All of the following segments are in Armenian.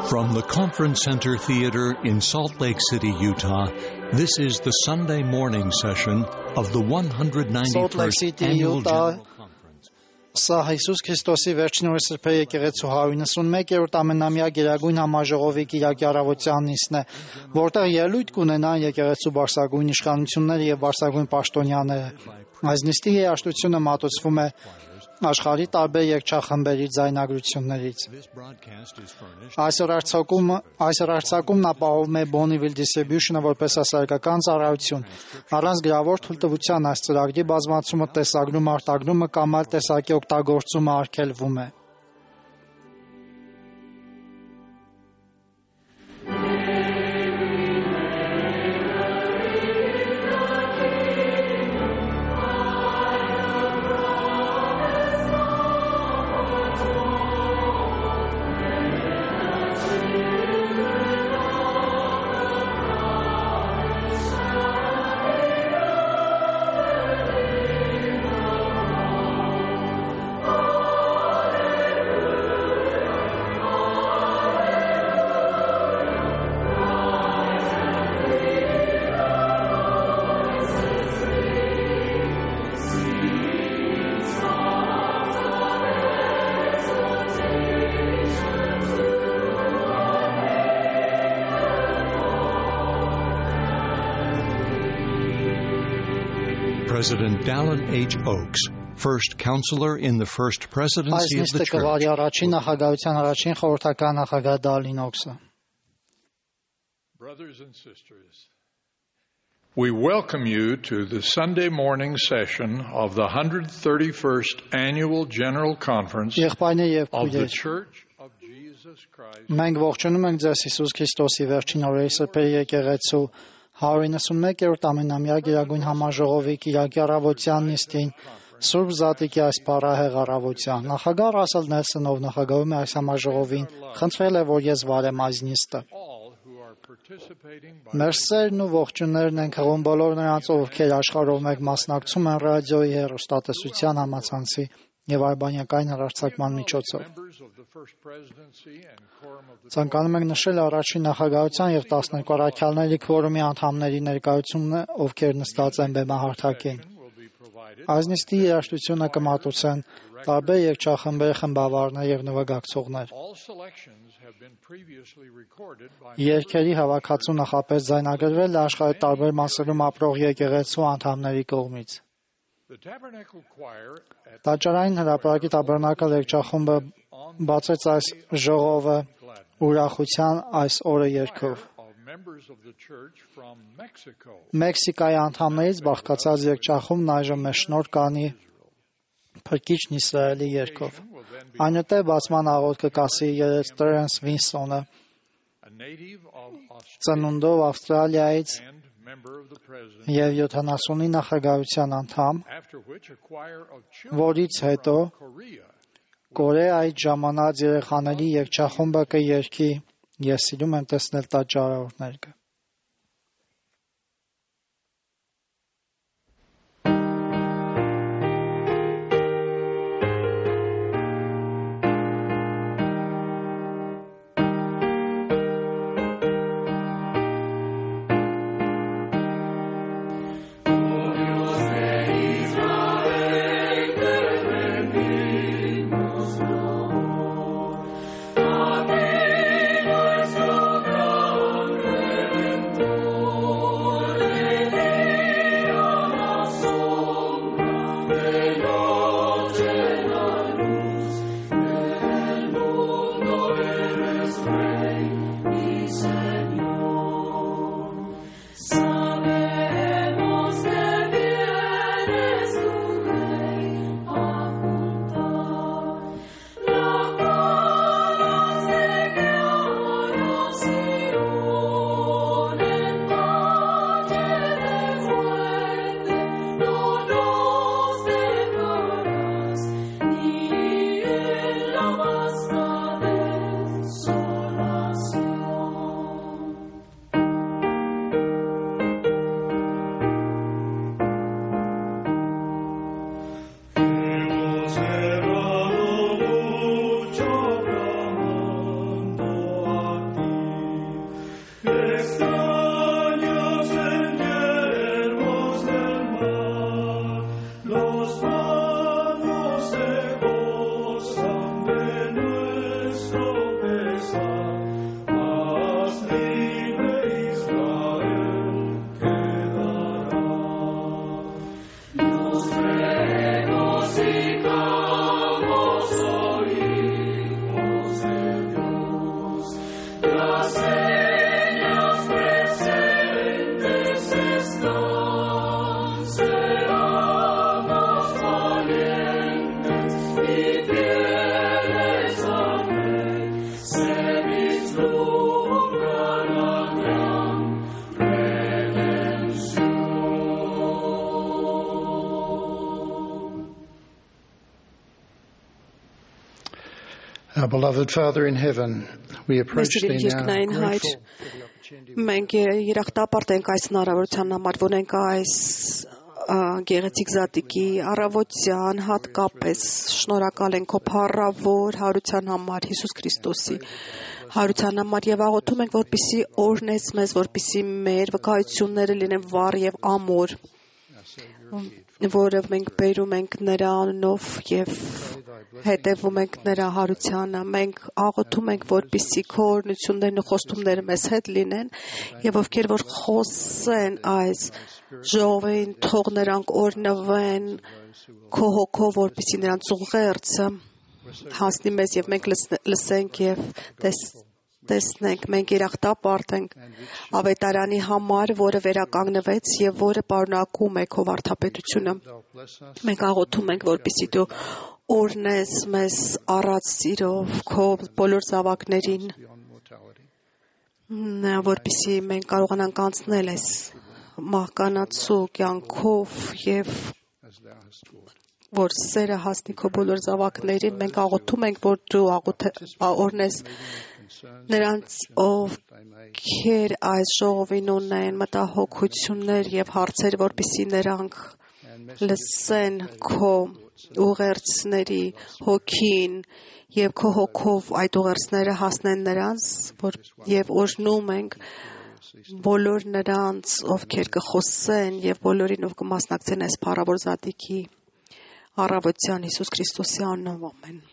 From the Conference Center Theater in Salt Lake City, Utah, this is the Sunday morning session of the 191st Annual General Conference. Սա Հիսուս Քրիստոսի վերջին օրը սրբե եկեղեցու 191-րդ ամենամյա Գերագույն համաժողովի Կիրակի առավոտյան նիստն է, որտեղ ելույթ կունենան եկեղեցու բարձրագույն իշխանությունները եւ բարձրագույն պաշտոնյաները։ Այս նիստի երաժշտությունը մատուցվում է աշխարհի տարբեր երգչախմբերի ձայնագրություններից։ Այսօր արձակումն ապահովում է Bonneville Distribution-ը որպես հասարակական ծառայություն։ Առանց գրավոր թույլտվության այս ծրագրի բազմացումը, տեսագրումը, արտագրումը կամ այլ տեսակի օգտագործումը արգելվում է։ President Dallin H. Oaks, first counselor in the first presidency of the church. Brothers and sisters, we welcome you to the Sunday morning session of the 131st Annual General Conference of the Church of Jesus Christ. Մենք ողջունում ենք ձեզ Հիսուս Քրիստոսի վերջին օրերի սրբե եկեղեցու 191-րդ ամենամյա Գերագույն համաժողովի Կիրակի առավոտյան նիստին Սուրբ Զատիկի այս փառահեղ առավոտյան։ Նախագահ Ռասել Նելսոնով նախագահում է այս համաժողովին, խնդրել է, որ ես վարեմ այս նիստը։ Մեր սերն ու ողջուններն ենք հղում բոլոր նրանց, ովքեր աշխարհով մեկ մասնակցում են ռադիոյի, հեռուստատեսության համացանցի եւ արբանյակային հեռարձակման միջոցով։ Ցանկանում ենք նշել առաջին նախագահության եւ 12 առաքյալների քվորումի անդամների ներկայությունը, ովքեր նստած են բեմահարթակին։ Այս նիստի երաժշտությունը կմատուցեն տարբեր երգչախմբերի խմբավարներ եւ նվագակցողներ։ Երգերի հավաքածու նախապես ձայնագրվել է աշխարհի տարբեր մասերում ապրող եկեղեցու անդամների կողմից։ Տաճարային հրապարակի Տաբերնակալ երգչախումբը բացեց այս ժողովը ուրախության այս օրը երգով։ Մեքսիկայի անդամներից բաղկացած երգչախումբն այժմ մեջնորդ կանի Փրկիչն Իսրայելի երգով։ Այնուհետև բացման աղոթքը կասի երեց Տրենս Վինսոնը, ծնունդով Ավստրալիայից եւ 70-ի նախագահության անդամ, որից հետո Կորեայից ժամանած երեխաների երգչախումբը կերգի «Ես սիրում եմ տեսնել տաճարավորները»։ Our beloved Father in heaven, we approach thee now grateful. Մենք երախտապարտ ենք այս հնարավորության համար, որ ենք այս գեղեցիկ զատիկի առավոտյան հատկապես շնորհակալ ենք քո փառավոր հարության համար, Հիսուս Քրիստոսի հարության համար եւ աղոթում ենք, որպեսզի օրհնես մեզ, որպեսզի մեր վկայությունները լինեն վառ եւ ամուր, որը մենք բերում ենք նրա անունով եւ հետևում ենք նրա հարությանը։ Մենք աղոթում ենք, որպեսզի քո օրհնություններն ու խոստումները մեզ հետ լինեն եւ ովքեր որ խոսեն այս ժողովին, թող նրանք օրհնվեն քո հոգով, որպեսզի նրանց ուղերձը հասնի մեզ եւ մենք լսենք եւ տեսնենք, մենք երախտապարտ ենք ավետարանի համար, որը վերականգնվեց եւ որը պարունակում է քո վարդապետությունը։ Մենք աղոթում ենք, որպեսզի դու օրհնես մեզ առած սիրով քո բոլոր զավակներին, որպեսզի մենք կարողանանք անցնել այս մահկանացու կյանքով եւ որ սերը հասնի քո բոլոր զավակներին։ Մենք աղոթում ենք, որ դու օրհնես նրանց, ովքեր այս ժողովին ունեն մտահոգություններ եւ հարցեր, որպեսզի նրանք լսեն քո ուղերձների հոգին եւ քո հոգով այդ ուղերձները հասնեն նրանց, եւ օրհնում ենք բոլոր նրանց, ովքեր կխոսեն եւ բոլորին, ով կմասնակցեն այս փառավոր զատիկի առավոտյան Հիսուս Քրիստոսի անունով, ամեն։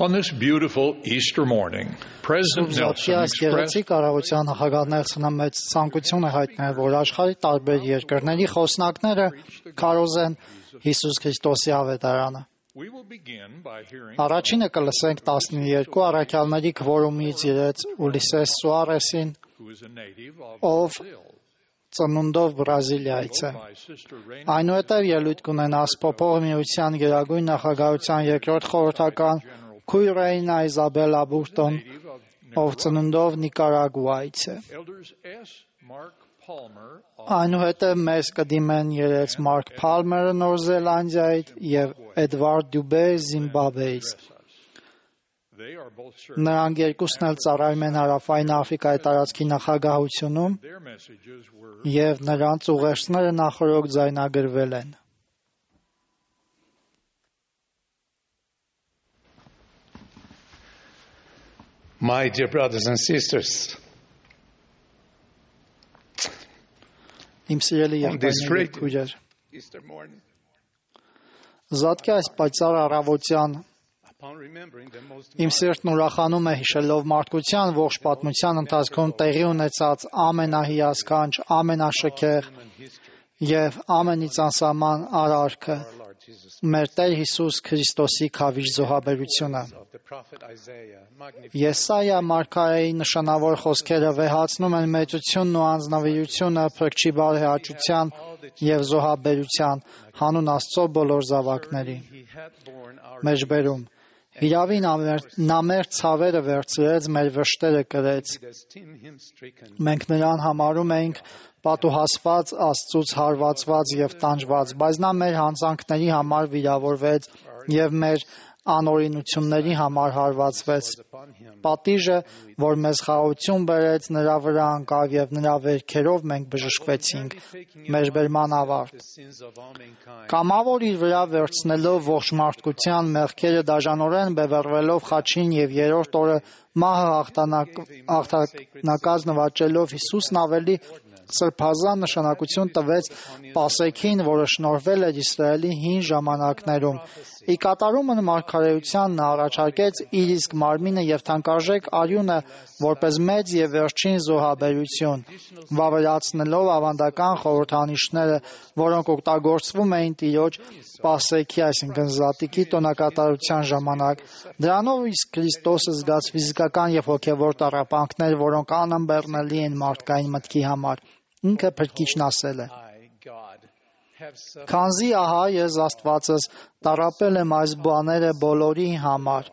On this beautiful Easter morning, President Nelson expressed մեծ ցանկություն է հայտնել, որ աշխարհի տարբեր երկրների խոսնակները քարոզեն Հիսուս Քրիստոսի ավետարանը։ Առաջինը կլսենք 12 առաքյալների քվորումից յուրից Ուլիսես Սուարեսին, ով ծնունդով Բրազիլիայից է։ Այնուհետև ելույթ կունենա Սփոփող միության գերագույն նախագահության երկրորդ խորհրդական Քույրեինա Իզաբելա Բուրտոն, ով ծնունդով Նիկարագուայից է։ Այնուհետև մեզ կդիմեն երեց Մարկ Փալմերը Նոր Զելանդիայից եւ Էդվարդ Դյուբե Զիմբաբվեից։ Նրանք երկուսն էլ ծառայում են Հարավային Աֆրիկայի տարածքի նախագահությունում եւ նրանց ուղերձները նախորդ ձայնագրվել են։ My dear brothers and sisters, Իմ սիրելի եղբայրներ և քույրեր, Զատկի այս պայծառ առավոտյան իմ սիրտն ուրախանում է հիշելով մարդկության ողջ պատմության ընթացքում տեղի ունեցած ամենահիասքանչ, ամենաշքեղ և ամենից անսահման արարքը մեր Տեր Հիսուս Քրիստոսի քավիժ զոհաբերությունը։ Եսայիա մարգարեի նշանավոր խոսքերը վեհացնում են մեծությունն ու անձնավիրությունը Փրկչի բարեհաճության և զոհաբերության հանուն Աստծո բոլոր զավակների։ Մեջբերում Հիրավի նա մեր ցավերը վերցրեց, մեր վշտերը կրեց։ Մենք նրան համարում էինք պատուհասված, Աստծուց հարվածված և տանջված, բայց նա մեր հանցանքների համար վիրավորվեց և մեր անօրինությունների համար հարվածվեց։ Պատիժը, որ մեզ խաղաղություն բերեց, նրա վրա ընկավ և նրա վերքերով մենք բժշկվեցինք։ Մեջբերման ավարտ։ Կամավոր իր վրա վերցնելով ողջ մարդկության մեղքերը դաժանորեն բևեռվելով խաչին և երրորդ օրը մահը հաղթանակած նվաճելով Հիսուսն ավելի սրբազան նշանակություն տվեց Պասեքին, որը շնորհվել էր Իսրայելի հին ժամանակներում։ Ի կատարումն մարգարեության նա առաջարկեց իր իսկ մարմինը և թանկարժեք արյունը որպես մեծ և վերջին զոհաբերություն, վավերացնելով ավանդական խորհրդանիշները, որոնք օգտագործվում էին Տիրոջ Պասեքի, այսինքն Զատիկի տոնակատարության ժամանակ։ Դրանով իսկ Քրիստոսը զգաց ֆիզիկական և հոգևոր տառապանքներ, որոնք անըմբեռնելի են մարդկային մտքի համար։ Ինքը Փրկիչն ասել է. Քանզի ահա ես Աստվածս տառապել եմ այս բաները բոլորի համար։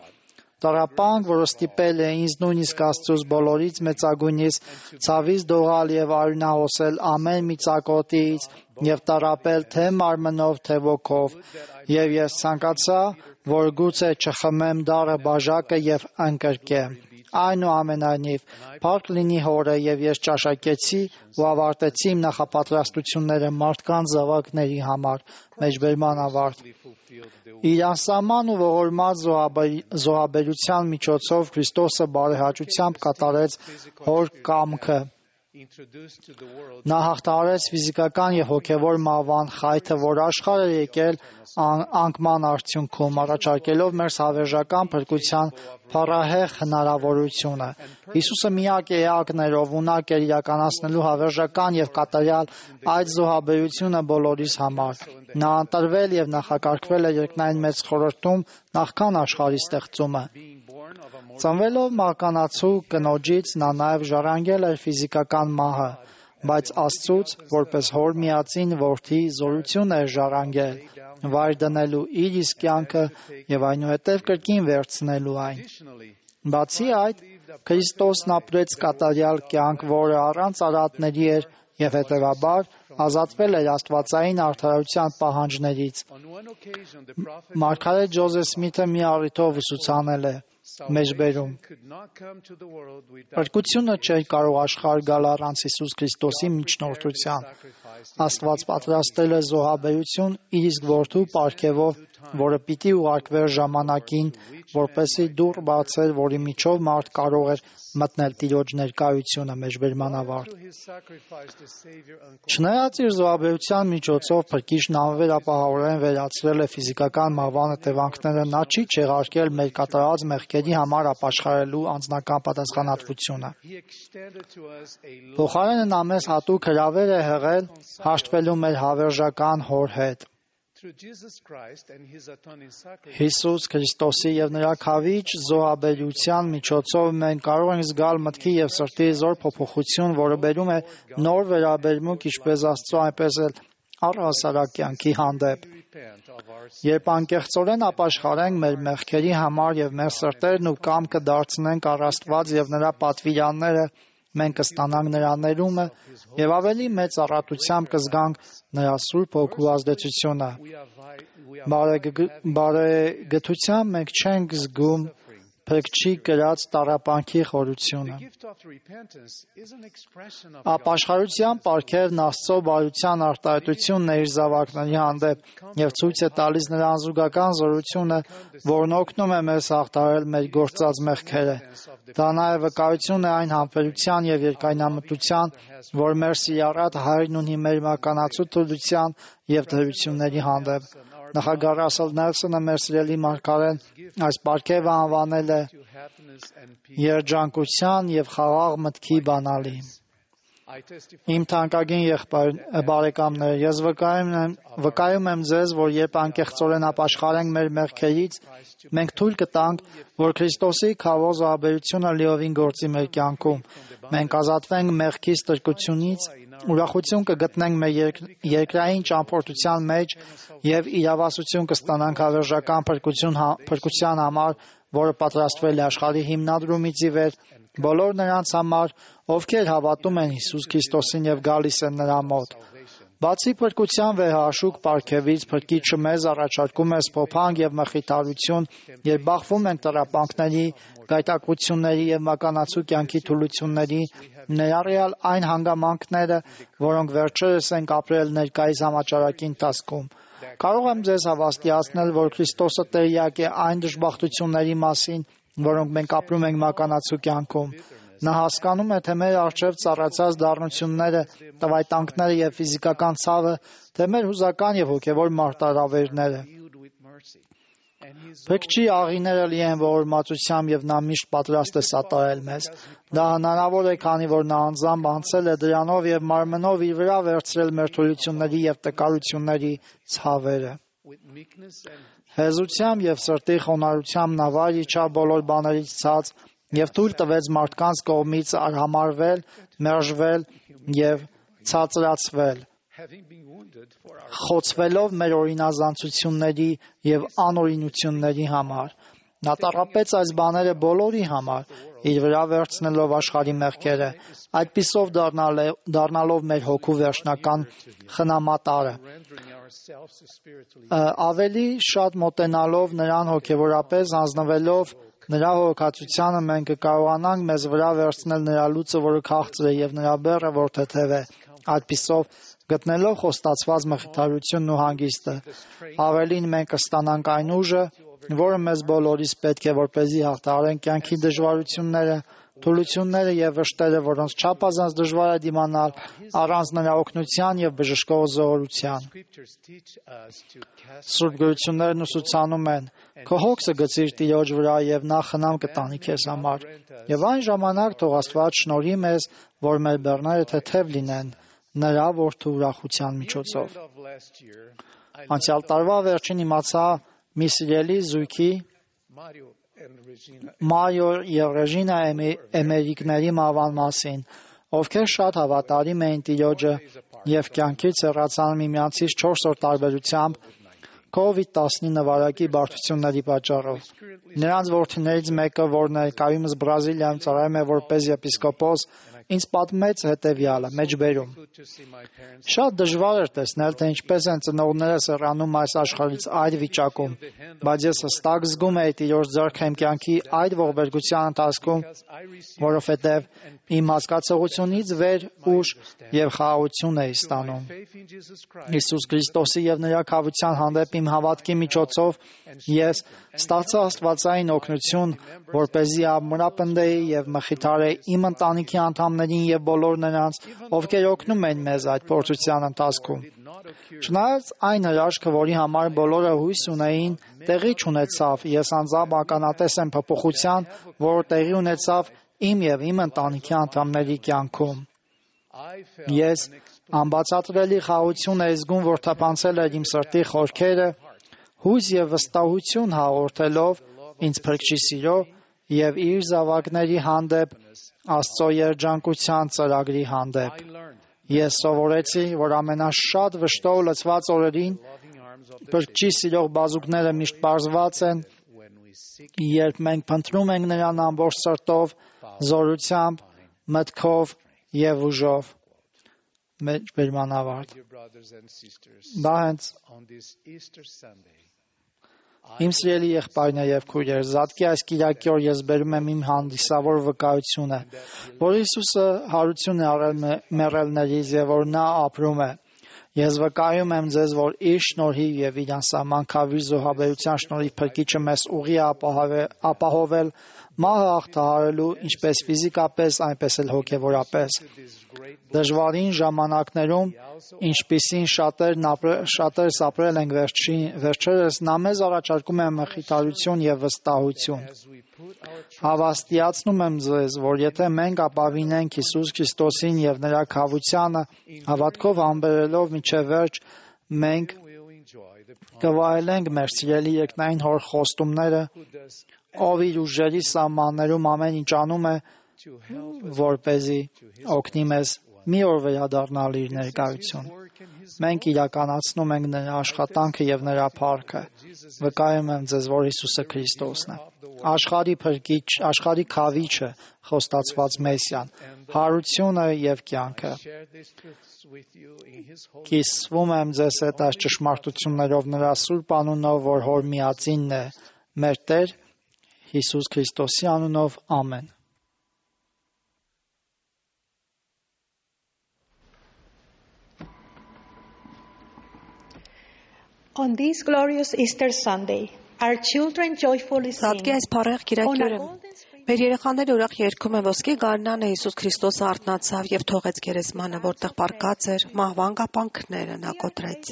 Տառապանք, որը ստիպել է ինձ նույնիսկ Աստծուց բոլորից մեծագույնից ցավից դողալ և արյունահոսել ամեն մի ծակոտից և տառապել թե մարմնով, թե ոգով, և ես ցանկացա, որ գուցե չխմեմ դառը բաժակը և ընկրկեմ։ Այնուամենայնիվ, փառք լինի Հորը, և ես ճաշակեցի ու ավարտեցի իմ նախապատրաստությունները մարդկանց զավակների համար։ Մեջբերման ավարտ։ Իր անսահման ու ողորմած զոհաբերության միջոցով Քրիստոսը բարեհաճությամբ կատարեց Հոր կամքը։ Նա հաղթահարեց ֆիզիկական և հոգևոր մահվան խայթը, որ աշխարհ է եկել անկման արդյունքում, առաջարկելով մեր հավերժական փրկության փառահեղ հնարավորությունը։ Հիսուսը միակ էակն էր, ով ունակ էր իրականացնելու հավերժական և կատարյալ այդ զոհաբերությունը բոլորիս համար։ Նա ընտրվել և նախակարգվել է երկնային մեծ խորհրդում նախքան աշխարհի ստեղծումը։ Ծնվելով մահկանացու կնոջից նա նաև ժառանգել էր ֆիզիկական մահը, բայց Աստծուց, որպես Հոր միածին Որդի, զորություն էր ժառանգել, վայր դնելու իր իսկ կյանքը և այնուհետև կրկին վերցնելու այն։ Բացի այդ, Քրիստոսն ապրեց կատարյալ կյանք, որը առանց արատների էր և հետևաբար ազատվել էր աստվածային արդարության պահանջներից։ Մարգարե Ջոզեֆ Սմիթը մի առիթով ուսուցանել է. Մեջբերում Փրկությունը չէր կարող աշխարհ գալ առանց Հիսուս Քրիստոսի միջնորդության։ Աստված պատրաստել է զոհաբերություն իր իսկ Որդու պարգևով, որը պիտի ուղարկվեր ժամանակին, որպեսզի դուռ բացեր, որի միջով մարդ կարող էր մտնել Տիրոջ ներկայությունը։ Մեջբերման ավարտ։ Չնայած իր զոհաբերության միջոցով Փրկիչն անվերապահորեն վերացրել է ֆիզիկական մահվան հետևանքները, նա չի չեղարկել մեր կատարած մեղքերի համար ապաշխարելու անձնական պատասխանատվությունը։ Փոխարենը նա մեզ հատուկ հրավեր է հղել հաշտվելու մեր հավերժական Հոր հետ։ Հիսուս Քրիստոսի և նրա քավիճ զոհաբերության միջոցով մենք կարող ենք զգալ մտքի և սրտի զոր փոփոխություն, որը բերում է նոր վերաբերմունք ինչպես Աստծո, այնպես էլ առհասարակ կյանքի հանդեպ։ Երբ անկեղծորեն ապաշխարենք մեր մեղքերի համար և մեր սրտերն ու կամքը դարձնենք առ Աստված և նրա պատվիրանները, մենք կստանանք նրա ներումը և ավելի մեծ առատությամբ կզգանք նրա Սուրբ Հոգու ազդեցությունը։ Բարեգթությամբ մենք չենք զգում փրկչի կրած տառապանքի խորությունը։ Ապաշխարության պարգևն Աստծո բարության արտահայտությունն է իր զավակների հանդեպ եւ ցույց է տալիս նրա անզուգական զորությունը, որն օգնում է մեզ հաղթահարել մեր գործած մեղքերը։ Դա նաեւ վկայություն է այն համբերության եւ երկայնամտության, որ մեր սիրառատ Հայրն ունի մեր մականացու թուլության եւ դրությունների հանդեպ։ Նախագահ Ռասել Նելսոնը մեր սիրելի մարգարեն այս պարգևը անվանել է երջանկության եւ խաղաղ մտքի բանալի։ Իմ թանկագին բարեկամներ, ես վկայում եմ ձեզ, որ երբ անկեղծորեն ապաշխարենք մեր մեղքերից, մենք թույլ կտանք, որ Քրիստոսի քավոզ զոհաբերությունը լիովին գործի մեր կյանքում։ Մենք ազատվենք մեղքի ստրկությունից, ուրախություն կգտնենք մեր երկրային ճամփորդության մեջ եւ իրավասություն կստանանք հավերժական փրկության համար, որը պատրաստվել է աշխարհի հիմնադրումից ի վեր բոլոր նրանց համար, ովքեր հավատում են Հիսուս Քրիստոսին եւ գալիս են նրա մոտ։ Բացի փրկության վեհաշուկ պարգևից, Փրկիչը մեզ առաջարկում է սփոփանք եւ մխիթարություն, երբ բախվում ենք տառապանքների, գայթակղությունների եւ մականացու կյանքի թուլությունների, ներառյալ այն հանգամանքները, որոնք վերջերս ենք ապրել ներկայիս համաճարակի ընթացքում։ Կարող եմ ձեզ հավաստիացնել, որ Քրիստոսը տեղյակ է այն դժբախտությունների մասին, որոնք մենք ապրում ենք մականացու կյանքում։ Նա հասկանում է, թե մեր առջև ծառացած դառնությունները, տվայտանքները եւ ֆիզիկական ցավը, թե մեր հուզական եւ հոգեվոր մարտահրավերները։ Փրկչի աղիները լի են ողորմածությամբ եւ նա միշտ պատրաստ է սատարել մեզ։ Դա հնարավոր է, քանի որ նա անձամբ անցել է դրանով եւ մարմնով իր վրա վերցրել մեր թուլությունների եւ տկարությունների ցավերը։ Հեզությամբ եւ սրտի խոնարհությամբ նա վայր իջավ բոլոր բաներից ցած եւ թույլ տվեց մարդկանց կողմից արհամարվել, մերժվել եւ ցածրացվել, խոցվելով մեր օրինազանցությունների եւ անօրինությունների համար։ Նա տառապեց այս բաները բոլորի համար, իր վրա վերցնելով աշխարհի մեղքերը, այդպիսով դառնալով մեր հոգու վերջնական խնամատարը։ Ավելի շատ մոտենալով նրան հոգեվորապես հանձնվելով նրա հոգացությանը մենք կկարողանանք մեզ վրա վերցնել նրա լուծը, որը քաղցր է, եւ նրա բեռը, որ թեթև է, այդպիսով գտնելով խոստացված մխիթարությունն ու հանգիստը։ Ավելին մենք կստանանք այն ուժը, որը մեզ բոլորիս պետք է, որպեսզի հաղթահարենք կյանքի դժվարությունները, թուլությունները եւ վշտերը, որոնց չափազանց դժվար է դիմանալ առանց նրա օգնության եւ բժշկող զորության։ Սուրբ գրություններն ուսուցանում են. քո հոգսը գցիր Տիրոջ վրա եւ նա խնամ կտանի քեզ համար։ Եվ այն ժամանակ թող Աստված շնորհի մեզ, որ մեր բեռները թեթև լինեն նրա որդու ուրախության միջոցով։ Անցյալ տարվա վերջին իմացա մի սիրելի զույգի Մարիո եւ Ռեժինա Էմերիկների մահվան մասին, ովքեր շատ հավատարիմ էին Տիրոջը եւ կյանքից հեռացան միմյանցից 4 օր տարբերությամբ COVID-19 վարակի բարդությունների պատճառով։ Նրանց որդիներից մեկը, որ ներկայումս Բրազիլիայում ծառայում է որպես եպիսկոպոս, ինձ պատմեց հետևյալը՝ մեջբերում. Շատ դժվար էր տեսնել, թե ինչպես են ծնողներս հեռանում այս աշխարհից այդ վիճակում, բայց ես հստակ զգում էի Տիրոջ ձեռքը իմ կյանքի այդ ողբերգության ընթացքում, որովհետև իմ հասկացողությունից վեր ուժ եւ խաղաղություն էի ստանում։ Հիսուս Քրիստոսի եւ նրա քավության հանդեպ իմ հավատքի միջոցով ես ստացա աստվածային օգնություն, որպեսզի ամրապնդեի եւ մխիթարեի իմ ընտանիքի անդամներին եւ բոլոր նրանց, ովքեր օգնում են մեզ այդ փորձության ընթացքում։ Չնայած այն հրաշքը, որի համար բոլորը հույս ունեին, տեղի չունեցավ, ես անձամբ ականատես եմ փոփոխության, որը տեղի ունեցավ իմ եւ իմ ընտանիքի անդամների կյանքում։ Ես անբացատրելի խաղաղություն եմ զգում, որ թափանցել էր իմ սրտի խորքերը, հույս եւ վստահություն հաղորդելով ինձ Փրկչի սիրո եւ իր զավակների հանդեպ Աստծո երջանկության ծրագրի հանդեպ։ Ես սովորեցի, որ ամենաշատ վշտով լցված օրերին Փրկչի սիրող բազուկները միշտ պարզված են, երբ մենք փնտրում ենք նրան ամբողջ սրտով, զորությամբ, մտքով եւ ուժով։ Մեջբերման ավարտ։ Դա հենց Իմ սիրելի եղբայրներ եւ քույրեր, Զատկի այս կիրակի օր ես բերում եմ իմ հանդիսավոր վկայությունը, որ Հիսուսը հարություն է արել մեռելներից եւ որ նա ապրում է։ Ես վկայում եմ ձեզ, որ իր շնորհիվ եւ իր անսահմանքավիր զոհաբերության շնորհիվ Փրկիչը մեզ ուղի է ապահովել մահը հաղթահարելու ինչպես ֆիզիկապես, այնպես էլ հոգեվորապես։ Դժվարին ժամանակներում, ինչպիսին շատերս ապրել ենք վերջերս, նա մեզ առաջարկում է մխիթարություն եւ վստահություն։ Հավաստիացնում եմ ձեզ, որ եթե մենք ապավինենք Հիսուս Քրիստոսին եւ նրա քավությանը, հավատքով համբերելով մինչև վերջ, մենք կվայելենք մեր սիրելի երկնային Հոր խոստումները, ով իր ուժերի սահմաններում ամեն ինչ անում է, որպեսզի օգնի մեզ մի օր վերադառնալ իր ներկայություն։ Մենք իրականացնում ենք նրա աշխատանքը եւ նրա փառքը։ Վկայում եմ ձեզ, որ Հիսուսը Քրիստոսն է, աշխարհի Փրկիչ, աշխարհի Քավիչը, խոստացված Մեսիան, հարությունը եւ կյանքը։ Կիսվում եմ ձեզ հետ այս ճշմարտություններով նրա սուրբ անունով, որ Հոր միածինն է, մեր Տեր Հիսուս Քրիստոսի անունով, ամեն։ On this glorious Easter Sunday, our children joyfully sing. Զատկի այս փառեղ կիրակյուրը մեր երեխաները ուրախ երգում են ոսկե գարնանը Հիսուս Քրիստոսը արթնացավ եւ թողեց գերեզմանը, որտեղ պառկած էր, մահվան կապանքները նա կոտրեց։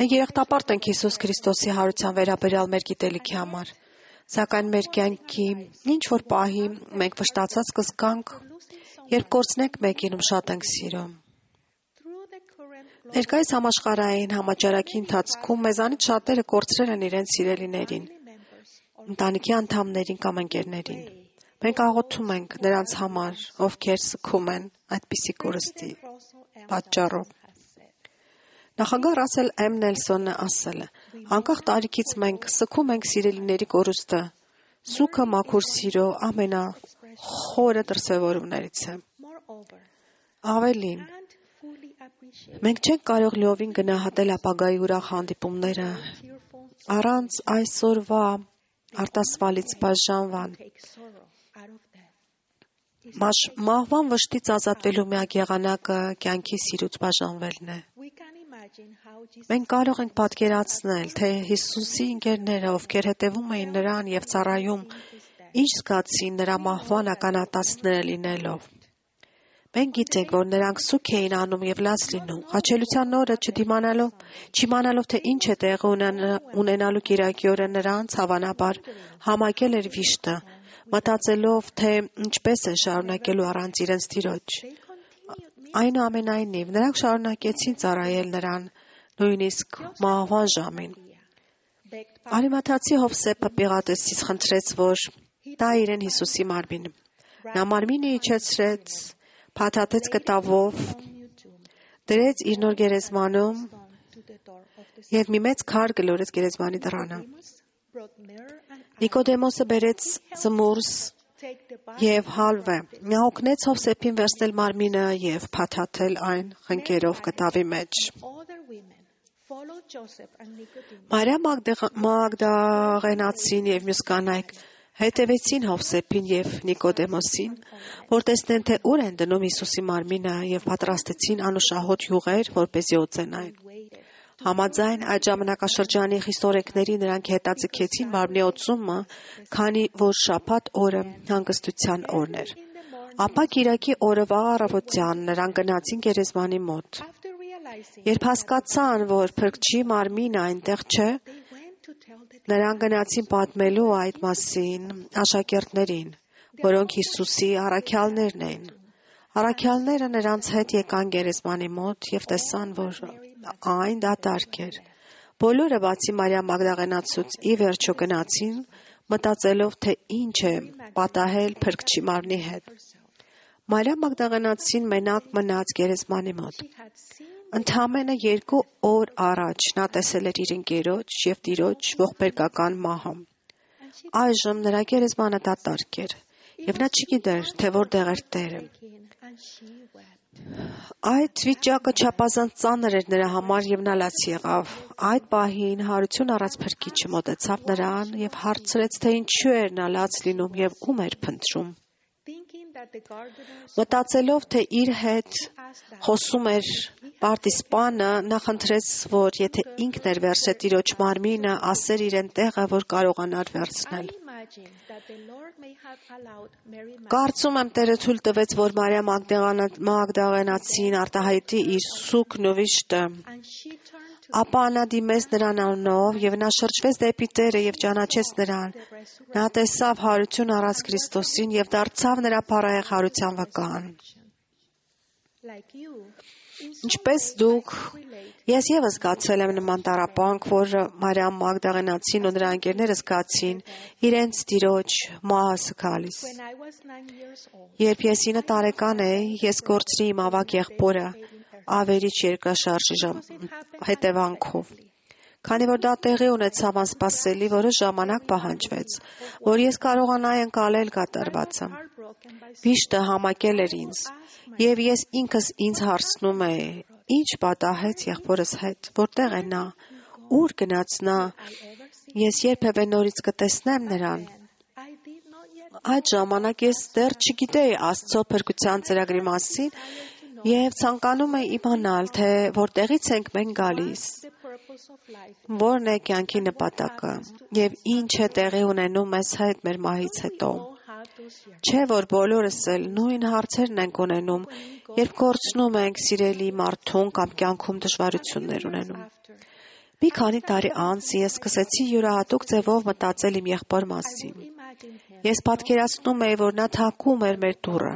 Մենք երախտապարտ ենք Հիսուս Քրիստոսի հարության վերաբերյալ մեր գիտելիքի համար, սակայն մեր կյանքի ինչ որ պահի մենք վշտացած կզգանք, երբ կորցնենք մեկին, ում շատ ենք սիրում։ Ներկայիս համաշխարհային համաճարակի ընթացքում մեզանից շատերը կորցրել են իրենց սիրելիներին, ընտանիքի անդամներին կամ ընկերներին։ Մենք աղոթում ենք նրանց համար, ովքեր սգում են այդպիսի կորստի պատճառով։ Նախագահ Ռասել M. Նելսոնը ասել է. անկախ տարիքից մենք սգում ենք սիրելիների կորուստը, սուգը մաքուր սիրո ամենախորը դրսևորումներից է։ Ավելին, մենք չենք կարող լիովին գնահատել ապագայի ուրախ հանդիպումները առանց այսօրվա արտասվալից բաժանվան։ Մահվան վշտից ազատվելու միակ եղանակը կյանքի սիրուց բաժանվելն է։ Մենք կարող ենք պատկերացնել, թե Հիսուսի ընկերները, ովքեր հետևում էին նրան եւ ծառայում, ինչ զգացին նրա մահվան ականատեսները լինելով։ Մենք գիտենք, որ նրանք սուգ էին անում եւ լաց լինում, ղաչելության օրը չիմանալով, թե ինչ է տեղի ունենալու կիրակի օրը նրանց, հավանաբար, համակել էր վիշտը, մտածելով, թե ինչպես են շարունակելու առանց իրենց Տիրոջ։ Այնուամենայնիվ, նրանք շարունակեցին ծառայել նրան, նույնիսկ մահվան ժամին։ Արիմաթացի Հովսեփը Պիղատեսից խնդրեց, որ տա իրեն Հիսուսի մարմինը։ Նա մարմինը իջեցրեց, փաթաթեց կտավով, դրեց իր նոր գերեզմանում եւ մի մեծ քար գլորեց գերեզմանի դռանը։ Նիկոդեմոսը բերեց զմուրս եւ հալվը։ Նա օգնեց Հովսեփին վերցնել մարմինը եւ փաթաթել այն խնկերով կտավի մեջ։ Մարիամ Մագդաղենացին եւ մյուս կանայք հետևեցին Հովսեփին եւ Նիկոդեմոսին, որ տեսնեն, թե ուր են դնում Հիսուսի մարմինը եւ պատրաստեցին անուշահոտ յուղեր, որպեսզի օծեն այն։ Համաձայն այդ ժամանակաշրջանի խիստ օրենքների նրանք հետաձգեցին մարմնի օծումը, քանի որ շաբաթ օրը հանգստության օրն էր։ Ապա կիրակի օրվա առավոտյան նրանք գնացին գերեզմանի մոտ։ Երբ հասկացան, որ Փրկչի մարմինը այնտեղ չէ, նրանք գնացին պատմելու այդ մասին աշակերտներին, որոնք Հիսուսի առաքյալներն էին։ Առաքյալները նրանց հետ եկան գերեզմանի մոտ եւ տեսան, որ այն դատարկ էր։ Բոլորը բացի Մարիամ Մագդաղենացուց ի վերջո գնացին, մտածելով, թե ինչ է պատահել Փրկչի մարմնի հետ։ Մարիամ Մագդաղենացին մենակ մնաց գերեզմանի մոտ։ Ընդամենը 2 օր առաջ նա տեսել էր իր ընկերոջ եւ Տիրոջ ողբերգական մահը։ Այժմ նրա գերեզմանը դատարկ էր, Եվ նա չգիտեր, թե որտեղ էր Տերը։ Այդ վիճակը չափազանց ծանր էր նրա համար եւ նա լաց եղավ։ Այդ պահին հարություն առած փրկիչը մոտեցավ նրան եւ հարցրեց, թե ինչու էր նա լաց լինում եւ ում էր փնտրում։ Մտածելով, թե իր հետ խոսում էր պարտիզպանը, նա խնդրեց, որ եթե ինքն էր վերցրել տիրոջ մարմինը, ասեր իրեն տեղը, որ կարողանար վերցնել։ Կարծում եմ Տերը թույլ տվեց, որ Մարիամ Մագդաղենացին արտահայտի իր սուգն ու վիշտը։ Ապա նա դիմեց նրան անունով եւ նա շրջվեց դեպի Տերը եւ ճանաչեց նրան։ Նա տեսավ հարություն առած Քրիստոսին եւ դարձավ նրա փառահեղ հարության վկան։ Ինչպես դուք, ես եւս զգացել եմ նման տառապանք, որ Մարիամ Մագդաղենացին ու նրա ընկերները զգացին իրենց տիրոջ մահը գալիս։ Երբ ես 9 տարեկան էի, ես կորցրի իմ ավագ եղբորը ավերիչ երկրաշարժի հետևանքով։ Քանի որ դա տեղի ունեցավ անսպասելի, որոշ ժամանակ պահանջվեց, որ ես կարողանայի ընկալել կատարվածը։ Վիշտը համակել էր ինձ, եւ ես ինքս ինձ հարցնում էի. ինչ պատահեց եղբորս հետ, որտեղ է նա, ուր գնաց նա, ես երբևէ նորից կտեսնեմ նրան։ Այդ ժամանակ ես դեռ չգիտեի Աստծո փրկության ծրագրի մասին եւ ցանկանում էի իմանալ, թե որտեղից ենք մենք գալիս, որն է կյանքի նպատակը եւ ինչ է տեղի ունենում մեզ հետ մեր մահից հետո։ Չէ՞ որ բոլորս էլ նույն հարցերն ենք ունենում, երբ կորցնում ենք սիրելի մարդուն կամ կյանքում դժվարություններ ունենում։ Մի քանի տարի անց ես սկսեցի յուրահատուկ ձևով մտածել իմ եղբոր մասին։ Ես պատկերացնում էի, որ նա թակում էր մեր դուռը։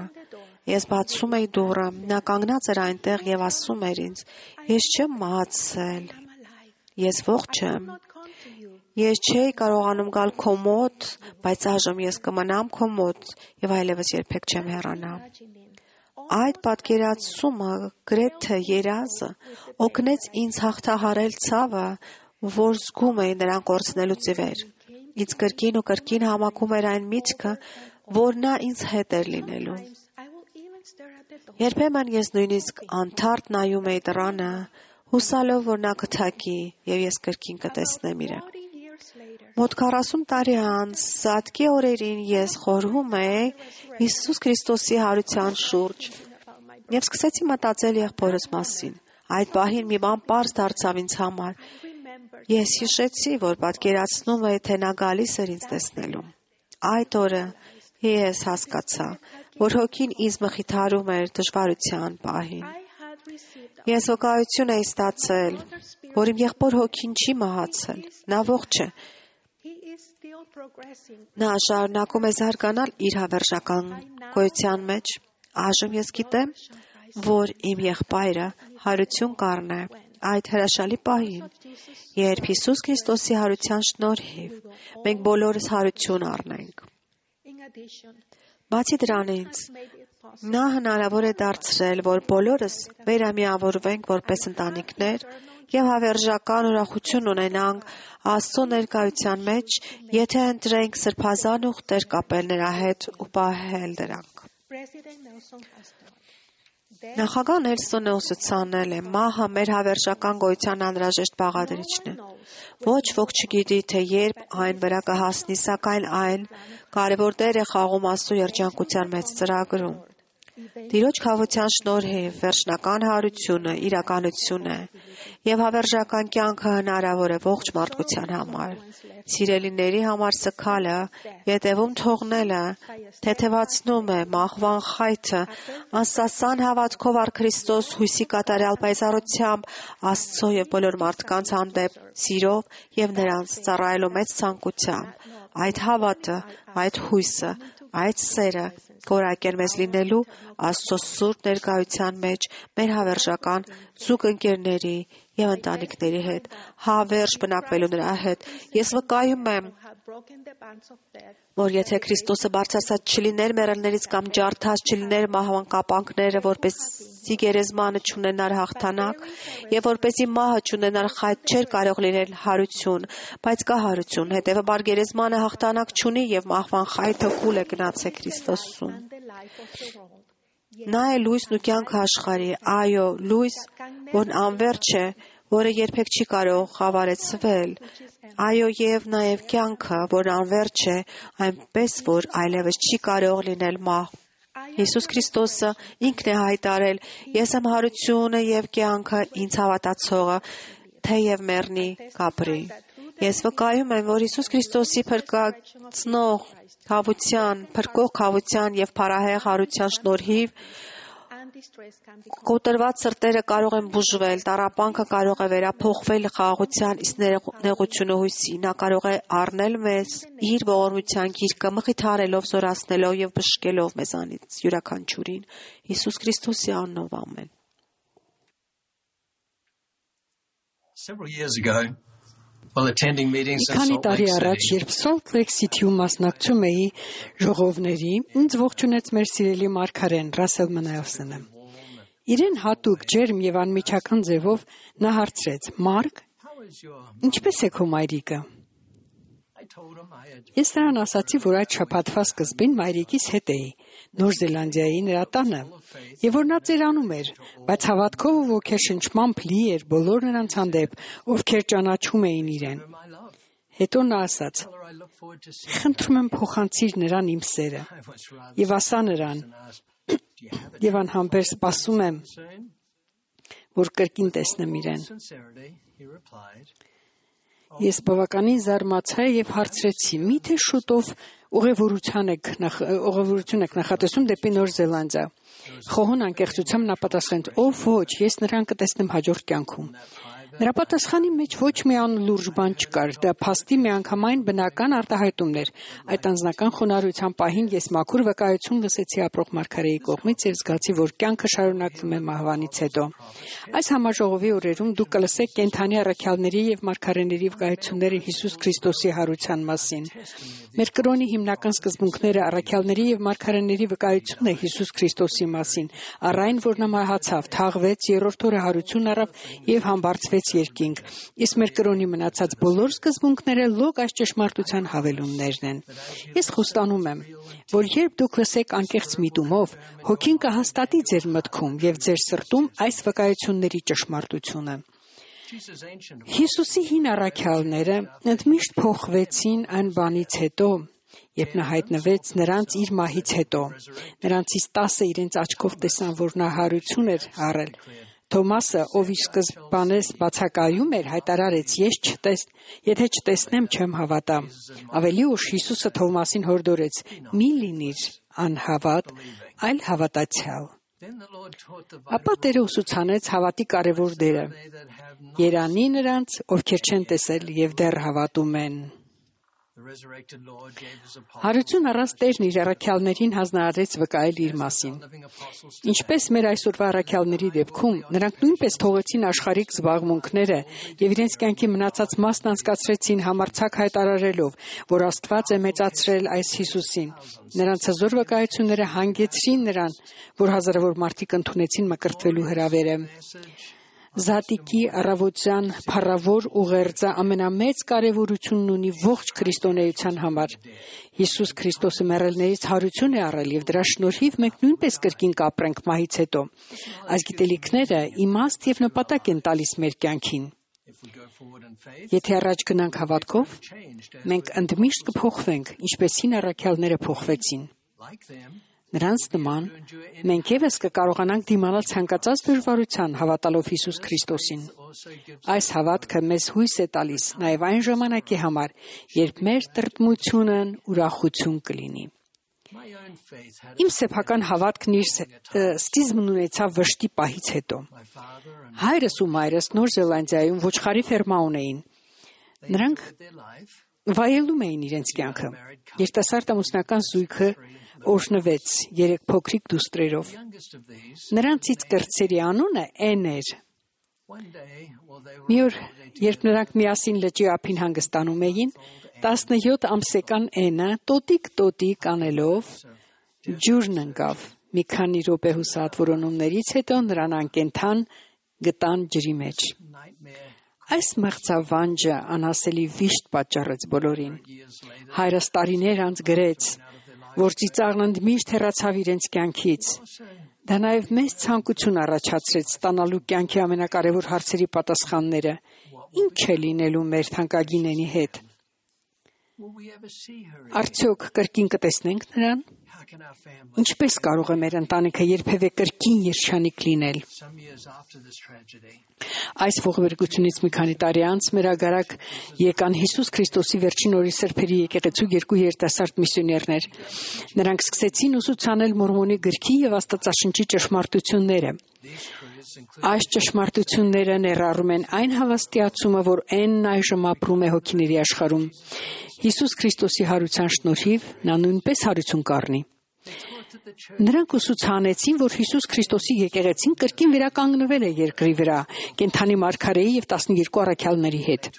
Ես բացում էի դուռը, նա կանգնած էր այնտեղ եւ ասում էր ինձ. ես չեմ մահացել, ես ողջ եմ։ Ես չէի կարողանում գալ քո մոտ, բայց այժմ ես կմնամ քո մոտ եւ այլևս երբեք չեմ հեռանա։ Այդ պատկերացումը գրեթե երազը օգնեց ինձ հաղթահարել ցավը, որ զգում էի նրան կորցնելուց ի վեր։ Ինձ կրկին ու կրկին համակում էր այն միտքը, որ նա ինձ հետ էր լինելու։ Երբեմն ես նույնիսկ անթարթ նայում էի դռանը, հուսալով, որ նա կթակի եւ ես կրկին կտեսնեմ իրեն։ Մոտ 40 տարի անց, Սատկի օրերին ես խորհում էի Հիսուս Քրիստոսի հարության շուրջ եւ սկսեցի մտածել եղբորս մասին։ Այդ պահին մի բան պարզ դարձավ ինձ համար։ Ես հիշեցի, որ պատկերացնում էի, թե նա գալիս էր ինձ տեսնելու։ Այդ օրը ես հասկացա, որ հոգին ինձ մխիթարում էր դժվարության պահին։ Ես վկայություն էի ստացել, որ իմ եղբոր հոգին չի մահացել, նա ողջ է։ Նա շարունակում է զարգանալ իր հավերժական գոյության մեջ։ Այժմ ես գիտեմ, որ իմ եղբայրը հարություն կառնե այդ հրաշալի պահին, երբ Հիսուս Քրիստոսի հարության շնորհիվ մենք բոլորս հարություն առնենք։ Բացի դրանից, նա հնարավոր է դարձրել, որ բոլորս վերամիավորվենք որպես ընտանիքներ եւ հավերժական ուրախություն ունենանք Աստծո ներկայության մեջ, եթե ընտրենք սրբազան ուխտեր կապել նրա հետ ու պահել դրանք։ Նախագահ Նելսոնը ուսուցանել է. մահը մեր հավերժական գոյության անհրաժեշտ բաղադրիչն է։ Ոչ ոք չգիտի, թե երբ այն վրա կհասնի, սակայն այն կարևոր դեր է խաղում Աստծո երջանկության մեծ ծրագրում։ Տիրոջ խաղության շնորհիվ վերջնական հարությունը իրականություն է եւ հավերժական կյանքը հնարավոր է ողջ մարդկության համար։ Սիրելիների համար սքալը, յետևում թողնելը, թեթևացնում է մահվան խայթը, անսասան հավատքով առ Քրիստոս հույսի կատարյալ պայծառությամբ Աստծո եւ բոլոր մարդկանց հանդեպ սիրով եւ նրանց ծառայելու մեծ ցանկությամբ։ Այդ հավատը, այդ հույսը, այդ սերը կորակեր մեզ լինելու Աստծո սուրբ ներկայության մեջ մեր հավերժական զուգընկերների եւ ընտանիքների հետ, հավերժ բնակվելու նրա հետ։ Ես վկայում եմ, որ եթե Քրիստոսը բարձրացած չլիներ մեռելներից կամ ջարդած չլիներ մահվան կապանքները, որպեսզի գերեզմանը չունենար հաղթանակ եւ որպեսզի մահը չունենար խայտ, չէր կարող լինել հարություն, բայց կա հարություն, հետեւաբար գերեզմանը հաղթանակ չունի եւ մահվան մահվան խայթը կուլ է գնացել Քրիստոսում։ Նա է լույսն ու կյանքը աշխարհի, այո, լույս, որն անվերջ է, որը երբեք չի կարող խավարեցվել, այո, եւ նաեւ կյանքը, որն անվերջ է, այնպես որ այլևս չի կարող լինել մահ։ Հիսուս Քրիստոսը ինքն է հայտարել. «Ես եմ հարությունը եւ կյանքը, ինձ հավատացողը, թեև մեռնի, կապրի»։ Ես վկայում եմ, որ Հիսուս Քրիստոսի փրկող խավության եւ փառահեղ հարության շնորհիվ կոտրված սրտերը կարող են բուժվել, տառապանքը կարող է վերափոխվել խաղաղության, իսկ նեղությունը հույսի։ Նա կարող է առնել մեզ իր ողորմության գիրկը, մխիթարելով, զորացնելով եւ բժշկելով մեզանից յուրաքանչյուրին։ Հիսուս Քրիստոսի անունով ամեն։ Քանի տարի առաջ, երբ Salt Lake City-ում մասնակցում էի ժողովների, ինձ ողջունեց մեր սիրելի մարգարեն Ռասել Մնայոսյանը։ Իրեն հատուկ ջերմ եւ անմիջական ձևով նա հարցրեց. «Մարկ, ինչպես է քո մայրիկը»։ Ես նրան ասացի, որ այդ շաբաթվա սկզբին մայրիկիս հետ էի Նոր Զելանդիայի նրա տանը, եւ որ նա ծերանում էր, բայց հավատքով ու ոգեշնչմամբ լի էր բոլոր նրանց հանդեպ, ովքեր ճանաչում էին իրեն։ Հետո նա ասաց. «Խնդրում եմ փոխանցիր նրան իմ սերը եւ ասա նրան, եւ անհամբեր սպասում եմ, որ կրկին տեսնեմ իրեն»։ Ես բավականին զարմացա եւ հարցրեցի. «Միթե շուտով ուղևորություն եք նախատեսում դեպի Նոր Զելանդիա»։ Խոհուն անկեղծությամբ նա պատասխանեց. «Ով ոչ, ես նրան կտեսնեմ հաջորդ կյանքում»։ Նրա պատասխանի մեջ ոչ մի անլուրջ բան չկար, դա փաստի միանգամայն բնական արտահայտումն էր։ Այդ անձնական խոնարհության պահին ես մաքուր վկայություն լսեցի ապրող մարգարեի կողմից եւ զգացի, որ կյանքը շարունակվում է մահվանից հետո։ Այս համաժողովի օրերում դուք կլսեք կենդանի առաքյալների եւ մարգարեների վկայությունները Հիսուս Քրիստոսի հարության մասին։ Մեր կրոնի հիմնական սկզբունքները առաքյալների եւ մարգարեների վկայությունն է Հիսուս Քրիստոսի մասին, առ այն, որ նա մահացավ, թաղվեց, երրորդ օրը հարություն առավ եւ համբարձվեց երկինք, իսկ մեր կրոնի մնացած բոլոր սկզբունքները լոկ այս ճշմարտության հավելումներն են։ Ես խոստանում եմ, որ երբ դուք լսեք անկեղծ միտումով, հոգին կհաստատի ձեր մտքում եւ ձեր սրտում այս վկայությունների ճշմարտությունը։ Հիսուսի հին առաքյալները ընդմիշտ փոխվեցին այն բանից հետո, երբ նա հայտնվեց նրանց իր մահից հետո։ Նրանցից 10-ը իրենց աչքով տեսան, որ նա հարություն էր առել։ Թոմասը, ով ի սկզբանե բացակայում էր, հայտարարեց. «Եթե չտեսնեմ, չեմ հավատա»։ Ավելի ուշ Հիսուսը Թոմասին հորդորեց. «Մի լինիր անհավատ, այլ հավատացյալ»։ Ապա Տերը ուսուցանեց հավատի կարևոր դերը. «Երանի նրանց, ովքեր չեն տեսել եւ դեռ հավատում են»։ Հարություն առած Տերն իր առաքյալներին հանձնարարեց վկայել իր մասին։ Ինչպես մեր այսօրվա առաքյալների դեպքում, նրանք նույնպես թողեցին աշխարհիկ զբաղմունքները եւ իրենց կյանքի մնացած մասն անցկացրեցին համարձակ հայտարարելով, որ Աստված է մեծացրել այս Հիսուսին։ Նրանց հզոր վկայությունները հանգեցրին նրան, որ հազարավոր մարդիկ ընդունեցին մկրտվելու հրավերը։ Զատիկի առավոտյան փառավոր ուղերձը ամենամեծ կարևորությունն ունի ողջ քրիստոնեության համար։ Հիսուս Քրիստոսը մեռելներից հարություն է առել եւ դրա շնորհիվ մենք նույնպես կրկին կապրենք մահից հետո։ Այս գիտելիքները իմաստ եւ նպատակ են տալիս մեր կյանքին։ Եթե առաջ գնանք հավատքով, մենք ընդմիշտ կփոխվենք, ինչպես հին առաքյալները փոխվեցին։ Նրանց նման մենք եւս կկարողանանք դիմանալ ցանկացած դժվարության հավատալով Հիսուս Քրիստոսին։ Այս հավատքը մեզ հույս է տալիս նաեւ այն ժամանակի համար, երբ մեր տրտմությունն ուրախություն կլինի։ Իմ սեփական հավատքն իր սկիզբն ունեցավ վշտի պահից հետո։ Հայրս ու մայրս Նոր Զելանդիայում ոչխարի ֆերմա ունեին։ Նրանք վայելում էին իրենց կյանքը։ Երիտասարդ ամուսնական զույգը օրհնվեց 3 փոքրիկ դուստրերով։ Նրանցից կրտսերի անունը Էն էր։ Մի օր, երբ նրանք միասին լճի ափին հանգստանում էին, 17 ամսական Էնը տոտիկ անելով ջուրն ընկավ։ Մի քանի րոպե հուսահատ որոնումներից հետո նրան անկենդան գտան ջրի մեջ։ Այս մղձավանջը անասելի վիշտ պատճառեց բոլորին։ Հայրս տարիներ անց գրեց, որ ծիծաղն ընդմիշտ հեռացավ իրենց կյանքից։ Դա նաև մեծ ցանկություն առաջացրեց ստանալու կյանքի ամենակարևոր հարցերի պատասխանները։ Ինչ է լինելու մեր թանկագինենի հետ։ Արդյոք կրկին կտեսնենք նրան։ Ինչպես կարող է մեր ընտանիքը երբևէ կրկին երջանիկ լինել։ Այս ողբերգությունից մի քանի տարի անց մեր ագարակ եկան Հիսուս Քրիստոսի վերջին օրի սրբերի եկեղեցու երկու երիտասարդ միսիոներներ։ Նրանք սկսեցին ուսուցանել Մորմոնի գրքի եւ Աստվածաշնչի ճշմարտությունները։ Այս ճշմարտությունները ներառում են այն հավաստիացումը, որ N-ն այժմ ապրում է հոգիների աշխարհում։ Հիսուս Քրիստոսի հարության շնորհիվ նա նույնպես հարություն կառնի։ Նրանք ուսուցանեցին, որ Հիսուս Քրիստոսի եկեղեցին կրկին վերականգնվել է երկրի վրա, կենդանի մարգարեի եւ 12 առաքյալների հետ։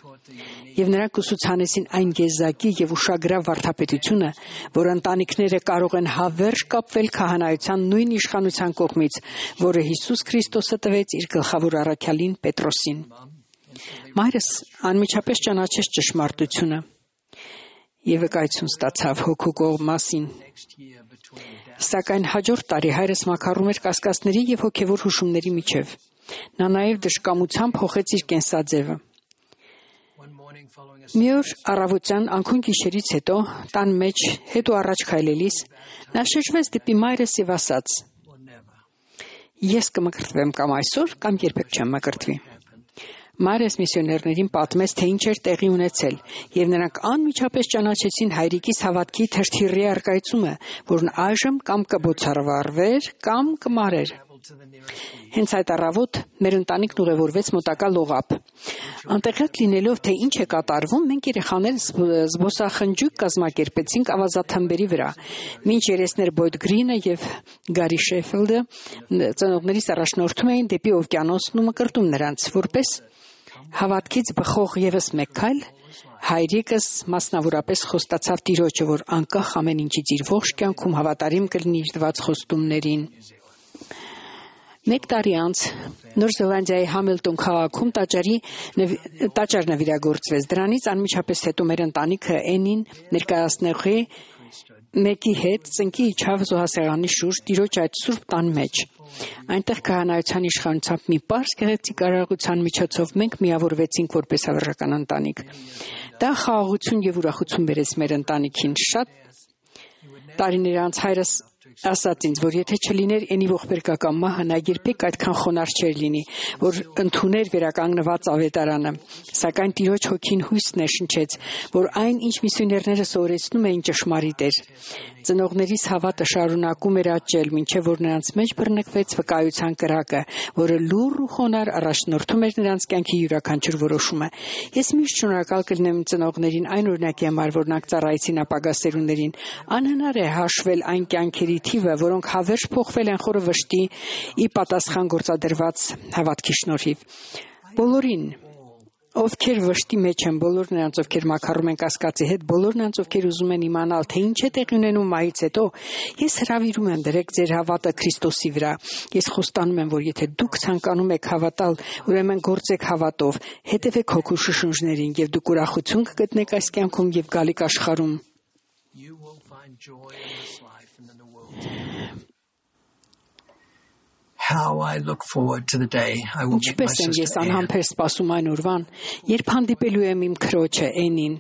Եվ նրանք ուսուցանեցին այն գեզակի եւ ուշագրավ վարդապետությունը, որ ընտանիքները կարող են հավերժ կապվել քահանայության նույն իշխանության կողմից, որը Հիսուս Քրիստոսը տվեց իր գլխավոր առաքյալին Պետրոսին։ Մայրս անմիջապես ճանաչեց ճշմարտությունը եւ վկայություն ստացավ հոգու կողմասին։ Սակայն հաջորդ տարի հայրս մաքարում էր կասկածների եւ հոգեվոր հուշումների միջև։ Նա նաեւ դժկամությամբ փոխեց իր կենսաձևը։ Մի օր առավոտյան անքուն գիշերից հետո տան մեջ հետ ու առաջ քայլելիս նա շրջվեց դեպի մայրս եւ ասաց. Ես կմկրտվեմ կամ այսօր, կամ երբեք չեմ մկրտվի։ Մայրս միսիոներներին պատմեց, թե ինչ էր տեղի ունեցել, եւ նրանք անմիջապես ճանաչեցին հայրիկիս հավատքի թրթիռի առկայծումը, որն այժմ կամ կբոցարվարվեր, կամ կմարեր։ Հենց այդ առավոտ մեր ընտանիքն ուղևորվեց մոտակա լողափ։ Անտեղյակ լինելով, թե ինչ է կատարվում, մենք երեխաները զբոսախնջույք կազմակերպեցինք ավազաթմբերի վրա, մինչ երեսներ Բոյդ Գրինը եւ Գարի Շեֆիլդը ծնողներիս առաջնորդում էին դեպի օվկիանոսն ու մկրտում նրանց, որպես հավատքից բխող եւս մեկ քայլ, հայրիկս մասնավորապես խոստացավ Տիրոջը, որ անկախ ամեն ինչից իր ողջ կյանքում հավատարիմ կլինի իր տված խոստումներին։ Մեկ տարի անց Նոր Զելանդիայի Համիլտոն քաղաքում տաճար նվիրագործվեց։ Դրանից անմիջապես հետո մեր ընտանիքը N-ին ներկայացնողի մեկի հետ ծնկի իջավ զոհասեղանի շուրջ Տիրոջ այդ սուրբ տան մեջ։ Այնտեղ քահանայության իշխանությամբ մի պարզ գեղեցիկ արարողության միջոցով մենք միավորվեցինք որպես հավերժական ընտանիք։ Դա խաղաղություն եւ ուրախություն բերեց մեր ընտանիքին։ Շատ տարիներ անց հայրս ասաց ինձ, որ եթե չլիներ N-ի ողբերգական մահը, նա երբեք այդքան խոնարհ չէր լինի, որ ընդուներ վերականգնված ավետարանը։ Սակայն Տիրոջ հոգին հույս ներշնչեց, որ այն, ինչ միսիոներները սովորեցնում էին, ճշմարիտ էր։ Ծնողներիս հավատը շարունակում էր աճել, մինչև որ նրանց մեջ բռնկվեց վկայության կրակը, որը լուռ ու խոնարհ առաջնորդում էր նրանց կյանքի յուրաքանչյուր որոշումը։ Ես միշտ շնորհակալ կլինեմ ծնողներին այն օրինակի համար, որ նրանք ծառայեցին ապագա սերունդերին։ Անհնար է հաշվել այն կյանքերի թիվը, որոնք հավերժ փոխվել են խորը վշտի ի պատասխան գործադրված հավատքի շնորհիվ։ Բոլորին, ովքեր վշտի մեջ են, բոլոր նրանց, ովքեր մաքարում են կասկածի հետ, բոլոր նրանց, ովքեր ուզում են իմանալ, թե ինչ է տեղի ունենում մահից հետո, ես հրավիրում եմ դրեք ձեր հավատը Քրիստոսի վրա։ Ես խոստանում եմ, որ եթե դուք ցանկանում եք հավատալ, ուրեմն գործեք հավատով, հետևեք հոգու շշնջներին, եւ դուք ուրախություն կգտնեք այս կյանքում եւ գալիք աշխարհում։ Ինչպես եմ ես անհամբեր սպասում այն օրվան, երբ հանդիպելու եմ իմ քրոջը N-ին։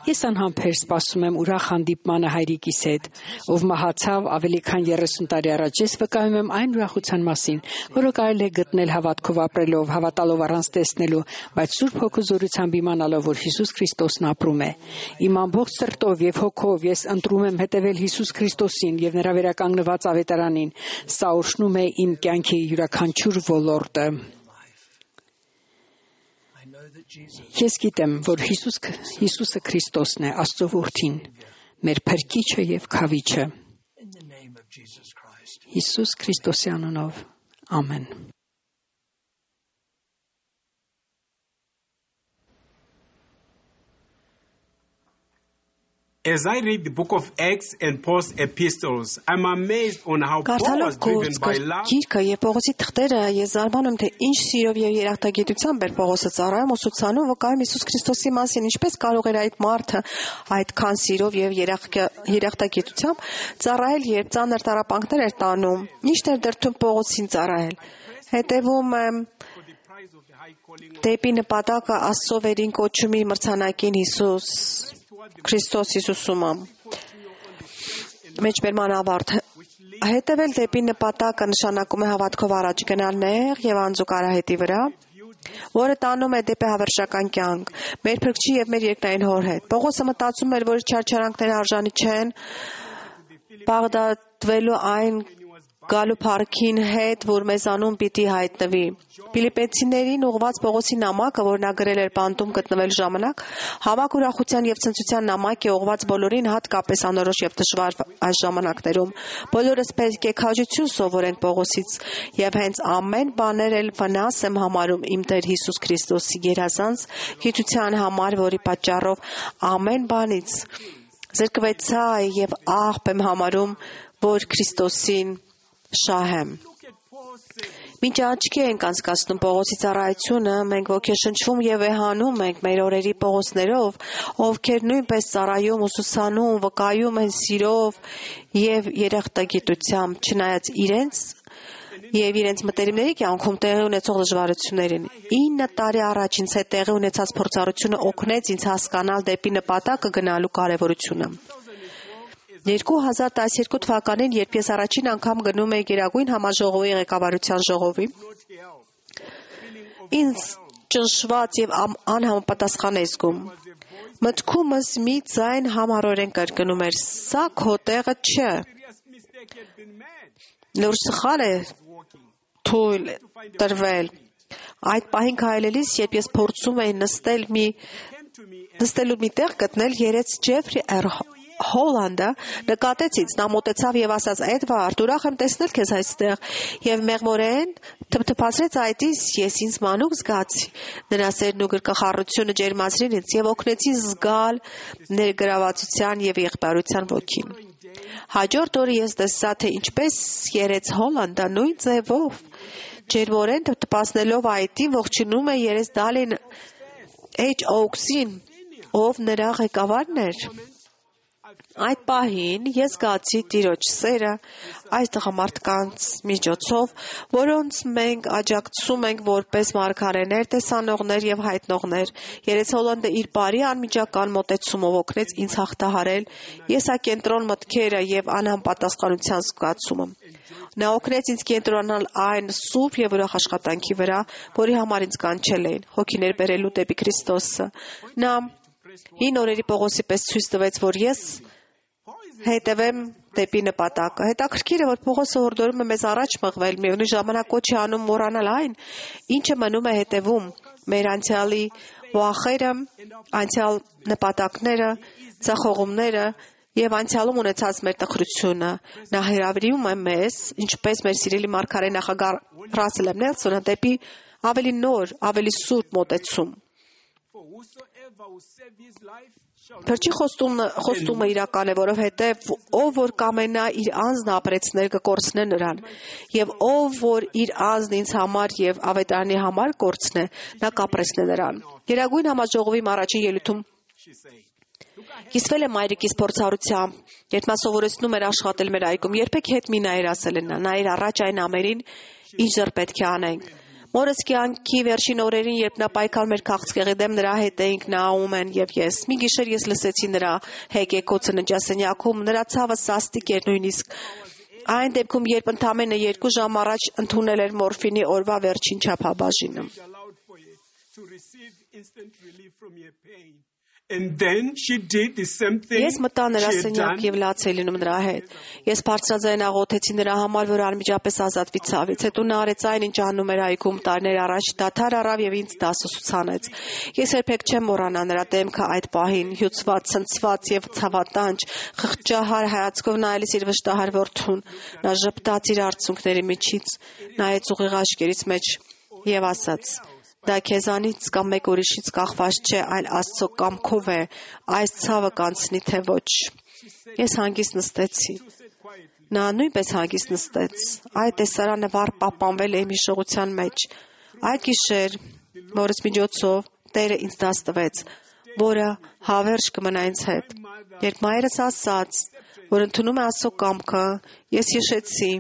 Ես անհամբեր սպասում եմ ուրախ հանդիպմանը հայրիկիս հետ, ով մահացավ ավելի քան 30 տարի առաջ։ Ես վկայում եմ այն ուրախության մասին, որը կարելի է գտնել հավատքով ապրելով, հավատալով առանց տեսնելու, բայց Սուրբ Հոգու զորությամբ իմանալով, որ Հիսուս Քրիստոսն ապրում է։ Իմ ամբողջ սրտով եւ հոգով ես ընտրում եմ հետևել Հիսուս Քրիստոսին եւ նրա վերականգնված ավետարանին։ Սա օրհնում է իմ կյանքի յուրաքանչյուր ոլորտը։ Ես գիտեմ, որ Հիսուսը Քրիստոսն է, Աստծո որդին, մեր փրկիչը եւ քավիչը։ Հիսուս Քրիստոսի անունով։ Ամեն։ As I read the book of Acts and Paul's epistles, I'm amazed on how Paul was driven by love. Գիրքը եւ Պողոսի թղթերը ես զարմանում թե ինչ սիրով եւ երախտագիտությամբ էր Պողոսը ծառայում ուսուցանում վկայում Հիսուս Քրիստոսի մասին, ինչպես կարող էր այդ մարդը այդքան սիրով եւ երախտագիտությամբ ծառայել, երբ ծանր տառապանքներ էր տանում։ Ինչ էր դրդում Պողոսին ծառայել։ Հետևում դեպի նպատակը Աստծո վերին կոչումի մրցանակին Հիսուս Քրիստոս Հիսուսումը մեջբերման ավարտ հետևել դեպի նպատակը նշանակում է հավատքով առաջ գնալ նեղ եւ անձուկ արահետի վրա, որը տանում է դեպի հավերժական կյանք, մեր փրկչի եւ մեր երկնային հոր հետ։ Պողոսը մտածում էր, որ չարչարանքները արժանի չեն բաղդադվելու այն գալու փառքին հետ, որ մեզանում պիտի հայտնվի։ Ֆիլիպեցիներին ուղված Պողոսի նամակը, որ նա գրել էր բանտում գտնվելու ժամանակ, հավաք ուրախության եւ ցնծության նամակ է ուղված բոլորին, հատկապես անորոշ եւ դժվար այս ժամանակներում։ Բոլորս պետք է քաջություն սովորենք Պողոսից եւ հենց ամեն բաներ էլ վնաս եմ համարում իմ Տեր Հիսուս Քրիստոսի գերազանց գիտության համար, որի պատճառով ամեն բանից զրկվեցա եւ աղբ եմ համարում, որ Քրիստոսին շահ եմ։ Մինչ աչքի ենք անցկացնում Պողոսի ծառայությունը, մենք ոգեշնչվում եւ վեհանում ենք մեր օրերի Պողոսներով, ովքեր նույնպես ծառայում, ուսուցանում, վկայում են սիրով եւ երախտագիտությամբ, չնայած իրենց եւ իրենց մտերիմների կյանքում տեղի ունեցող դժվարություններին։ 9 տարի առաջ ինձ հետ տեղի ունեցած փորձառությունը օգնեց ինձ հասկանալ դեպի նպատակը գնալու կարեւորությունը։ 2012 թվականին, երբ ես առաջին անգամ գնում էի Գերագույն համաժողովի ղեկավարության ժողովի, ինձ ճնշված եւ անհամապատասխան էի զգում։ Մտքումս մի ձայն համառորեն կրկնում էր. «Սա քո տեղը չէ»։ Նոր սխալ է թույլ տրվել։ Այդ պահին քայլելիս, երբ ես փորձում էի նստելու մի տեղ գտնել, երեց Ջեֆրի Հոլանդը նկատեց ինձ, նա մոտեցավ եւ ասաց. «Էդվարդ, ուրախ եմ տեսնել քեզ այստեղ», եւ մեղմորեն թփթփացրեց այդիս, ես ինձ մանուկ զգացի։ Նրա սերն ու գրկախառնությունը ջերմացրին ինձ եւ օգնեցին զգալ ներգրավվածության եւ եղբայրության ոգին։ Հաջորդ օրը ես տեսա, թե ինչպես երեց Հոլանդը նույն ձևով, ջերմորեն թփթփացնելով այդին, ողջունում է երես Դալին H. Oaks-ին, ով նրա ղեկավարն էր։ Այդ պահին ես զգացի Տիրոջ սերը այս տղամարդկանց միջոցով, որոնց մենք աջակցում ենք որպես մարգարեներ, տեսանողներ եւ հայտնողներ։ Երեց Հոլանդը իր բարի անմիջական մոտեցումով օգնեց ինձ հաղթահարել եսակենտրոն մտքերը եւ անհամապատասխանության զգացումը։ Նա օգնեց ինձ կենտրոնանալ այն սուրբ եւ ուրախ աշխատանքի վրա, որի համար ինձ կանչել էին, հոգիներ բերելու դեպի Քրիստոսը։ Նա 9 օրերի Պողոսի պես ցույց տվեց, որ ես հետևեմ դեպի նպատակը։ Հետաքրքիր է, որ Պողոսը հորդորում է մեզ առաջ մղվել, միևնույն ժամանակ կոչ է անում մոռանալ այն, ինչը մնում է հետևում, մեր անցյալի վախերը, անցյալ նպատակները, ցախողումները եւ անցյալում ունեցած մեր տխրությունը։ Նա հրավիրում է մեզ, ինչպես մեր սիրելի մարգարե նախագահ Ռասել Նելսոնը, դեպի ավելի նոր, ավելի սուրբ մոտեցում։ Փրկչի խոստումը իրական է, որովհետև ով որ կամենա իր անձն ապրեցնել կկորցնե նրան, եւ ով որ իր անձն ինձ համար եւ ավետարանի համար կորցնե, նա կապրեցնե նրան։ Գերագույն համաժողովի առաջին ելույթում կիսվել է մայրիկիս փորձառությամբ, երբ նա սովորեցնում էր աշխատել մեր այգում, երբեք հետ մի նայր, ասել է նա, նայր առաջ այն ամերին, ինչ դեռ պետք է անենք։ Մորս կյանքի վերջին օրերին, երբ նա պայքարում էր քաղցկեղի դեմ, նրա հետ էինք Նաումեն եւ ես։ Մի գիշեր ես լսեցի նրա հեկեկոցը ննջասենյակում, նրա ցավը սաստիկ էր նույնիսկ այն դեպքում, երբ ընդամենը 2 ժամ առաջ ընդունել էր մորֆինի օրվա վերջին չափաբաժինը։ Ես մտա նրա սենյակ եւ լաց էի լինում նրա հետ։ Ես բարձրաձայն աղոթեցի նրա համար, որ անմիջապես ազատվի ցավից։ Հետո նա արեց այն, ինչ անում էր այգում տարիներ առաջ, դադար առավ եւ ինձ դասը ուսուցանեց։ Ես երբեք չեմ մոռանա նրա դեմքը այդ պահին, հյուծված, ցնցված եւ ցավատանջ, խղճահար հայացքով նայելիս իր վշտահար որդուն։ Նա ժպտաց իր արցունքների միջից, նայեց ուղիղ աչքերից մեջ եւ ասաց. Դա քեզանից կամ մեկ ուրիշից կախված չէ, այլ Աստծո կամքով է, այս ցավը կանցնի թե ոչ։ Ես հանգիստ նստեցի։ Նա նույնպես հանգիստ նստեց։ Այդ տեսարանը վառ պահպանվել է իմ հիշողության մեջ։ Այդ գիշեր, որից միջոցով Տերը ինձ դաս տվեց, որը հավերժ կմնա ինձ հետ։ Երբ մայրս ասաց, որ ընդունում է Աստծո կամքը, ես հիշեցի,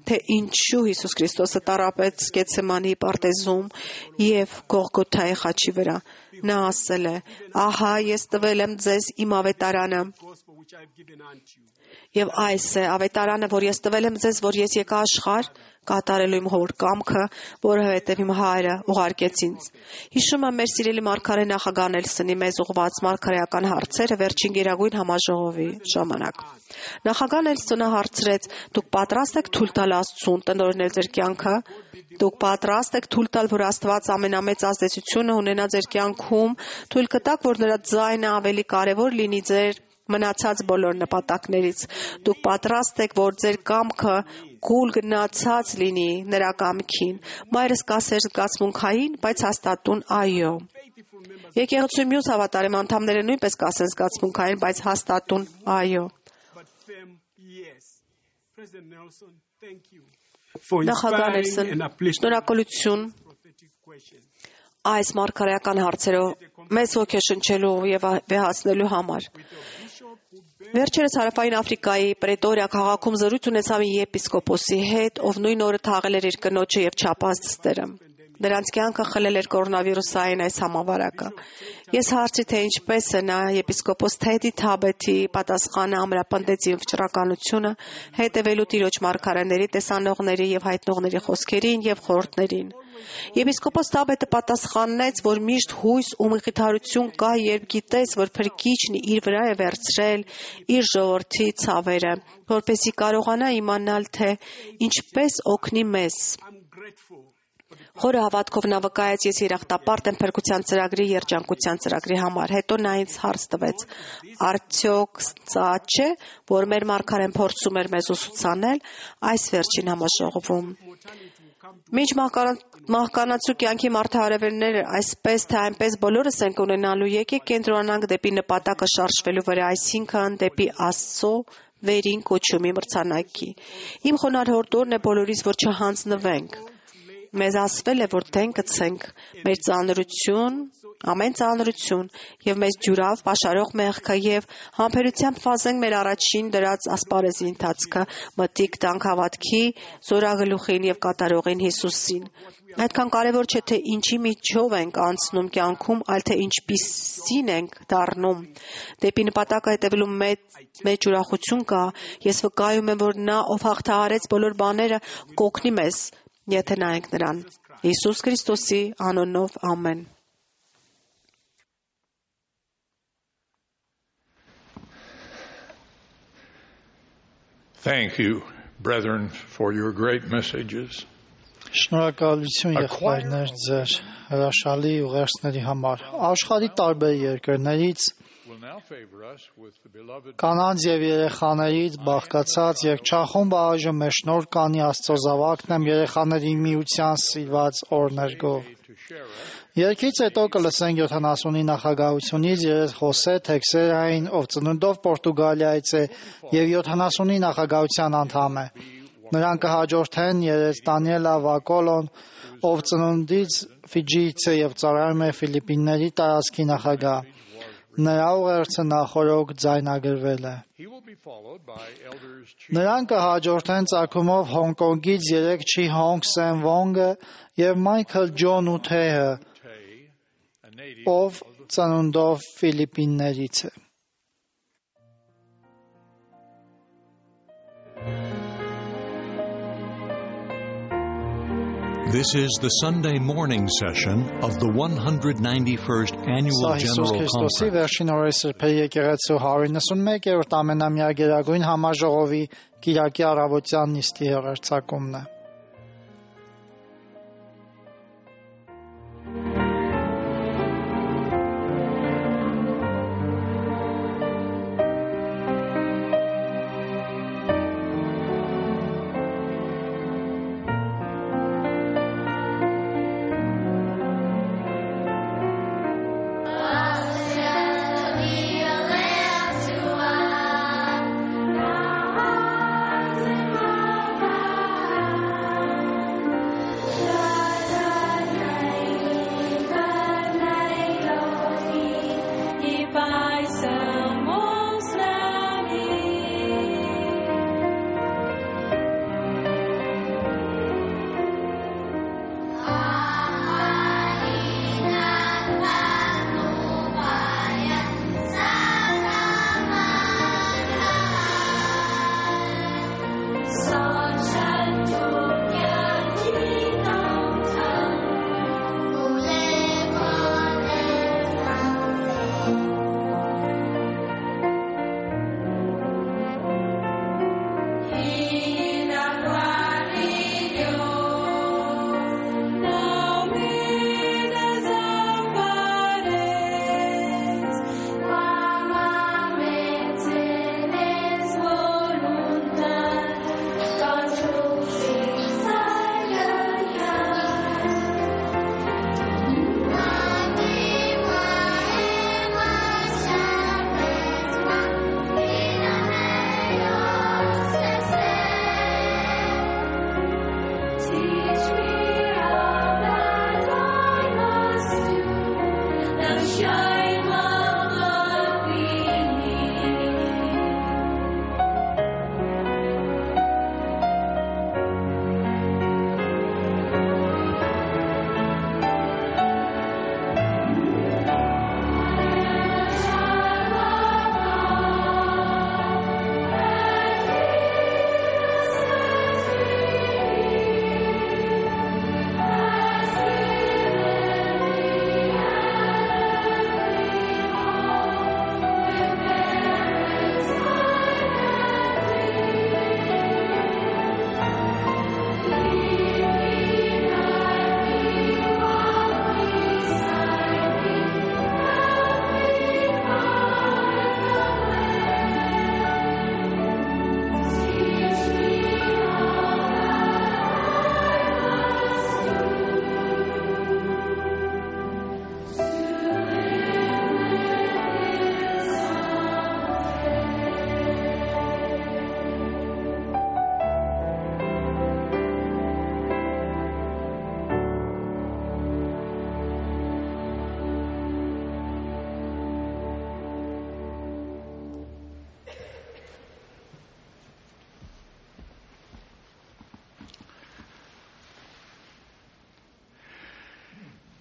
թե ինչու Հիսուս Քրիստոսը տառապեց Գեթսեմանի պարտեզում և Գողգոթայի խաչի վրա։ Նա ասել է. «Ահա ես տվել եմ ձեզ իմ ավետարանը, եւ այս է ավետարանը, որ ես տվել եմ ձեզ, որ ես եկա աշխարհ կատարելու իմ հոր կամքը, որովհետև իմ Հայրը ուղարկեց ինձ»։ Հիշում եմ մեր սիրելի մարգարե նախագահ Նելսոնի մեզ ուղղված մարգարեական հարցերը վերջին Գերագույն համաժողովի ժամանակ։ Նախագահ Նելսոնը հարցրեց. «Դուք պատրաստ եք թույլ տալ Աստծուն տնօրինել ձեր կյանքը։ Դուք պատրաստ եք թույլ տալ, որ Աստված ամենամեծ ազդեցությունը ունենա ձեր կյանքում, թույլ կտաք, որ նրա ձայնը ավելի կարևոր լինի ձեր մնացած բոլոր նպատակներից։ Դուք պատրաստ եք, որ ձեր կամքը կուլ գնացած լինի նրա կամքին»։ Մայրս կասեր զգացմունքային, բայց հաստատուն այո։ Եկեղեցու մյուս հավատարիմ անդամները նույնպես կասեն զգացմունքային, բայց հաստատուն այո։ Նախագահ Նելսոն, շնորհակալություն այս մարգարեական հարցերով մեզ ոգեշնչելու եւ վեհացնելու համար։ Վերջերս Հարավային Աֆրիկայի Պրետորիա քաղաքում զրույց ունեցա մի եպիսկոպոսի հետ, ով նույն օրը թաղել էր իր կնոջը եւ չափած դստերը։ Նրանց կյանքը խլել էր կորոնավիրուսային այս համավարակը։ Ես հարցրի, թե ինչպես է նա եպիսկոպոս Թեդի Թաբեթի պատասխանը ամրապնդեց իմ վճռականությունը, հետևելու Տիրոջ մարգարեների, տեսանողների եւ հայտնողների խոսքերին եւ խորհուրդներին։ Եպիսկոպոս Թաբեթը պատասխանեց, որ միշտ հույս ու մխիթարություն կա, երբ գիտես, որ Փրկիչն իր վրա է վերցրել իր ժողովրդի ցավերը, որպեսզի կարողանա իմանալ, թե ինչպես օգնի մեզ։ Խորը հավատքով նա վկայեց, ես երախտապարտ եմ փրկության ծրագրի երջանկության ծրագրի համար։ Հետո նա ինձ հարց տվեց. արդյոք սա չէ, որ մեր մարգարեն փորձում էր մեզ ուսուցանել այս վերջին համաժողովում։ Մինչ մահկանացու կյանքի մարդահարևելները այսպես թե այնպես բոլորս ենք ունենալու, եկեք կենտրոնանանք դեպի նպատակը շարժվելու վրա, այսինքն դեպի Աստծո վերին կոչումի մրցանակի։ Իմ խոնարհ հորդորն է բոլորիս, որ չհանձնվենք։ Մեզ ասվել է, որ դեն գցենք մեր ծանրություն, ամեն ծանրություն եւ մեզ ջուրավ պաշարող մեղքը եւ համբերությամբ վազենք մեր առաջին դրած ասպարեզի ընթացքը, մտիկ տանք հավատքի զորագլուխին եւ կատարողին Հիսուսին։ Այդքան կարևոր չէ, թե ինչի միջով ենք անցնում կյանքում, այլ թե ինչպիսին ենք դառնում։ Դեպի նպատակը հետևելու մեջ ուրախություն կա։ Ես վկայում եմ, որ նա, ով հաղթահարեց բոլոր բաները, կօգնի մեզ, եթե նայենք նրան։ Հիսուս Քրիստոսի անունով ամեն։ Thank you, brethren, for your great messages. Շնորհակալություն եղբայրներ ձեր հրաշալի ուղերձների համար։ Աշխարհի տարբեր երկրներից կանանց եւ երեխաներից բաղկացած երկչախումբը այժմ մեր շնորհ կանի Աստծո զավակն եմ երեխաների միության սիրված օրներգով։ Երկից հետո կլսենք 70-ի նախագահությունից երես Խոսե Թեքսերային, ով ծնունդով Պորտուգալիայից է եւ 70-ի նախագահության անդամ է։ Նրան կհաջորդեն երես Դանիելա Վակոլոն, ով ծնունդից Ֆիջիից է եւ ծառայում է Ֆիլիպինների տարածքի նախագահ։ Նրա ուղերձը նախորոք ձայնագրվել է։ Նրան կհաջորդեն ծագումով Հոնկոնգից 3 չի Հոնգ Սեն Վոնգը եւ Մայքլ Ջոն Ութեհը, ով ծնունդով Ֆիլիպիններից է։ This is the Sunday morning session of the 191st Annual General Conference. Վերջին օրերի սրբերի եկեղեցու 191-րդ ամենամյա գերագույն համաժողովի կիրակի առավոտյան նիստի հեռարձակումն է։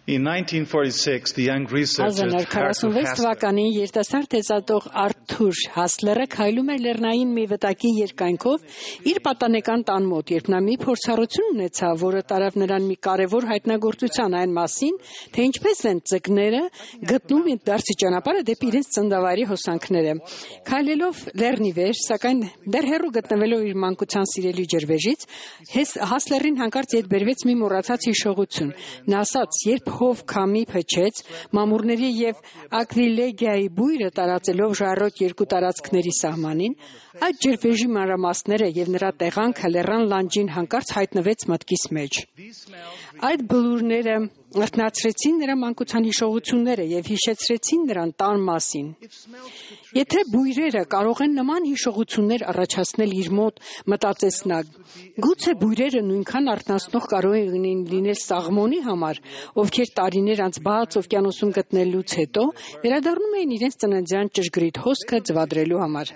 In 1946, the young researcher 1946 թվականին երիտասարդ տեսատող Արթուր Հասլերը քայլում էր լեռնային մի վտակի երկայնքով իր պատանեկան տան մոտ, երբ նա մի փորձառություն ունեցավ, որը տարավ նրան մի կարևոր հայտնագործության այն մասին, թե ինչպես են ձկները գտնում դարձի ճանապարհը դեպի իրենց ծննդավայրի հոսանքները։ Քայլելով լեռնի վեր, սակայն դեռ հեռու գտնվելով իր մանկության սիրելի ջրվեժից, Հասլերին հանկարծ ետ բերվեց մի մոռացած հիշողություն։ Նա ասաց, երբ հով քամի փչեց, մամուռների եւ ակրիլեգիայի բույրը տարածելով ժայռոտ երկու տարածքների սահմանին, այդ ջրվեժի մանրամասները եւ նրա տեղանքը լեռան լանջին հանկարծ հայտնվեց մտքիս մեջ։ Այդ բլուրները արթնացրեցին նրա մանկության հիշողությունները եւ հիշեցրեցին նրան տան մասին։ Եթե բույրերը կարող են նման հիշողություններ առաջացնել իր մոտ, մտածեց նա, գուցե բույրերը նույնքան արթնացնող կարող են լինել Սաղմոնի համար, ովքեր տարիներ անց բաց օվկիանոսում գտնելուց հետո վերադառնում էին իրենց ծննդյան ճշգրիտ հոսքը ձվադրելու համար։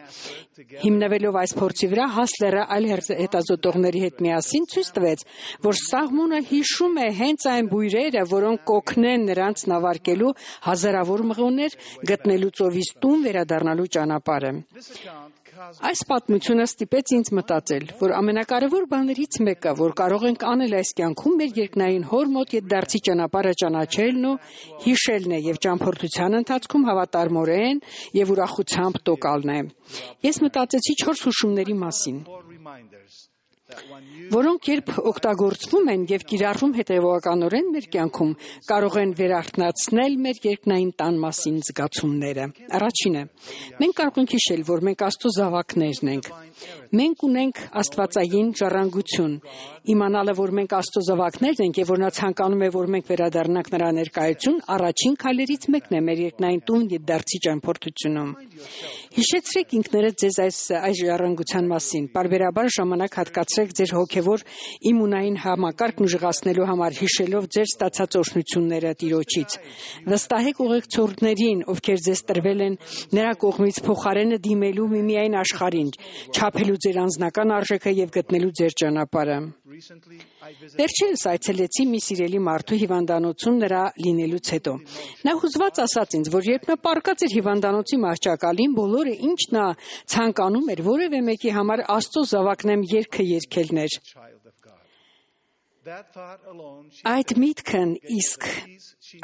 Հիմնվելով այս փորձի վրա, Հասլերը այլ հետազոտողների հետ միասին ցույց տվեց, որ Սաղմոնը հիշում է հենց այն բույրերը, որոնք կօգնեն նրանց նավարկելու հազարավոր մղոններ գտնելու ծովից տուն վերադառնալու ճանապարհը։ Այս պատմությունը ստիպեց ինձ մտածել, որ ամենակարևոր բաներից մեկը, որ կարող ենք անել այս կյանքում, մեր երկնային հոր մոտ ետդարձի ճանապարհը ճանաչելն ու հիշելն է եւ ճամփորդության ընթացքում հավատարմորեն եւ ուրախությամբ տոկալն է։ Ես մտածեցի 4 հուշումների մասին, որոնք երբ օգտագործվում են եւ կիրառվում հետեւողականորեն մեր կյանքում, կարող են վերարթնացնել մեր երկնային տան մասին զգացումները։ Առաջինը, մենք կարող ենք հիշել, որ մենք Աստծո զավակներն ենք։ Մենք ունենք աստվածային ժառանգություն։ Իմանալը, որ մենք Աստծո զավակներն ենք եւ որ նա ցանկանում է, որ մենք վերադառնանք նրա ներկայություն, առաջին քայլերից մեկն է մեր երկնային տուն յետդարձի ճամփորդությունում։ Հիշեցրեք ինքներդ ձեզ այս ժառանգության մասին։ Պարբերաբար ժամանակ հատկացրեք ձեր հոգևոր իմունային համակարգն ուժեղացնելու համար, հիշելով ձեր ստացած օրհնությունները Տիրոջից։ Վստահեք ուղեկցողներին, ովքեր ձեզ տրվել են նրա կողմից փոխարենը դիմելու միմիայն աշխարհին, չափելու ձեր անձնական արժեքը եւ գտնելու ձեր ճանապարհը։ Վերջերս այցելեցի մի սիրելի մարդու հիվանդանոցում նրա լինելուց հետո։ Նա հուզված ասաց ինձ, որ երբ նա պառկած էր հիվանդանոցի մահճակալին, բոլորը ինչ նա ցանկանում էր որևէ մեկի համար Աստծո զավակնեմ երգը երգելներ։ Այդ միտքն իսկ,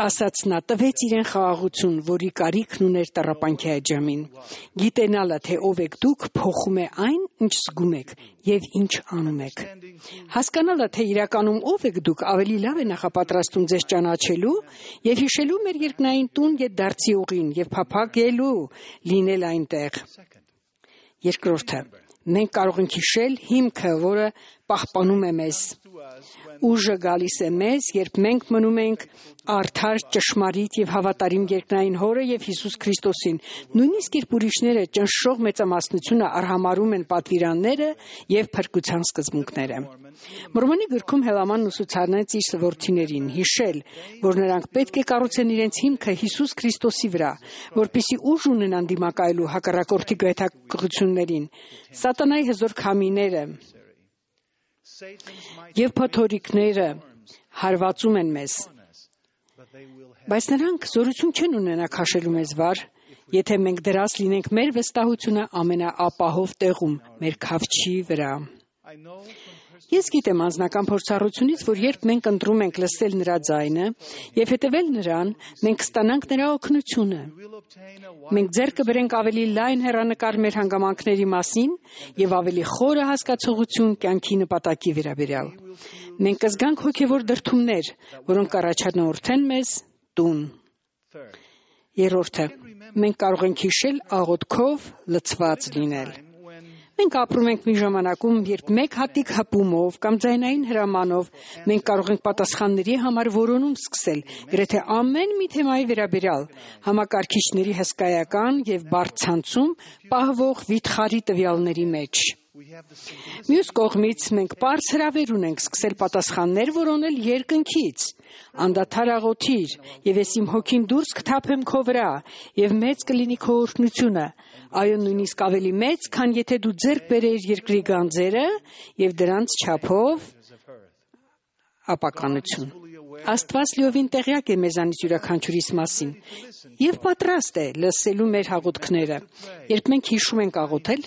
ասաց նա, տվեց իրեն խաղաղություն, որի կարիքն ուներ տառապանքի այդ ժամին։ Գիտենալը, թե ով եք դուք, փոխում է այն, ինչ զգում եք եւ ինչ անում եք։ Հասկանալը, թե իրականում ով եք դուք, ավելի լավ է նախապատրաստում ձեզ ճանաչելու եւ հիշելու մեր երկնային տուն յետդարձի ուղին եւ փափագելու լինել այնտեղ։ Երկրորդը, մենք կարող ենք հիշել հիմքը, որը պահպանում է մեզ։ Ուժը գալիս է մեզ, երբ մենք մնում ենք արդար, ճշմարիտ եւ հավատարիմ երկնային Հորը եւ Հիսուս Քրիստոսին, նույնիսկ երբ ուրիշները ճնշող մեծամասնությունը արհամարում են պատվիրանները եւ փրկության սկզբունքները։ Մորմոնի գրքում Հելամանն ուսուցանեց իր սվորթիներին հիշել, որ նրանք պետք է կառուցեն իրենց հիմքը Հիսուս Քրիստոսի վրա, որպեսզի ուժ ունենան դիմակայելու հակառակորդի գայթակղություններին, սատանայի հզոր քամիները եւ փոթորիկները հարվածում են մեզ, բայց նրանք զորություն չեն ունենա քաշելու մեզ վար, եթե մենք դրած լինենք մեր վստահությունը ամենաապահով տեղում, մեր քավչի վրա։ Ես գիտեմ անձնական փորձառությունից, որ երբ մենք ընտրում ենք լսել նրա ձայնը եւ հետեւել նրան, մենք կստանանք նրա օգնությունը։ Մենք ձեռք կբերենք ավելի լայն հեռանկար մեր հանգամանքների մասին եւ ավելի խորը հասկացողություն կյանքի նպատակի վերաբերյալ։ Մենք կզգանք հոգեվոր դրդումներ, որոնք կառաջնորդեն մեզ տուն։ Երրորդը, մենք կարող ենք հիշել աղոթքով լցված լինել։ Մենք ապրում ենք մի ժամանակում, երբ մեկ հատիկ հպումով կամ ձայնային հրամանով մենք կարող ենք պատասխանների համար որոնում սկսել, գրեթե ամեն մի թեմայի վերաբերյալ, համակարգիչների հսկայական եւ բարդ ցանցում պահվող վիթխարի տվյալների մեջ։ Մյուս կողմից մենք պարզ հրավեր ունենք սկսել պատասխաններ որոնել երկնքից, անդադար աղոթիր, եւ ես իմ հոգին դուրս կթափեմ քո վրա, եւ մեծ կլինի քո օրհնությունը, այո նույնիսկ ավելի մեծ, քան եթե դու ձեռք բերեիր երկրի գանձերը եւ դրանց չափով ապականություն։ Աստված լիովին տեղյակ է մեզանից յուրաքանչյուրիս մասին եւ պատրաստ է լսելու մեր հաղորդքները։ Երբ մենք հիշում ենք աղոթել,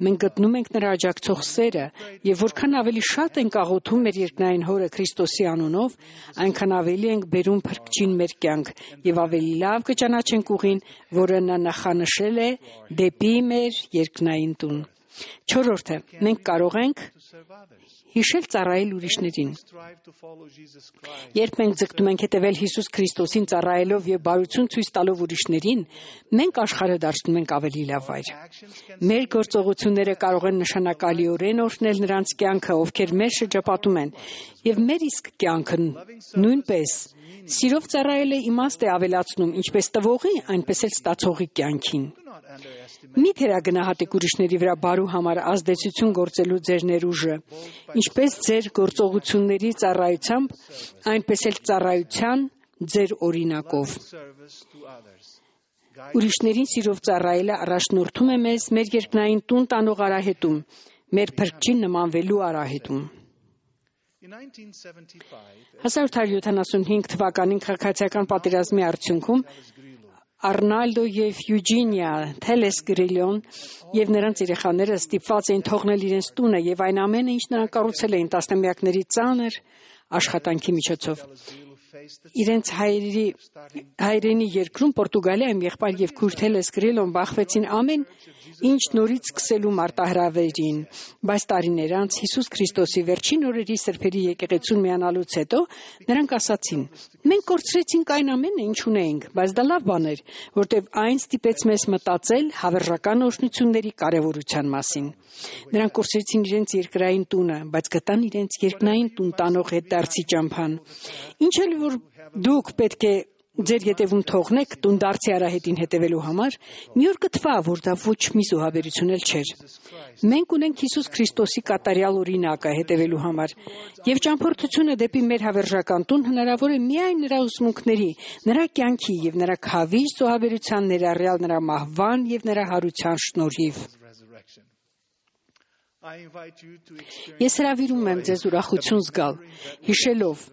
մենք գտնում ենք նրա աջակցող սերը եւ որքան ավելի շատ ենք աղոթում մեր երկնային Հորը Քրիստոսի անունով, այնքան ավելի ենք բերում փրկչին մեր կյանք եւ ավելի լավ կճանաչենք ուղին, որը նա նախանշել է դեպի մեր երկնային տուն։ 4-րդը, մենք կարող ենք հիշել ծառայել ուրիշներին։ Երբ մենք ձգտում ենք հետևել Հիսուս Քրիստոսին ծառայելով եւ բարություն ցույց տալով ուրիշներին, մենք աշխարհը դարձնում ենք ավելի լավ վայր։ Մեր գործողությունները կարող են նշանակալիորեն օրհնել նրանց կյանքը, ովքեր մեր շրջապատում են, եւ մեր իսկ կյանքը նույնպես։ Սիրով ծառայելը իմաստ է ավելացնում ինչպես տվողի, այնպես էլ ստացողի կյանքին։ Մի թերագնահատեք ուրիշների վրա բարու համար ազդեցություն գործելու ձեր ներուժը, ինչպես ձեր գործողությունների ծառայությամբ, այնպես էլ ծառայության ձեր օրինակով։ Ուրիշներին սիրով ծառայելը առաջնորդում է մեզ մեր երկնային տուն տանող արահետում, մեր փրկչին նմանվելու արահետում։ 1875 թվականին քաղաքացիական պատերազմի արդյունքում Արնալդո եւ Յուջինիա Թելես Գրիլոն եւ նրանց երեխաները ստիպված էին թողնել իրենց տունը եւ այն ամենը, ինչ նրանք կառուցել էին տասնամյակների ծանր աշխատանքի միջոցով։ Իրենց հայրենի երկրում Պորտուգալիայում եղբայր եւ քույր Թելես Գրիլոն բախվեցին ամեն ինչ նորից սկսելու մարտահրավերին, բայց տարիներ անց Հիսուս Քրիստոսի վերջին օրերի սրբերի եկեղեցուն միանալուց հետո նրանք ասացին. մենք կորցրեցինք այն ամենը, ինչ ունեինք, բայց դա լավ բան էր, որտեղ այն ստիպեց մեզ մտածել հավերժական օրհնությունների կարևորության մասին։ Նրանք կորցրեցին իրենց երկրային տունը, բայց գտան իրենց երկնային տուն տանող հետդարձի ճամփան։ Ինչ էլ որ դուք պետք է ձեր ետևում թողնեք տունդարձի արահետին հետևելու համար, մի օր կթվա, որ դա ոչ մի զոհաբերություն էլ չէր։ Մենք ունենք Հիսուս Քրիստոսի կատարյալ օրինակը հետևելու համար, եւ ճամփորդությունը դեպի մեր հավերժական տուն հնարավոր է միայն նրա ուսմունքների, նրա կյանքի եւ նրա քավիճ զոհաբերության ներառյալ նրա մահվան եւ նրա հարության շնորհիվ։ Ես հրավիրում եմ ձեզ ուրախություն զգալ, հիշելով,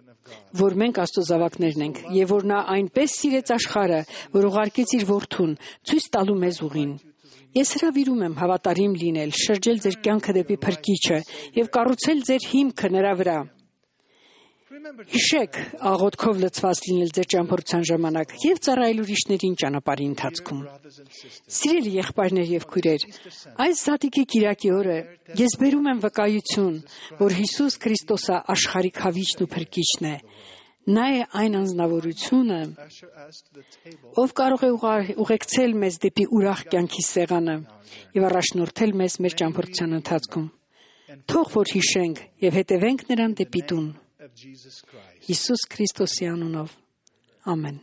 որ մենք Աստծո զավակներն ենք եւ որ նա այնպես սիրեց աշխարհը, որ ուղարկեց իր որդուն, ցույց տալու մեզ ուղին։ Ես հրավիրում եմ հավատարիմ լինել, շրջել ձեր կյանքը դեպի Փրկիչը եւ կառուցել ձեր հիմքը նրա վրա։ Հիշեք աղոթքով լցված լինել ձեր ճամփորդության ժամանակ եւ ծառայել ուրիշներին ճանապարհի ընթացքում։ Սիրելի եղբայրներ եւ քույրեր, այս Զատիկի կիրակի օրը ես բերում եմ վկայություն, որ Հիսուս Քրիստոսը աշխարհի քավիճն ու փրկիչն է։ Նա է այն անձնավորությունը, ով կարող է ուղեկցել մեզ դեպի ուրախ կյանքի սեղանը եւ առաջնորդել մեզ մեր ճամփորդության ընթացքում։ Թող որ հիշենք եւ հետևենք նրան դեպի տուն։ Հիսուս Քրիստոսի անունով։ Ամեն։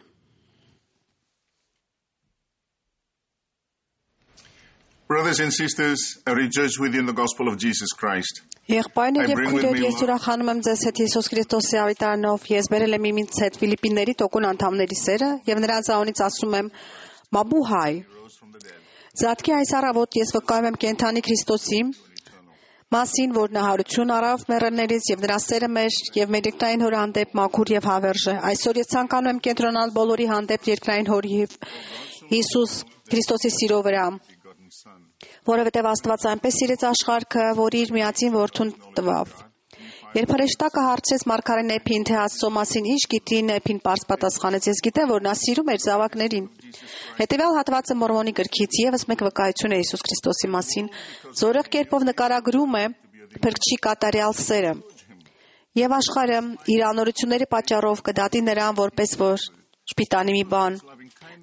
Brothers and sisters, I rejoice with you in the gospel of Jesus Christ. Եղբայրներ եւ քույրեր, ես ուրախանում եմ ձեզ հետ Հիսուս Քրիստոսի ավետարանով։ Ես բերել եմ ինձ հետ Ֆիլիպինների տոկուն անդամների սերը եւ նրանց անունից ասում եմ Մաբուհայ։ Զատկի այս առավոտ ես վկայում եմ կենթանի Քրիստոսի մասին, որ նա հարություն առավ մեռելներից եւ նրա սերը մեր եւ մեր երկրային հոր հանդեպ մաքուր եւ հավերժ է։ Այսօր ես ցանկանում եմ կենտրոնալ բոլորի հանդեպ երկրային հորի Հիսուս Քրիստոսի սիրո վրա, որովհետեւ Աստված այնպես սիրեց աշխարհը, որ իր միածին որդուն տվավ։ Երբ հրեշտակը հարցրեց մարգարեն Էփին, թե Աստծո մասին ինչ գիտի, Էփին պարզ պատասխանեց. ես գիտեմ, որ նա սիրում էր զավակներին։ Հետևյալ հատվածը Մորմոնի գրքից եւս մեկ վկայություն է Հիսուս Քրիստոսի մասին, զորեղ կերպով նկարագրում է փրկչի կատարյալ սերը։ Եվ աշխարհը իր անօրությունների պատճառով կդատի նրան որպես որ շպիտանի մի բան։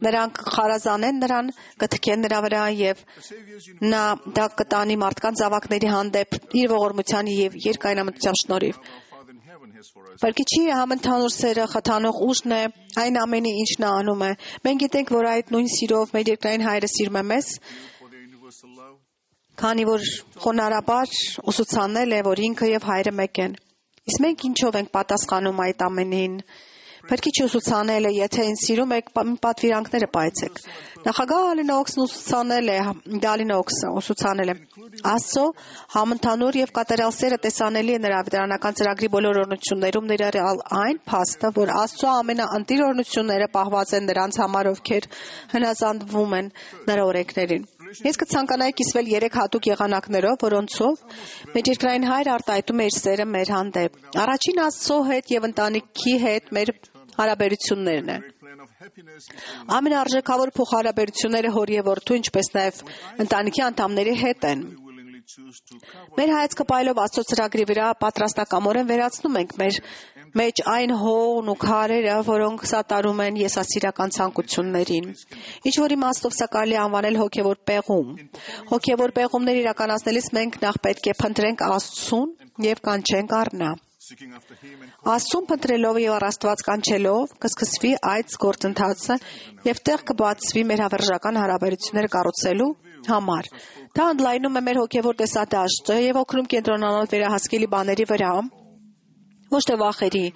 Նրանք խարազանեն նրան, կթքեն նրա վրա եւ նա դա կտանի մարդկանց զավակների հանդեպ իր ողորմության եւ երկայնամտության շնորհիվ։ Փրկիչի համընդհանուր սերը խթանող ուժն է այն ամենի, ինչ նա անում է։ Մենք գիտենք, որ այդ նույն սիրով մեր երկրային հայրը սիրում է մեզ, քանի որ խոնարհաբար ուսուցանել է, որ ինքը եւ հայրը մեկ են։ Իսկ մենք ինչով ենք պատասխանում այդ ամենին։ Փրկիչը ուսուցանել է, եթե ինձ սիրում եք, պատվիրանքները պահեցեք։ Նախագահ Դալինոքսը ուսուցանել է. Աստծո համընդհանուր եւ կատարյալ սերը տեսանելի է նրա ավետարանական ծրագրի բոլոր օրհնություններում, ներառյալ այն փաստը, որ Աստծո ամենաընտիր օրհնությունները պահված են նրանց համար, ովքեր հնազանդվում են նրա օրենքներին։ Ես կցանկանայի կիսվել 3 հատուկ եղանակներով, որոնցով մեր երկրային Հայր արտահայտում է իր սերը մեր հանդեպ։ Առաջին Աստծո հետ եւ ընտանիքի հետ մեր հարաբերություններն են։ Ամենարժեքավոր փոխհարաբերությունները հոր եւ որդու, ինչպես նաեւ ընտանիքի անդամների հետ են։ Մեր հայացքը պայելով Աստծո ծրագրի վրա պատրաստակամորեն վերացնում ենք մեր մեջ այն հողն ու քարերը, որոնք սատարում են եսասիրական ցանկություններին։ Ինչ որ իմաստով սա կարելի է անվանել հոգևոր պեղում։ Հոգևոր պեղումներ իրականացնելիս մենք նախ պետք է փնտրենք Աստծուն եւ կանչենք առ Աստծուն փնտրելով եւ Աստված կանչելով կսկսվի այդ գործընթացը եւ տեղ կբացվի մեր հավերժական հարաբերությունները կառուցելու համար։ Դա ընդլայնում է մեր հոգևոր տեսադաշտը եւ օգնում կենտրոնանալ վերահասկելի բաների վրա, ոչ թե վախերի։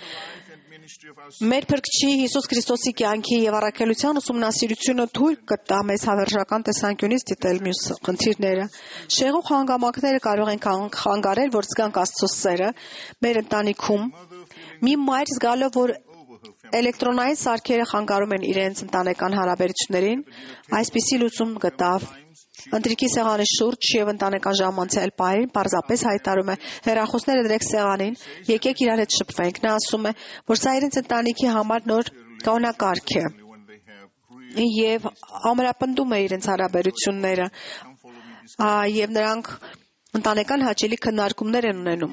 Մեր Փրկչի Հիսուս Քրիստոսի կյանքի եւ առաքելության ուսումնասիրությունը թույլ կտա մեզ հավերժական տեսանկյունից դիտել մյուս խնդիրները։ Շեղող հանգամանքները կարող են խանգարել, որ զգանք Աստծո սերը մեր ընտանիքում։ Մի մայր զգալով, որ էլեկտրոնային սարքերը խանգարում են իրենց ընտանեկան հարաբերություններին, այսպիսի լուծում գտավ։ Ընտրիկի սեղանի շուրջ եւ ընտանեկան ժամանցել պահին պարզապես հայտարարում է. հեռախոսները դրեք սեղանին, եկեք իրար հետ շփվենք։ Նա ասում է, որ սա իրենց ընտանիքի համար նոր կանոնակարգ է եւ ամրապնդում է իրենց հարաբերությունները եւ նրանք ընտանեկան հաճելի քննարկումներ են ունենում։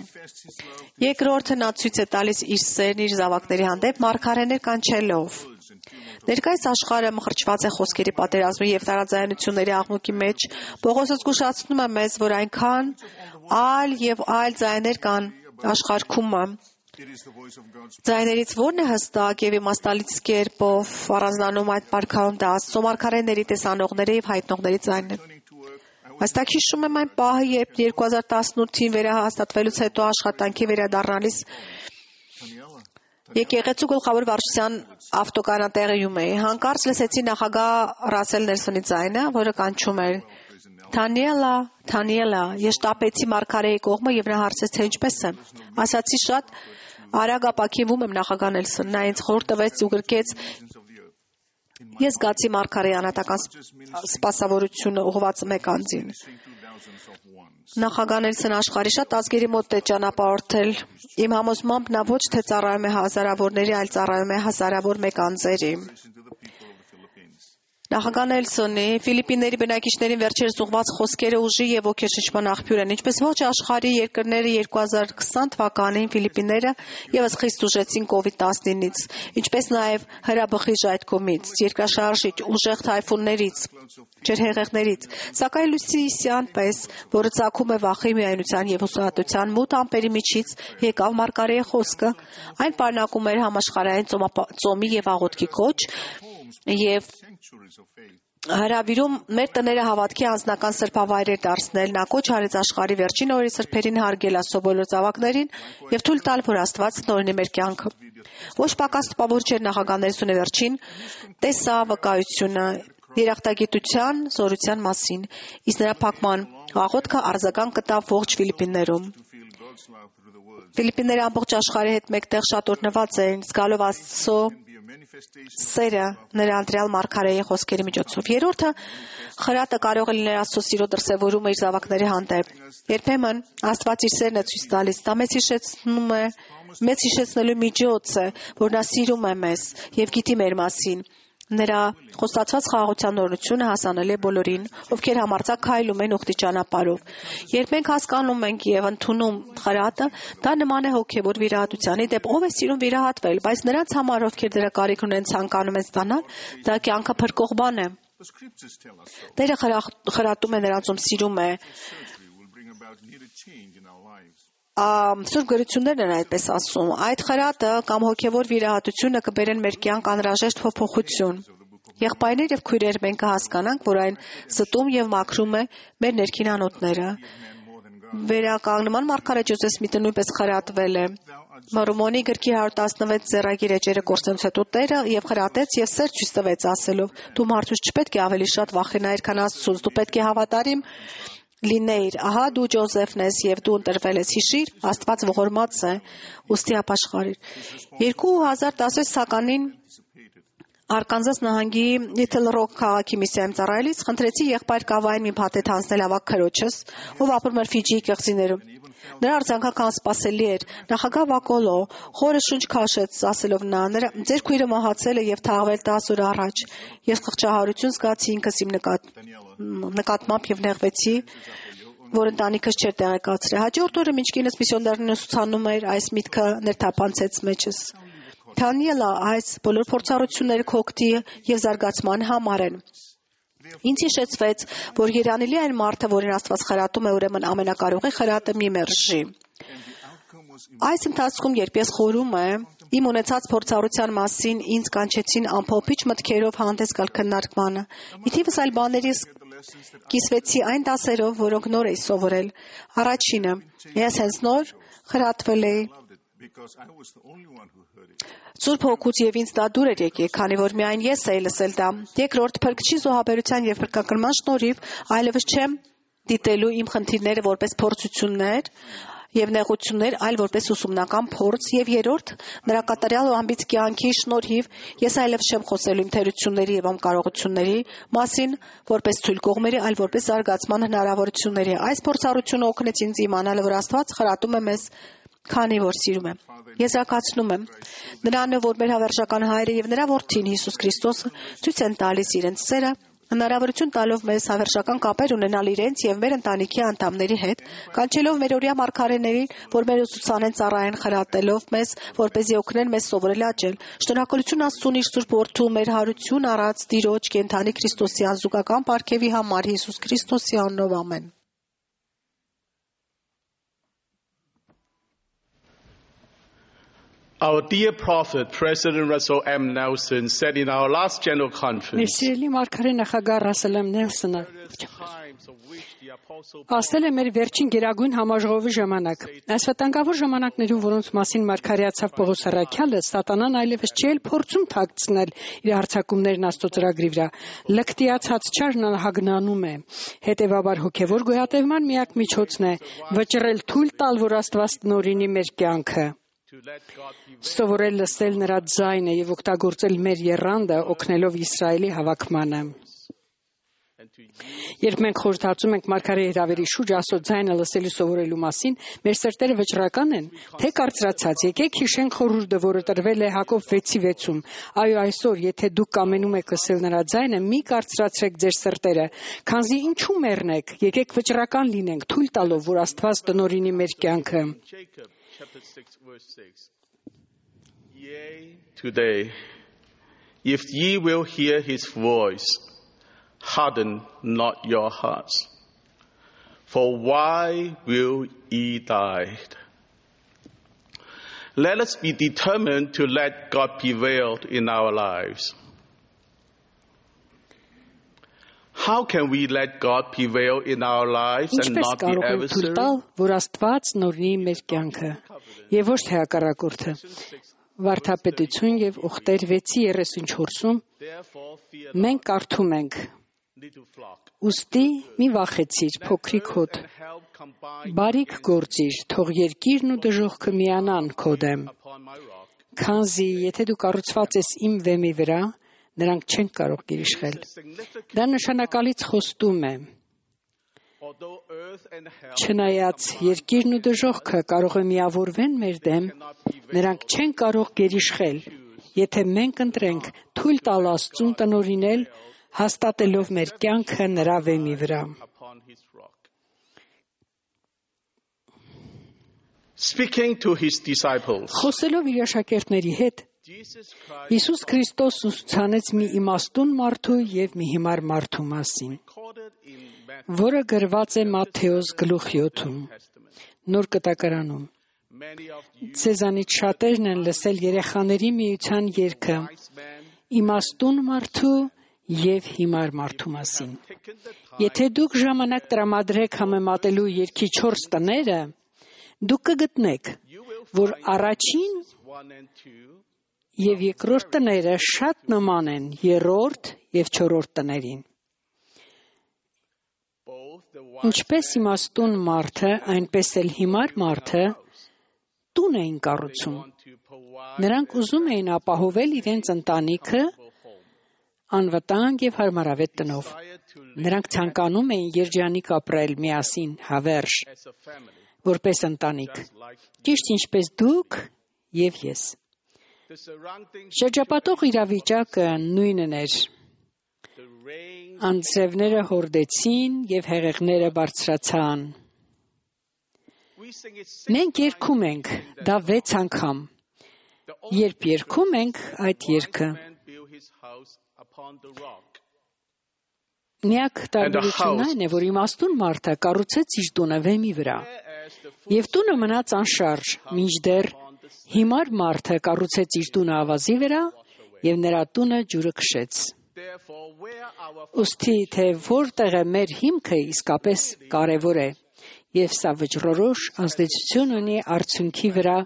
Երկրորդը նա ցույց է տալիս իր սերն իր զավակների հանդեպ մարգարեներ կանչելով։ Ներկայիս աշխարհը մխրճված է խոսքերի պատերազմի եւ տարաձայնությունների աղմուկի մեջ։ Պողոսը զգուշացնում է մեզ, որ այնքան այլ եւ այլ ձայներ կան աշխարհում։ Ձայներից ո՞րն է հստակ եւ իմաստալից կերպով առանձնանում այդ պարքայում դա Աստծո մարգարեների, տեսանողների եւ հայտնողների ձայնն է։ Հստակ հիշում եմ այն պահը, երբ 2018-ին վերահաստատվելուց հետո աշխատանքի վերադառնալիս եկեղեցու գլխավոր վարչության ավտոկանատեղիում էի։ Հանկարծ լսեցի նախագահ Ռասել Նելսոնի ձայնը, որը կանչում էր. Թանիելա, Թանիելա, ես շտապեցի մարգարեի կողմը եւ նա հարցրեց, թե ինչպես եմ։ Ասացի շատ արագ ապակինվում եմ նախագահ Նելսոն։ Նա ինձ խորհուրդ տվեց ու գրկեց. Ես զգացի մարգարեի անհատական սպասավորությունը ուղղված մեկ անձին։ Նախագահ Նելսոնը աշխարհի շատ ազգերի մոտ է ճանապարհորդել։ Իմ համոզմամբ նա ոչ թե ծառայում է հազարավորների, այլ ծառայում է հազարավոր մեկ անձերի։ Նախագահ Նելսոնի Ֆիլիպինների բնակիչներին վերջերս ուղղված խոսքերը ուժի եւ ոգեշնչման աղբյուր են, ինչպես ոչ աշխարհի երկրները 2020 թվականին Ֆիլիպինները եւս խիստ ուժեցին COVID-19-ից, ինչպես նաեւ հրաբխիժ այդ կողմից, երկրաշարժիչ, ուժեղ թայֆուններից, ջրհեղեղներից, սակայն լույսի պես, որը ծագում է վախի, միայնության եւ հուսահատության մութ ամպերի միջից, եկավ մարգարեի խոսքը, այն պարունակում էր համաշխարհային ծոմի եւ աղոթքի կոչ եւ հրավիրում մեր տները հավատքի անձնական սրբավայրեր դարձնել, նա կոչ արեց աշխարհի վերջին օրերի սրբերին հարգել Աստծո բոլոր զավակներին եւ թույլ տալ, որ Աստված նորինի մեր կյանքը։ Ոչ պակաս տպավոր չէր նախագահ Նելսոնի վերջին տեսա վկայությունը երախտագիտության զորության մասին, իսկ նրա փակման աղոթքը արձագանք գտավ ողջ Ֆիլիպիններում։ Ֆիլիպինները ամբողջ աշխարհի հետ մեկտեղ շատ օրհնված էին, զգալով Աստծո սերը նրա ընտրյալ մարգարեի խոսքերի միջոցով։ Երրորդը խրատը կարող է լինել Աստծո սիրո դրսևորումը իր զավակների հանդեպ։ Երբեմն Աստված իր սերն է ցույց տալիս, դա մեզ հիշեցնելու միջոց է, որ նա սիրում է մեզ եւ գիտի մեր մասին։ Նրա խոստացված խաղաղության օրհնությունը հասանելի է բոլորին, ովքեր համարձակ քայլում են ուխտի ճանապարհով։ Երբ մենք հասկանում ենք եւ ընդունում խրատը, դա նման է հոգեվոր վիրահատությանի, դեպ ով է սիրում վիրահատվել, բայց նրանց համար, ովքեր դրա կարիք ունեն, ցանկանում են ստանալ, դա կյանքը փրկող բան է։ Տերը խրատում է նրանց, ում սիրում է։ Սուրբ գրություններն են այդպես ասում. այդ խրատը կամ հոգևոր վիրահատությունը կբերեն մեր կյանք անհրաժեշտ փոփոխություն։ Եղբայրներ եւ քույրեր, մենք կհասկանանք, որ այն զտում եւ մաքրում է մեր ներքին անոթները։ Վերականգնման մարգարե Ջոզեֆ Սմիթը նույնպես խրատվել է։ Մարումոնի գրքի 116 ձեռագիր էջերը կորցնելուց հետո Տերը եւ խրատեց եւ սեր ցույց տվեց ասելով. «Դու մարդուց չպետք է ավելի շատ վախենայիր, քան Աստծուց, դու պետք է հավատարիմ լինեիր, ահա դու Ջոզեֆն ես եւ դու ընտրվել ես, հիշիր, Աստված ողորմած է, ուստի ապաշխարիր»։ 2016 թվականին Արկանզաս նահանգի Լիթլ Ռոք քաղաքի միսիայում ծառայելիս խնդրեցի եղբայր Կավային մի փաթեթ հանձնել ավակ քրոջս, ով ապրում էր Ֆիջիի կղզիներում։ Նրա արձագանքը անսպասելի էր։ Նախագահ Վակոլո խորը շունչ քաշեց, ասելով նա. «Ձեր քույրը մահացել է եւ թաղվել 10 օր առաջ»։ Ես խղճահարություն զգացի ինքս իմ նկատմամբ եւ նեղվեցի, որ ընտանիքս չէր տեղեկացրել։ Հաջորդ օրը, մինչ կինս միսիոներներին ուսուցանում էր, այս միտքը ներթափանցեց մեջս։ Դանիելա, այս բոլոր փորձառությունները քոքտի եւ զարգացման համար են։ Ինձ հիշեցվեց, որ երանելի այն մարդը, որին Աստված խրատում է, ուրեմն ամենակարողի խրատը մի մերժի։ Այս ընթացքում, երբ ես խորում եմ, իմ ունեցած փորձառության մասին ինձ կանչեցին ամփոփիչ մտքերով հանդես գալ քննարկմանը։ Ի թիվս այլ բաների կիսվեցի այն դասերով, որոնք նոր էի սովորել։ Առաջինը, ես հենց նոր խրատվել էի Սուրբ Հոգուց եւ ինձ դա դուր էր եկել, քանի որ միայն ես էի լսել դա։ Երկրորդ, փրկչի զոհաբերության եւ փրկակրման շնորհիվ այլևս չեմ դիտելու իմ խնդիրները որպես փորձություններ եւ նեղություններ, այլ որպես ուսումնական փորձ, եւ երրորդ, նրա կատարյալ ու ամբից կյանքի շնորհիվ ես այլևս չեմ խոսելու իմ թերությունների եւ անկարողությունների մասին, որպես թույլ կողմերի, այլ որպես զարգացման հնարավորությունների։ Այս փորձառությունը օգնեց ինձ իմանալ, որ Աստված խրատում է մեզ, քանի որ սիրում է։ Եզրակացնում եմ, նրանը, որ մեր հավերժական հայրը եւ նրա որդին Հիսուս Քրիստոսը ցույց են տալիս իրենց սերը, հնարավորություն տալով մեզ հավերժական կապեր ունենալ իրենց եւ մեր ընտանիքի անդամների հետ, կանչելով մեր օրյա մարգարեներին, որ մեր ուսուցանեն ծառայեն, խրատելով մեզ, որպեսզի օգնեն մեզ սովորել աճել։ Շնորհակալություն Աստծուն իր Սուրբ Որդու մեր հարություն առած Տիրոջ կենթանի Քրիստոսի անզուգական պարգևի համար Հիսուս Քրիստոսի անունով ամեն։ Our dear prophet, President Russell M. Nelson, said in our last General Conference, ասել է մեր վերջին գերագույն համաժողովի ժամանակ։ Այս վտանգավոր ժամանակներում, որոնց մասին մարգարեացավ Պողոս առաքյալը, սատանան այլևս չի էլ փորձում թաքցնել իր հարձակումներն Աստծո ծրագրի վրա։ Լկտիացած չարն հագնանում է։ Հետևաբար հոգևոր գոյատևման միակ միջոցն է վճռել թույլ տալ, որ Աստված տնօրինի մեր կյանքը։ Սովորել լսել նրա ձայնը եւ օգտագործել մեր եռանդը, օգնելով Իսրայելի հավաքմանը։ Երբ մենք խորհրդածում ենք մարգարեի հրավերի շուրջ Աստծո ձայնը լսելու սովորելու մասին, մեր սրտերը վճռական են, թե կարծրացած։ Եկեք հիշենք խորհուրդը, որը տրվել է Հակոբ 6:6-ում։ Այո, այսօր, եթե դուք կամենում եք լսել նրա ձայնը, մի կարծրացրեք ձեր սրտերը, քանզի ինչու մեռնեք, եկեք վճռական լինենք, թույլ տալով, որ Աստված տնօրինի մեր կյանքը։ Chapter 6, verse 6. Yea, today, if ye will hear his voice, harden not your hearts. For why will ye die? Let us be determined to let God prevail in our lives. How can we let God prevail in our lives and not the adversary? Որ Աստված նորնի մեր կյանքը եւ ոչ թե հակառակորդը։ Վարդապետություն եւ Ուխտեր 6:34-ում մենք կարդում ենք. Ուստի մի վախեցիր, փոքրիկ հոտ, բարիք գործիր, թող երկիրն ու դժոխքը միանան քո դեմ, քանզի եթե դու կառուցված ես իմ վեմի վրա, նրանք չեն կարող գերիշխել։ Դա նշանակալից խոստում է։ Չնայած երկիրն ու դժոխքը կարող է միավորվեն մեր դեմ, նրանք չեն կարող գերիշխել, եթե մենք ընտրենք թույլ տալ Աստծուն տնօրինել, հաստատելով մեր կյանքը նրա վեմի վրա։ Speaking to his disciples, խոսելով իր աշակերտների հետ, Հիսուս Քրիստոսն ուսուցանեց մի իմաստուն մարդու եւ մի հիմար մարդու մասին, որը գրված է Մատթեոս գլուխ 7-ում, Նոր Կտակարանում։ Ձեզանից շատերն են լսել երեխաների միության երգը՝ իմաստուն մարդու եւ հիմար մարդու մասին։ Եթե դուք ժամանակ տրամադրեք համեմատելու երկի 4 տները, դուք կգտնեք, որ առաջին եւ երկրորդ տները շատ նման են երրորդ եւ չորրորդ տներին։ Ինչպես իմաստուն մարդը, այնպես էլ հիմար մարդը տուն էին կառուցում։ Նրանք ուզում էին ապահովել իրենց ընտանիքը անվտանգ եւ հարմարավետ տնով։ Նրանք ցանկանում էին երջանիկ ապրել միասին հավերժ, որպես ընտանիք, ճիշտ ինչպես դուք եւ ես։ Շրջապատող իրավիճակը նույնն էր։ Անձրևները հորդեցին եւ հեղեղները բարձրացան։ Մենք երգում ենք դա 6 անգամ։ Երբ երգում ենք այդ երգը, միակ տարբերությունն այն է, որ իմաստուն մարդը կառուցեց իր տունը վեմի վրա, եւ տունը մնաց անշարժ, մինչդեռ հիմար մարդը կառուցեց իր տունը ավազի վրա եւ նրա տունը ջուրը քշեց։ Ուստի թե որտեղ է մեր հիմքը իսկապես կարևոր է, եւ սա վճռորոշ ազդեցություն ունի արդյունքի վրա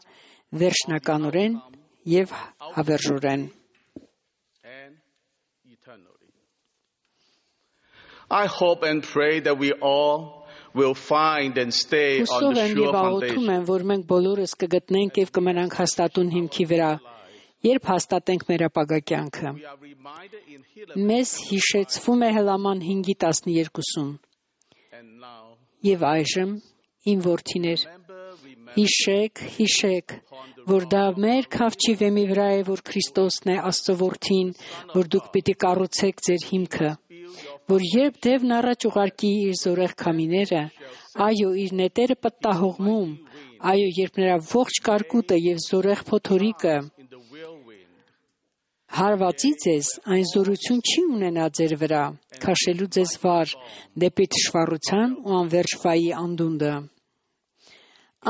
վերջնականորեն եւ հավերժորեն։ I hope and pray that we all will find and stay on the sure foundation. Որ մենք բոլորս կգտնենք եւ կմնանք հաստատուն հիմքի վրա, երբ հաստատենք մեր ապագա կյանքը։ Մեզ հիշեցվում է Հելաման 5:12-ում։ Եվ այժմ, իմ որդիներ, հիշեք, որ դա մեր քավչի վեմի վրա է, որ Քրիստոսն է Աստծո որդին, որ դուք պիտի կառուցեք ձեր հիմքը, որ երբ դևն առաջ ուղարկի իր զորեղ քամիները, այո, իր նետերը պտտահողմում, այո, երբ նրա ողջ կարկուտը եւ զորեղ փոթորիկը հարվածի ձեզ, այն զորություն չի ունենա ձեր վրա, քաշելու ձեզ վար, դեպի թշվառության ու անվերջ վայի անդունդը։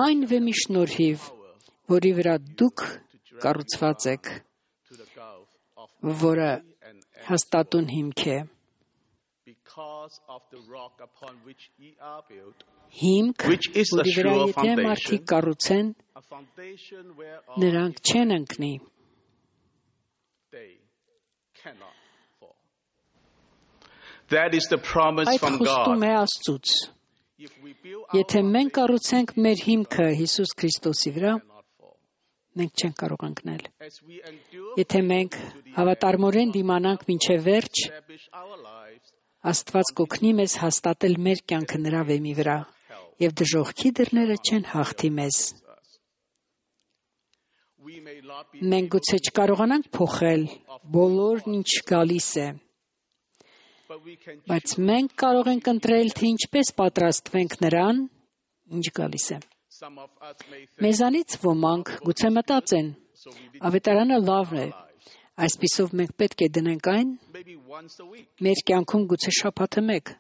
Այն վեմի շնորհիվ, որի վրա դուք կառուցված եք, որը հաստատուն հիմք է։ Հիմք, որի վրա եթե մարդիկ կառուցեն, նրանք չեն ընկնի։ Այդ խոստում է Աստծուց։ Եթե մենք կառուցենք մեր հիմքը Հիսուս Քրիստոսի վրա, մենք չենք կարող ընկնել։ Եթե մենք հավատարմորեն դիմանանք մինչև վերջ, Աստված կօգնի մեզ հաստատել մեր կյանքը նրա վեմի վրա, եւ դժոխքի դռները չեն հաղթի մեզ։ Մենք գուցե չկարողանանք փոխել բոլորն ինչ գալիս է, բայց մենք կարող ենք ընտրել, թե ինչպես պատրաստվենք նրան, ինչ գալիս է։ Մեզանից ոմանք գուցե մտածեն, ավետարանը լավն է, այսպիսով մենք պետք է դնենք այն մեր կյանքում գուցե շաբաթը մեկ։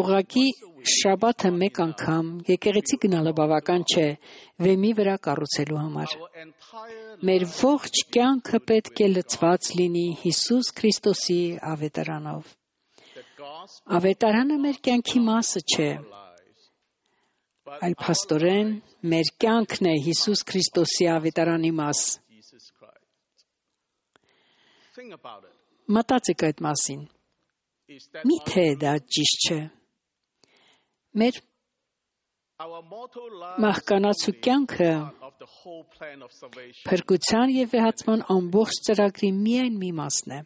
Ուղղակի շաբաթը մեկ անգամ եկեղեցի գնալը բավական չէ վեմի վրա կառուցելու համար։ Մեր ողջ կյանքը պետք է լցված լինի Հիսուս Քրիստոսի ավետարանով։ Ավետարանը մեր կյանքի մասը չէ, այլ փաստորեն մեր կյանքն է Հիսուս Քրիստոսի ավետարանի մաս։ Մտածեք այդ մասին։ Միթե դա ճիշտ չէ։ Մեր մահկանացու կյանքը փրկության եւ վեհացման ամբողջ ծրագրի միայն մի մասն է։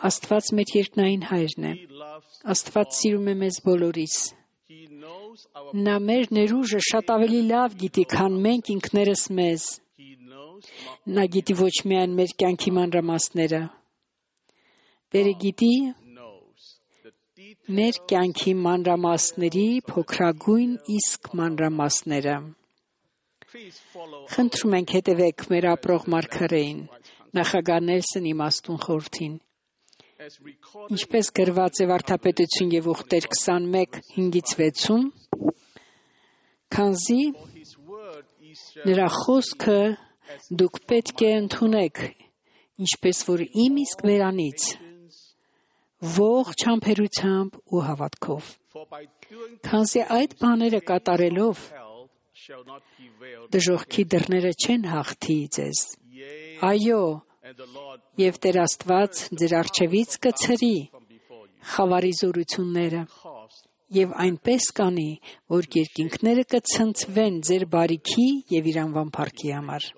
Աստված մեր երկնային հայրն է։ Աստված սիրում է մեզ բոլորիս։ Նա մեր ներուժը շատ ավելի լավ գիտի, քան մենք ինքներս մեզ։ Նա գիտի ոչ միայն մեր կյանքի մանրամասները, Տերը գիտի մեր կյանքի մանրամասների փոքրագույն իսկ մանրամասները։ Խնդրում ենք հետևեք մեր ապրող մարգարեին, նախագահ Նելսոն իմաստուն խորհրդին։ Ինչպես գրված է Վարդապետություն եւ Ուխտեր 21:5-6, քանզի նրա խոսքը դուք պետք է ընդունեք ինչպես որ իմ իսկ վերանից ողջ համբերությամբ ու հավատքով։ Քանզի այդ բաները կատարելով դժոխքի դռները չեն հաղթի ձեզ։ Այո, եւ Տեր Աստված ձեր առջևից կցրի խավարի զորությունները եւ այնպես կանի, որ երկինքները կցնցվեն ձեր բարիքի եւ իր անվան փառքի համար։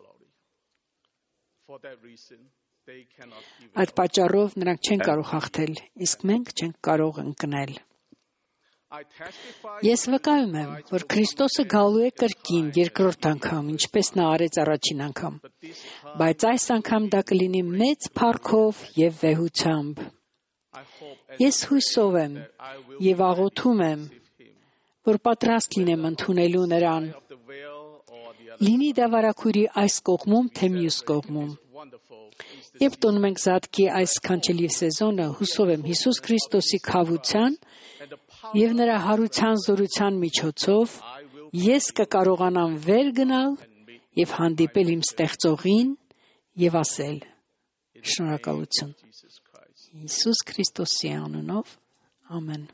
Այդ պատճառով նրանք չեն կարող հաղթել, իսկ մենք չենք կարող ընկնել։ Ես վկայում եմ, որ Քրիստոսը գալու է կրկին երկրորդ անգամ, ինչպես նա արեց առաջին անգամ, բայց այս անգամ դա կլինի մեծ փառքով եւ վեհությամբ։ Ես հույսով եմ եւ աղոթում եմ, որ պատրաստ լինեմ ընդունելու նրան, լինի դա վարագույրի այս կողմում, թե մյուս կողմում։ Երբ տոնում ենք Զատկի այս կանչելի սեզոնը, հուսով եմ Հիսուս Քրիստոսի քավության եւ նրա հարության զորության միջոցով ես կկարողանամ վեր գնալ եւ հանդիպել իմ ստեղծողին եւ ասել. շնորհակալություն Հիսուս Քրիստոսի անունով, ամեն։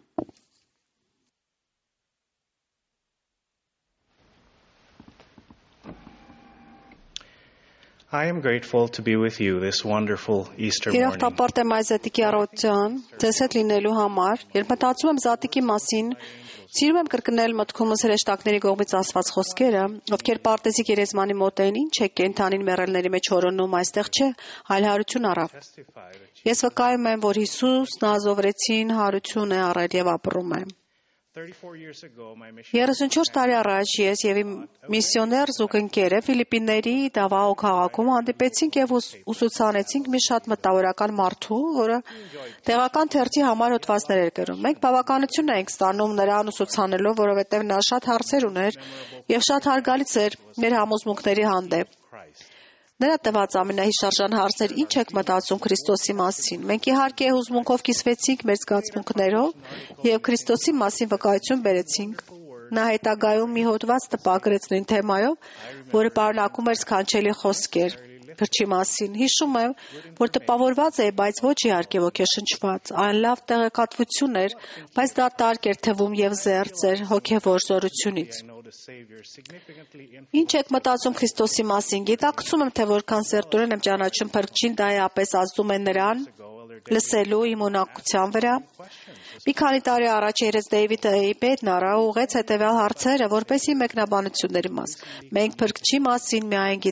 I am grateful to be with you this wonderful Easter morning. Երախտապարտ եմ այս Զատիկի առավոտյան, ձեզ հետ լինելու համար, երբ մտածում եմ Զատիկի մասին, սիրում եմ կրկնել մտքումս հրեշտակների կողմից ասված խոսքերը, ովքեր պարտեզի գերեզմանի մոտ էին, ինչ է կենդանին մեռելների մեջ հորոնում, այստեղ չէ, այլ հարություն առավ։ Ես վկայում եմ, որ Հիսուսն ազովրեցին հարություն է առել եւ ապրում է։ 34 տարի առաջ ես եւ իմ միսիոներ զուգընկերը Ֆիլիպինների Դավաո քաղաքում հանդիպեցինք եւ ուսուցանեցինք մի շատ մտավորական մարդու, որը տեղական թերթի համար հոդվածներ էր գրում։ Մենք բավականություն էինք ստանում նրան ուսուցանելով, որովհետեւ նա շատ հարցեր ուներ եւ շատ հարգալից էր մեր համոզմունքների հանդեպ։ Նրա տված ամենահիշարժան հարցն էր՝ ինչ եք մտածում Քրիստոսի մասին։ Մենք իհարկե հուզմունքով կիսվեցինք մեր զգացմունքներով եւ Քրիստոսի մասին վկայություն բերեցինք։ Նա հետագայում մի հոդված տպագրեց նույն թեմայով, որը պարունակում էր սքանչելի խոսքեր գրչի մասին։ Հիշում եմ, որ տպավորված էի, բայց ոչ իհարկե ոգեշնչված։ Այն լավ տեղեկատվություն էր, բայց դա տարգ էր թվում եւ զերծ էր հոգեվոր զորությունից։ Ինչ եք մտածում Քրիստոսի մասին։ Գիտակցում եմ, թե որքան սերտորեն եմ ճանաչում Փրկչին, դա էապես ազդում է նրան լսելու իմ ունակության վրա։ Մի քանի տարի առաջ երես Դեյվիդ Էյբեդն առա ուղեց հետևյալ հարցերը, որպեսզի մեկնաբանությունների մաս։ Մենք Փրկչի մասին միայն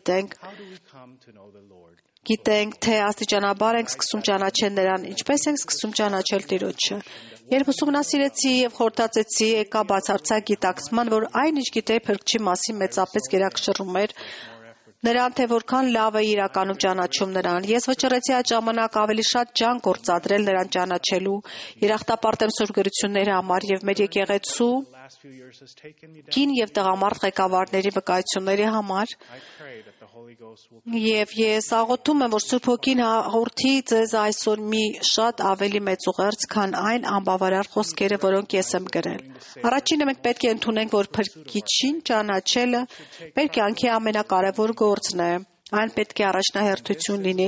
գիտենք, թե աստիճանաբար ենք սկսում ճանաչել նրան, ինչպես ենք սկսում ճանաչել Տիրոջը։ Երբ ուսումնասիրեցի եւ խորհրդածեցի, եկա բացարձակ գիտակցման, որ այն ինչ գիտեի Փրկչի մասին մեծապես գերակշռում էր նրան, թե որքան լավ է իրականում ճանաչում նրան։ Ես վճռեցի այդ ժամանակ ավելի շատ ջանք գործադրել նրան ճանաչելու, երախտապարտ եմ Սուրբ գրությունների համար եւ մեր եկեղեցու կին եւ տղամարդ ղեկավարների վկայությունների համար։ Եվ ես աղոթում եմ, որ Սուրբ Հոգին հաղորդի ձեզ այսօր մի շատ ավելի մեծ ուղերձ, քան այն անբավարար խոսքերը, որոնք ես եմ գրել։ Առաջինը մենք պետք է ընդունենք, որ Փրկիչին ճանաչելը մեր կյանքի ամենակարևոր գործն է։ Այն պետք է առաջնահերթություն լինի,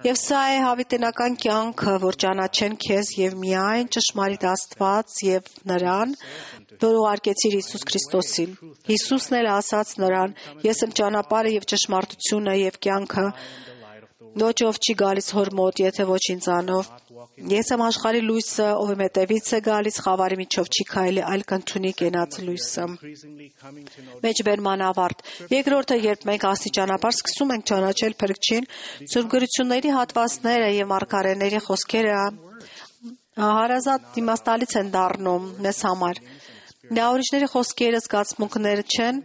եւ սա է հավիտենական կյանքը, որ ճանաչեն քեզ եւ միայն ճշմարիտ Աստված եւ նրան, որ ուղարկեցիր Հիսուս Քրիստոսին։ Հիսուսն էլ ասաց նրան. Ես եմ ճանապարհը եւ ճշմարտությունը եւ կյանքը, ոչ ով չի գալիս Հոր մոտ, եթե ոչ ինձանով։ Ես եմ աշխարհի լույսը, ով իմ հետևից է գալիս, խավարի միջով չի քայլի, այլ կընդունի կենաց լույսը։ Մեջբերման ավարտ։ Երկրորդը, երբ մենք աստիճանաբար սկսում ենք ճանաչել Փրկչին, Սուրբ գրությունների հատվածները եւ մարգարեների խոսքերը հարազատ իմաստալից են դառնում մեզ համար։ Դա ուրիշների խոսքերը, զգացմունքները չեն,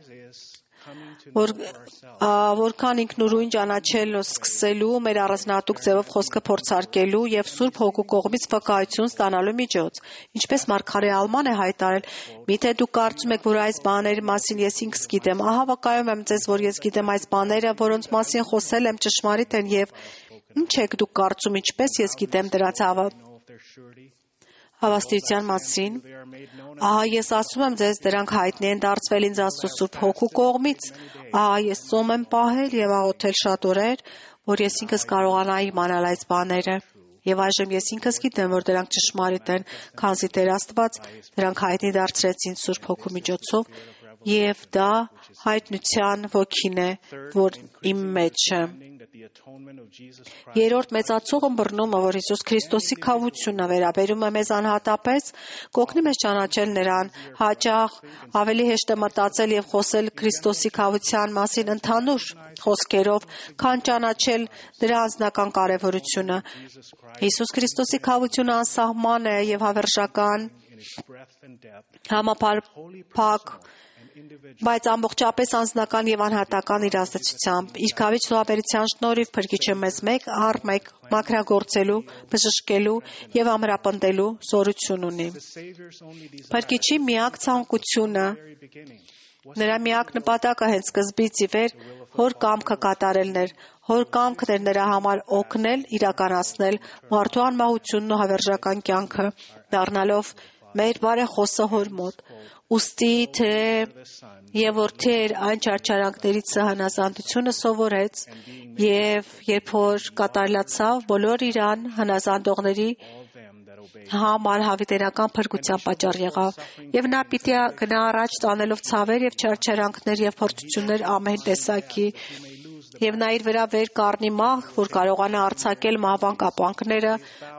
որքան ինքնուրույն ճանաչել սկսելու, մեր առանձնահատուկ ձևով խոսքը փորձարկելու եւ Սուրբ Հոգու կողմից վկայություն ստանալու միջոց։ Ինչպես մարգարե Ալման է հայտարարել. «Միթե դուք կարծում եք, որ այս բաների մասին ես ինքս գիտեմ, ահա վկայում եմ ձեզ, որ ես գիտեմ այս բաները, որոնց մասին խոսել եմ, ճշմարիտ են եւ ինչ եք դուք կարծում, ինչպես ես գիտեմ դրանց հավաստիության մասին։ Ահա ես ասում եմ ձեզ, դրանք հայտնի են դարձվել ինձ Աստծո Սուրբ Հոգու կողմից։ Ահա ես ծոմ եմ պահել եւ աղոթել շատ օրեր, որ ես ինքս կարողանայի իմանալ այս բաները։ Եվ այժմ ես ինքս գիտեմ, որ դրանք ճշմարիտ են, քանզի Տեր Աստված դրանք հայտնի դարձրեց ինձ Սուրբ Հոգու միջոցով, եւ դա հայտնության ոգին է, որ իմ մեջ է։ Երրորդ մեծացող ըմբռնումը, որ Հիսուս Քրիստոսի քավությունը վերաբերում է մեզ անհատապես, կօգնի մեզ ճանաչել Նրան, հաճախ ավելի հեշտ է մտածել եւ խոսել Քրիստոսի քավության մասին ընդհանուր խոսքերով, քան ճանաչել դրա անձնական կարևորությունը։ Հիսուս Քրիստոսի քավությունը անսահման է եւ հավերժական, համապարփակ, բայց ամբողջապես անձնական եւ անհատական իր ազդեցությամբ։ Իր քավիչ զոհաբերության շնորհիվ Փրկիչը մեզ մեկ առ մեկ մաքրագործելու, բժշկելու եւ ամրապնդելու զորություն ունի։ Փրկիչի միակ ցանկությունը, նրա միակ նպատակը հենց սկզբից ի վեր Հոր կամքը կատարելն էր։ Հոր կամքն էր նրա համար օգնել, իրականացնել մարդու անմահությունն ու հավերժական կյանքը, դառնալով մեր բարեխոսը Հոր մոտ։ Ուստի թե եւ որդեր այն չարչարանքներից հնազանդությունը սովորեց եւ երբ որ կատարելացավ բոլոր իրան հնազանդողների համար հավիտենական փրկության պատճառ եղավ եւ նա պիտի գնա առաջ տանելով ցավեր եւ չարչարանքներ եւ փորձություններ ամեն տեսակի եւ նա իր վրա վեր կառնի մահ, որ կարողանա արձակել մահվան կապանքները,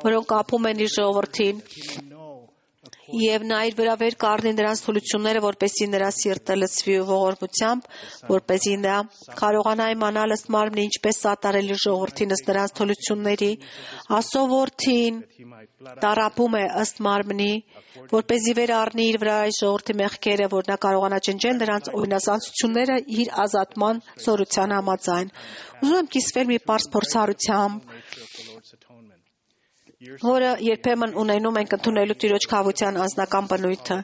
որոնք կապում են իր ժողովրդին, եւ նա իր վրա վեր կառնի նրանց թուլությունները, որպեսզի նրա սիրտը լցվի ողորմությամբ, որպեսզի նա կարողանա իմանալ ըստ մարմնի ինչպես սատարել իր ժողովրդին ըստ նրանց թուլությունների, ասովորթին տարապում է ըստ մարմնի, որպեսզի վեր առնի իր վրա այս ժողովրդի մեղքերը, որ նա կարողանա ջնջել նրանց օրինազանցությունները իր ազատման զորության համաձայն։ Ուզում եմ կիսվել մի պարզ փորձառությամբ, որը երբեմն ունենում ենք ընդունելու Տիրոջ քավության անձնական բնույթը։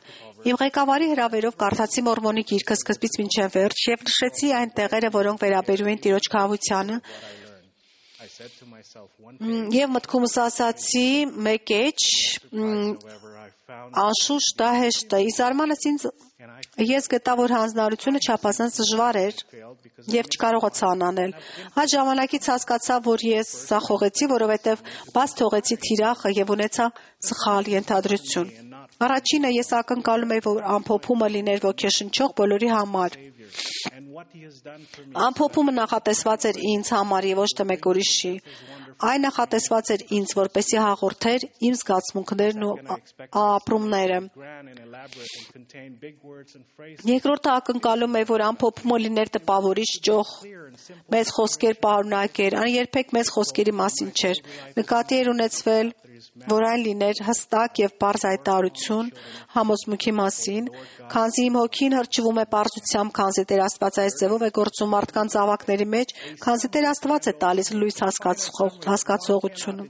Իմ ղեկավարի հրավերով կարդացի Մորմոնի գիրքը սկզբից մինչև վերջ եւ նշեցի այն տեղերը, որոնք վերաբերում են Տիրոջ քավությանը։ Եվ մտքումս ասացի մեկ էջ, անշուշտ դա հեշտ է։ Ի զարմանս ինձ ես գտա, որ հանձնարարությունը չափազանց դժվար էր եւ չկարողացա անանել։ Այդ ժամանակից հասկացա, որ ես սախողեցի, որովհետեւ բաց թողեցի թիրախը եւ ունեցա սխալ ենթադրություն։ Առաջինը ես ակնկալում էի, որ ամփոփումը լիներ ոգեշնչող բոլորի համար։ Ամփոփումը նախատեսված էր ինձ համար եւ ոչ թե մեկ ուրիշի։ Այն նախատեսված էր ինձ, որպեսզի հաղորդեր իմ զգացմունքներն ու ապրումները։ Երկրորդը ակնկալում է, որ ամփոփումը լիներ տպավորիչ, ճոխ, մեծ խոսքեր պարունակեր, այն երբեք մեծ խոսքերի մասին չէր։ Նկատի էր ունեցվել, որ այն լիներ հստակ եւ պարզ հայտարարություն համոզմունքի մասին, քանզի իմ հոգին հրճվում է պարզությամբ, քանզի Տեր Աստված այս ձևով է գործում մարդկանց զավակների մեջ, քանզի Տեր Աստված է տալիս լույս հասկացողությունը։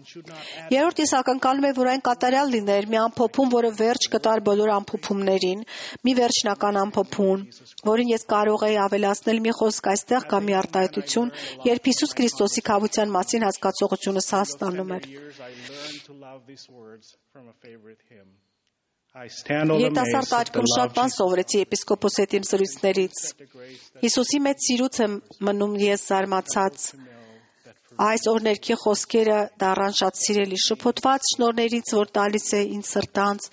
Երրորդ ես ակնկալում եմ, որ այն կատարյալ լիներ, մի ամփոփում, որը վերջ կտար բոլոր ամփոփումներին, մի վերջնական ամփոփում, որին ես կարող էի ավելացնել մի խոսք այստեղ կամ մի արտահայտություն, երբ Հիսուս Քրիստոսի քավության մասին հասկացողությունս հաստանում էր։ Երիտասարդ աչքում շատ բան սովորեցի եպիսկոպոս հետ իմ զրույցներից։ Հիսուսի մեծ սիրուց եմ մնում ես զարմացած։ Այս օրներքի խոսքերը դառան շատ սիրելի, շփոթված շնորհներից, որ տալիս է ինձ սրտանց,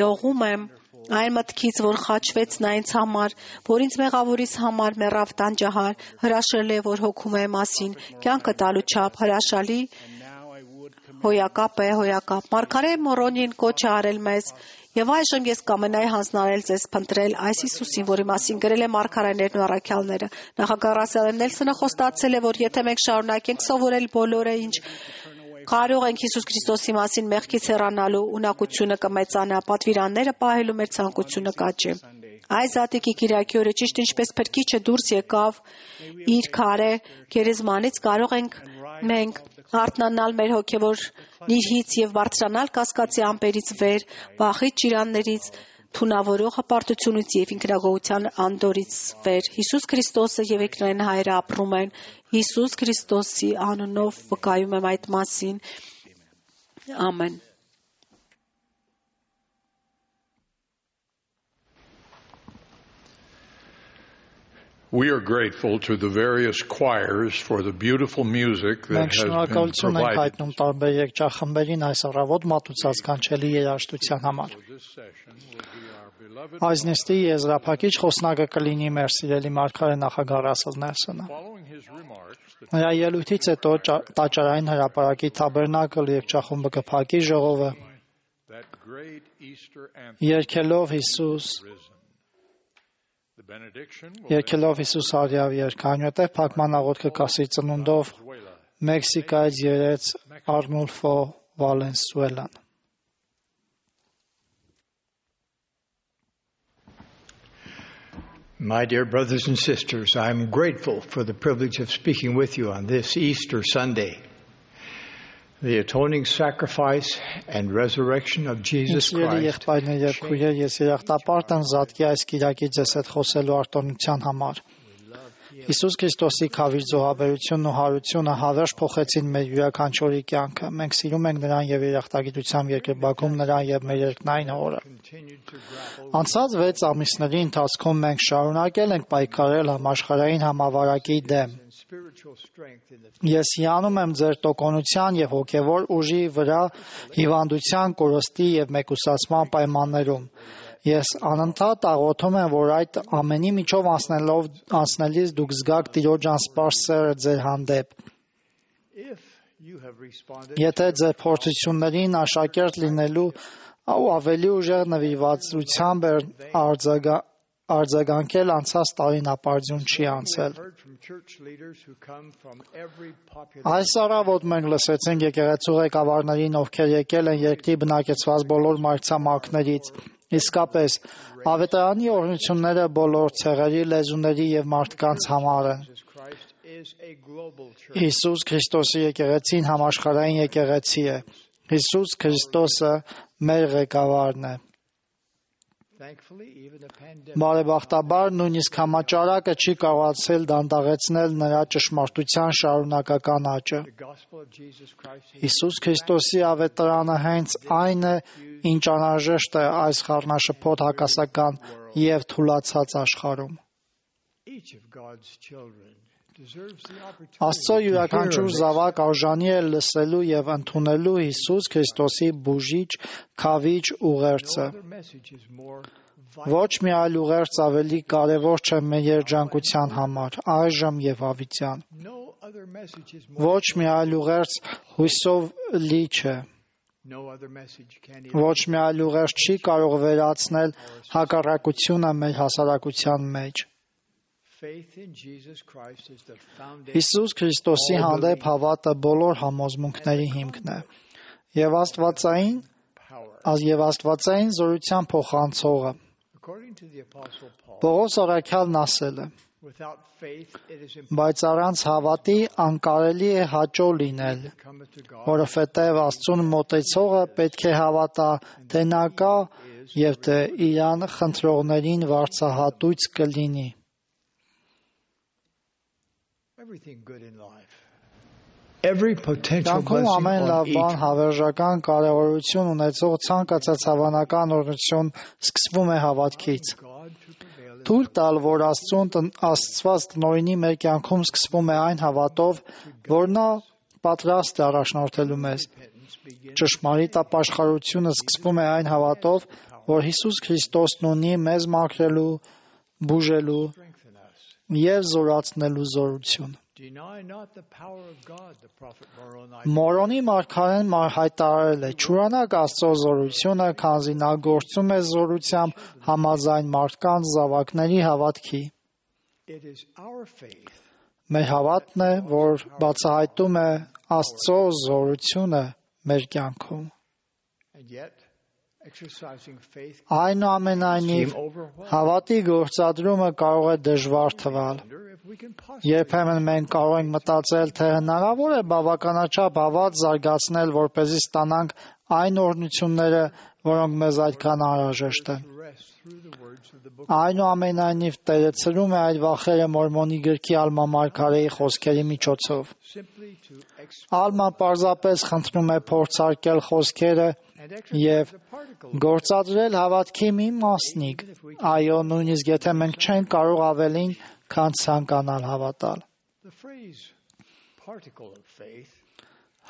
դողում եմ այն մտքից, որ խաչվեց նա ինձ համար, որ ինձ մեղավորիս համար մեռավ տանջահար, հրաշել է, որ հոգում է մասին, կյանքը տալու չափ հրաշալի հոյակապ է, հոյակապ։ Մարգարե Մորոնին կոչ է արել մեզ, եւ այժմ ես կամենայի հանձնարարել ձեզ փնտրել այս Հիսուսին, որի մասին գրել է մարգարեներն ու առաքյալները։ Նախագահ Ռասել Նելսոնը խոստացել է, որ եթե մենք շարունակենք սովորել բոլորը, ինչ կարող ենք Հիսուս Քրիստոսի մասին մեղքից հեռանալու ունակությունը կմեծանա, պատվիրանները պահելու մեր ցանկությունը կաճի։ Այս Զատիկի Կիրակի օրը ճիշտ ինչպես Փրկիչը դուրս եկավ իր քարե գերեզմանից, կարող ենք մենք արթնանալ մեր հոգևոր նիրհից եւ բարձրանալ կասկածի ամպերից վեր, վախից, ճիրաններից, թունավորող հպարտությունից եւ ինքնագոհության անդորից վեր։ Հիսուս Քրիստոսը եւ Էկրան Հայրը ապրում են։ Հիսուս Քրիստոսի անունով վկայում եմ այդ մասին։ Ամեն։ We are grateful to the various choirs for the beautiful music that has been provided. Այս նիստի եզրափակիչ խոսնակը կլինի մեր սիրելի մարգարե նախագահ Ռասել Նելսոնը։ Նրա ելույթից հետո տաճարային հրապարակի թաբերնակլ երգչախումբը կփակի ժողովը Երկելով Հիսուս արյավ երկանյութ է փակման աղոթքը կասի ծնունդով Մեքսիկայից երեց Արնուլֆո Վալենսուելան։ My dear brothers and sisters, I am grateful for the privilege of speaking with you on this Easter Sunday. The atoning sacrifice and resurrection of Jesus Christ. Հիսուս Քրիստոսի քավիր զոհաբերությունն ու հարությունը հավերժ փոխեցին մեր յուրաքանչյուրի կյանքը։ Մենք սիրում ենք նրան եւ երախտագիտությամբ երկրպագում նրան եւ մեր երկնային Հորը։ Անցած 6 ամիսների ընթացքում մենք շարունակել ենք պայքարել համաշխարհային համավարակի դեմ։ Ես հիանում եմ ձեր տոկունության եւ հոգեվոր ուժի վրա հիվանդության, կորստի եւ մեկուսացման պայմաններում։ Ես անընդհատ աղոթում եմ, որ այդ ամենի միջով անցնելիս դուք զգաք Տիրոջ անսպաստ սերը ձեր հանդեպ։ Եթե ձեր փորձություններին աշակերտ լինելու ու ավելի ուժեղ նվիրվածությամբ արձագանքել անցած տարին ապարդյուն չի անցել։ Այս առավոտ մենք լսեցինք եկեղեցու ղեկավարներին, ովքեր եկել են երկրի բնակեցված բոլոր մայրցամաքներից։ Իսկապես, ավետարանի օրհնությունները բոլոր ցեղերի, լեզուների եւ մարդկանց համար են։ Հիսուս Քրիստոսի եկեղեցին համաշխարհային եկեղեցի է։ Հիսուս Քրիստոսը մեր ղեկավարն է։ Բարեբախտաբար, նույնիսկ համաճարակը չի կարողացել դանդաղեցնել նրա ճշմարտության շարունակական աճը։ Հիսուս Քրիստոսի ավետարանը հենց այն է, ինչ անհրաժեշտ է այս խառնաշփոթ հակասական եւ թուլացած աշխարհում։ Աստծո յուրաքանչյուր զավակ արժանի է լսելու եւ ընդունելու Հիսուս Քրիստոսի բուժիչ, քավիչ ուղերձը։ Ոչ մի այլ ուղերձ ավելի կարևոր չէ մեր երջանկության համար, այժմ եւ հավիտյան։ Ոչ մի այլ ուղերձ հույսով լի չէ։ Ոչ մի այլ ուղերձ չի կարող վերացնել հակառակությունը մեր հասարակության մեջ։ Հիսուս Քրիստոսի հանդեպ հավատը բոլոր համոզմունքների հիմքն է եւ աստվածային զորության փոխանցողը։ Պողոս առաքյալն ասել է. բայց առանց հավատի անկարելի է հաճո լինել, որովհետև Աստծուն մոտեցողը պետք է հավատա, թե նա կա եւ թե իրան խնդրողներին վարձահատույց կլինի։ Կյանքում ամեն լավ բան հավերժական կարևորություն ունեցող ցանկացած հավանական օրհնություն սկսվում է հավատքից։ Թույլ տալ, որ Աստծված տնօրինի մեր կյանքում սկսվում է այն հավատով, որ նա պատրաստ է առաջնորդելու մեզ։ Ճշմարիտ ապաշխարությունը սկսվում է այն հավատով, որ Հիսուս Քրիստոսն ունի մեզ մաքրելու, բուժելու եւ զորացնելու զորություն։ Մորոնի մարգարեն հայտարարել է. «Չուրանաք Աստծո զորությունը, քանզի նա գործում է զորությամբ համաձայն մարդկանց զավակների հավատքի»։ Մեր հավատն է, որ բացահայտում է Աստծո զորությունը մեր կյանքում։ Այնուամենայնիվ, հավատի գործադրումը կարող է դժվար թվալ։ Երբեմն մենք կարող ենք մտածել, թե հնարավոր է բավականաչափ հավատ զարգացնել, որպեսզի ստանանք այն օրհնությունները, որոնք մեզ այդքան անհրաժեշտ են։ Այնուամենայնիվ, Տերը ցրում է այդ վախերը Մորմոնի գրքի Ալմա մարգարեի խոսքերի միջոցով։ Ալման պարզապես խնդրում է փորձարկել խոսքերը եւ գործադրել հավատքի մի մասնիկ։ Այո, նույնիսկ եթե մենք չենք կարող ավելին քան ցանկանալ հավատալ։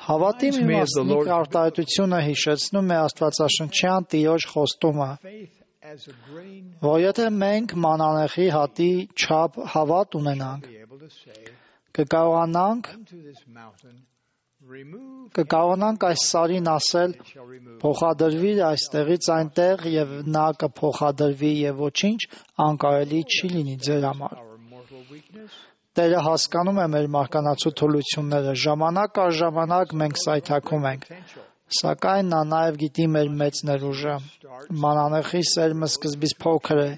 Հավատի մի մասնիկ արտահայտությունը հիշեցնում է Աստվածաշնչյան Տիրոջ խոստումը, որ եթե մենք մանանեխի հատի չափ հավատ ունենանք, կկարողանանք այս սարին ասել փոխադրվի այստեղից այնտեղ եւ նա կփոխադրվի եւ ոչինչ անկարելի չի լինի ձեր համար։ Տերը հասկանում է մեր մարկանացու թուլությունները, ժամանակ առ ժամանակ մենք սայթաքում ենք, սակայն նա նաև գիտի մեր մեծ ներուժը։ Մանանեխի սերմը սկզբից փոքր է,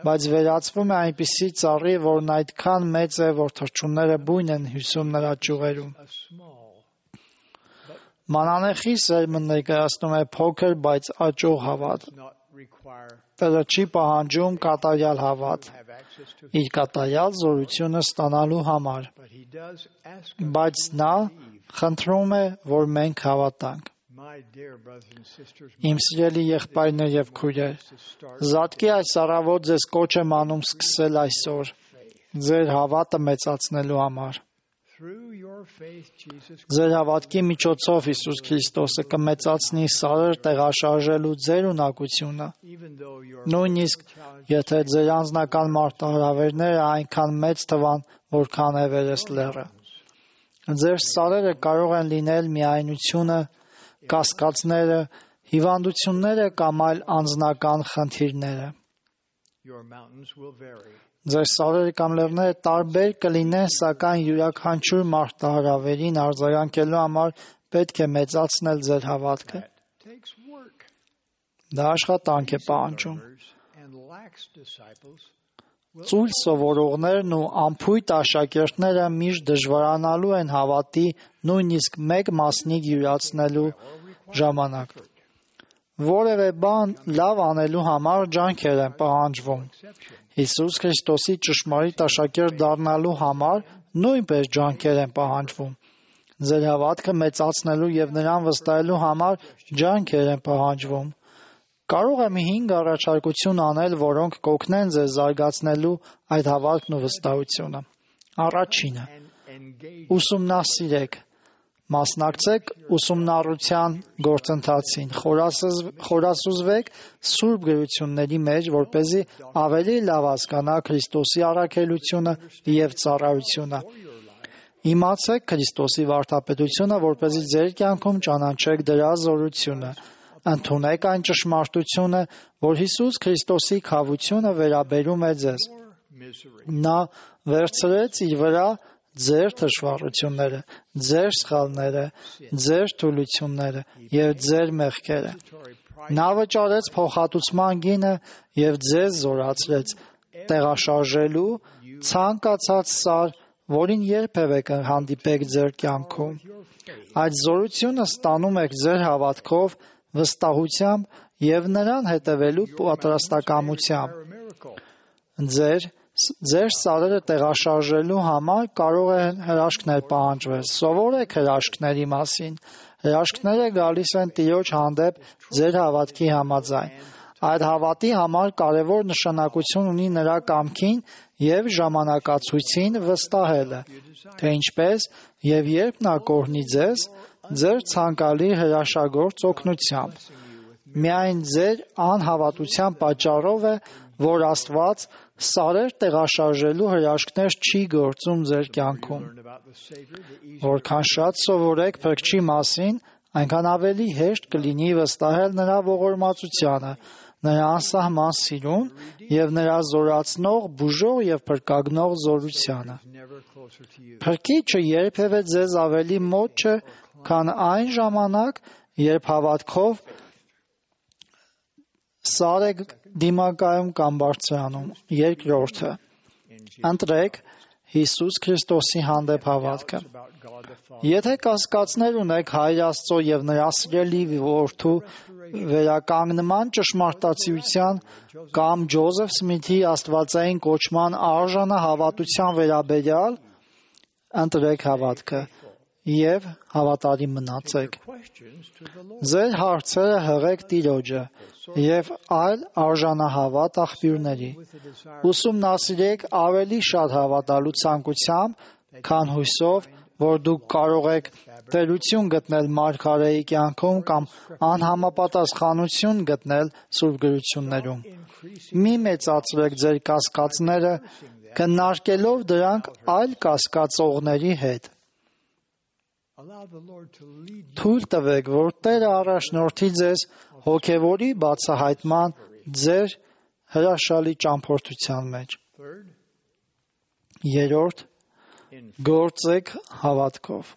բայց վերածվում է այնպիսի ծառի, որն այդքան մեծ է, որ թռչունները բույն են հյուսում նրա ճյուղերում։ Մանանեխի սերմը ներկայացնում է փոքր, բայց աճող հավատ։ Տերը չի պահանջում կատարյալ հավատ, իր կատարյալ զորությունը ստանալու համար, բայց նա խնդրում է, որ մենք հավատանք։ Իմ սիրելի եղբայրներ եւ քույրեր, Զատկի այս առավոտ ձեզ կոչ եմ անում սկսել այսօր, ձեր հավատը մեծացնելու համար։ Ձեր հավատքի միջոցով Հիսուս Քրիստոսը կմեծացնի սարեր տեղաշարժելու ձեր ունակությունը, նույնիսկ եթե ձեր անձնական մարտահրավերները այնքան մեծ թվան, որքան Էվերեստ լեռը։ Ձեր սարերը կարող են լինել միայնությունը, կասկածները, հիվանդությունները կամ այլ անձնական խնդիրները։ Ձեր սարերը կամ լեռները տարբեր կլինեն, սակայն յուրաքանչյուր մարտահրավերին արձագանքելու համար պետք է մեծացնել ձեր հավատքը։ Դա աշխատանք է պահանջում։ Ծույլ սովորողներն ու անփույթ աշակերտները միշտ դժվարանալու են հավատի նույնիսկ մեկ մասնիկ յուրացնելու ժամանակ։ Որևէ բան լավ անելու համար ջանքեր են պահանջվում։ Հիսուս Քրիստոսի ճշմարիտ աշակերտ դառնալու համար նույնպես ջանքեր են պահանջվում։ Ձեր հավատքը մեծացնելու եւ նրան վստահելու համար ջանքեր են պահանջվում։ Կարող եմ 5 առաջարկություն անել, որոնք կօգնեն ձեզ զարգացնելու այդ հավատքն ու վստահությունը։ Առաջինը՝ ուսումնասիրեք, մասնակցեք ուսումնառության գործընթացին, խորասուզվեք Սուրբ գրությունների մեջ, որպեսզի ավելի լավ հասկանաք Քրիստոսի առաքելությունը եւ ծառայությունը։ Իմացեք Քրիստոսի վարդապետությունը, որպեսզի ձեր կյանքում ճանաչեք դրա զորությունը։ Ընդունեք այն ճշմարտությունը, որ Հիսուս Քրիստոսի քավությունը վերաբերում է ձեզ։ Նա վերցրեց իր վրա ձեր թշվառությունները, ձեր սխալները, ձեր թուլությունները եւ ձեր մեղքերը։ Նա վճարեց փոխհատուցման գինը եւ ձեզ զորացրեց տեղաշարժելու ցանկացած սար, որին երբևէ կհանդիպեք ձեր կյանքում։ Այդ զորությունը ստանում եք ձեր հավատքով, վստահությամբ եւ նրան հետևելու պատրաստակամությամբ։ Ձեր սարերը տեղաշարժելու համար կարող են հրաշքներ պահանջվել։ Սովորեք հրաշքների մասին։ Հրաշքները գալիս են Տիրոջ հանդեպ ձեր հավատքի համաձայն։ Այդ հավատի համար կարևոր նշանակություն ունի նրա կամքին եւ ժամանակացույցին վստահելը, թե ինչպես եւ երբ նա կօրհնի ձեզ ձեր ցանկալի հրաշագործ օգնությամբ։ Միայն ձեր անհավատության պատճառով է, որ Աստված սարեր տեղաշարժելու հրաշքներ չի գործում ձեր կյանքում։ Որքան շատ սովորեք Փրկչի մասին, այնքան ավելի հեշտ կլինի վստահել նրա ողորմածությանը, նրա անսահման սիրուն եւ նրա զորացնող, բուժող եւ փրկագնող զորությանը։ Փրկիչը երբևէ ձեզ ավելի մոտ չէ, քան այն ժամանակ, երբ հավատքով սար եք դիմակայում կամ բարձրանում։ Երկրորդը՝ ընտրեք Հիսուս Քրիստոսի հանդեպ հավատքը։ Եթե կասկածներ ունեք Հայր Աստծո եւ նրա սիրելի որդու վերականգնման ճշմարտացիության կամ Ջոզեֆ Սմիթի աստվածային կոչման արժանահավատության վերաբերյալ, ընտրեք հավատքը։ եւ հավատարիմ մնացեք։ Ձեր հարցերը հղեք Տիրոջը եւ այլ արժանահավատ աղբյուրների։ Ուսումնասիրեք ավելի շատ հավատալու ցանկությամբ, քան հույսով, որ դուք կարող եք տերություն գտնել մարգարեի կյանքում կամ անհամապատասխանություն գտնել Սուրբ գրություններում։ Մի մեծացրեք ձեր կասկածները, քննարկելով դրանք այլ կասկածողների հետ։ Թույլ տվեք, որ Տերը առաջնորդի ձեզ հոգևորի բացահայտման ձեր հրաշալի ճամփորդության մեջ։ Երրորդ, գործեք հավատքով։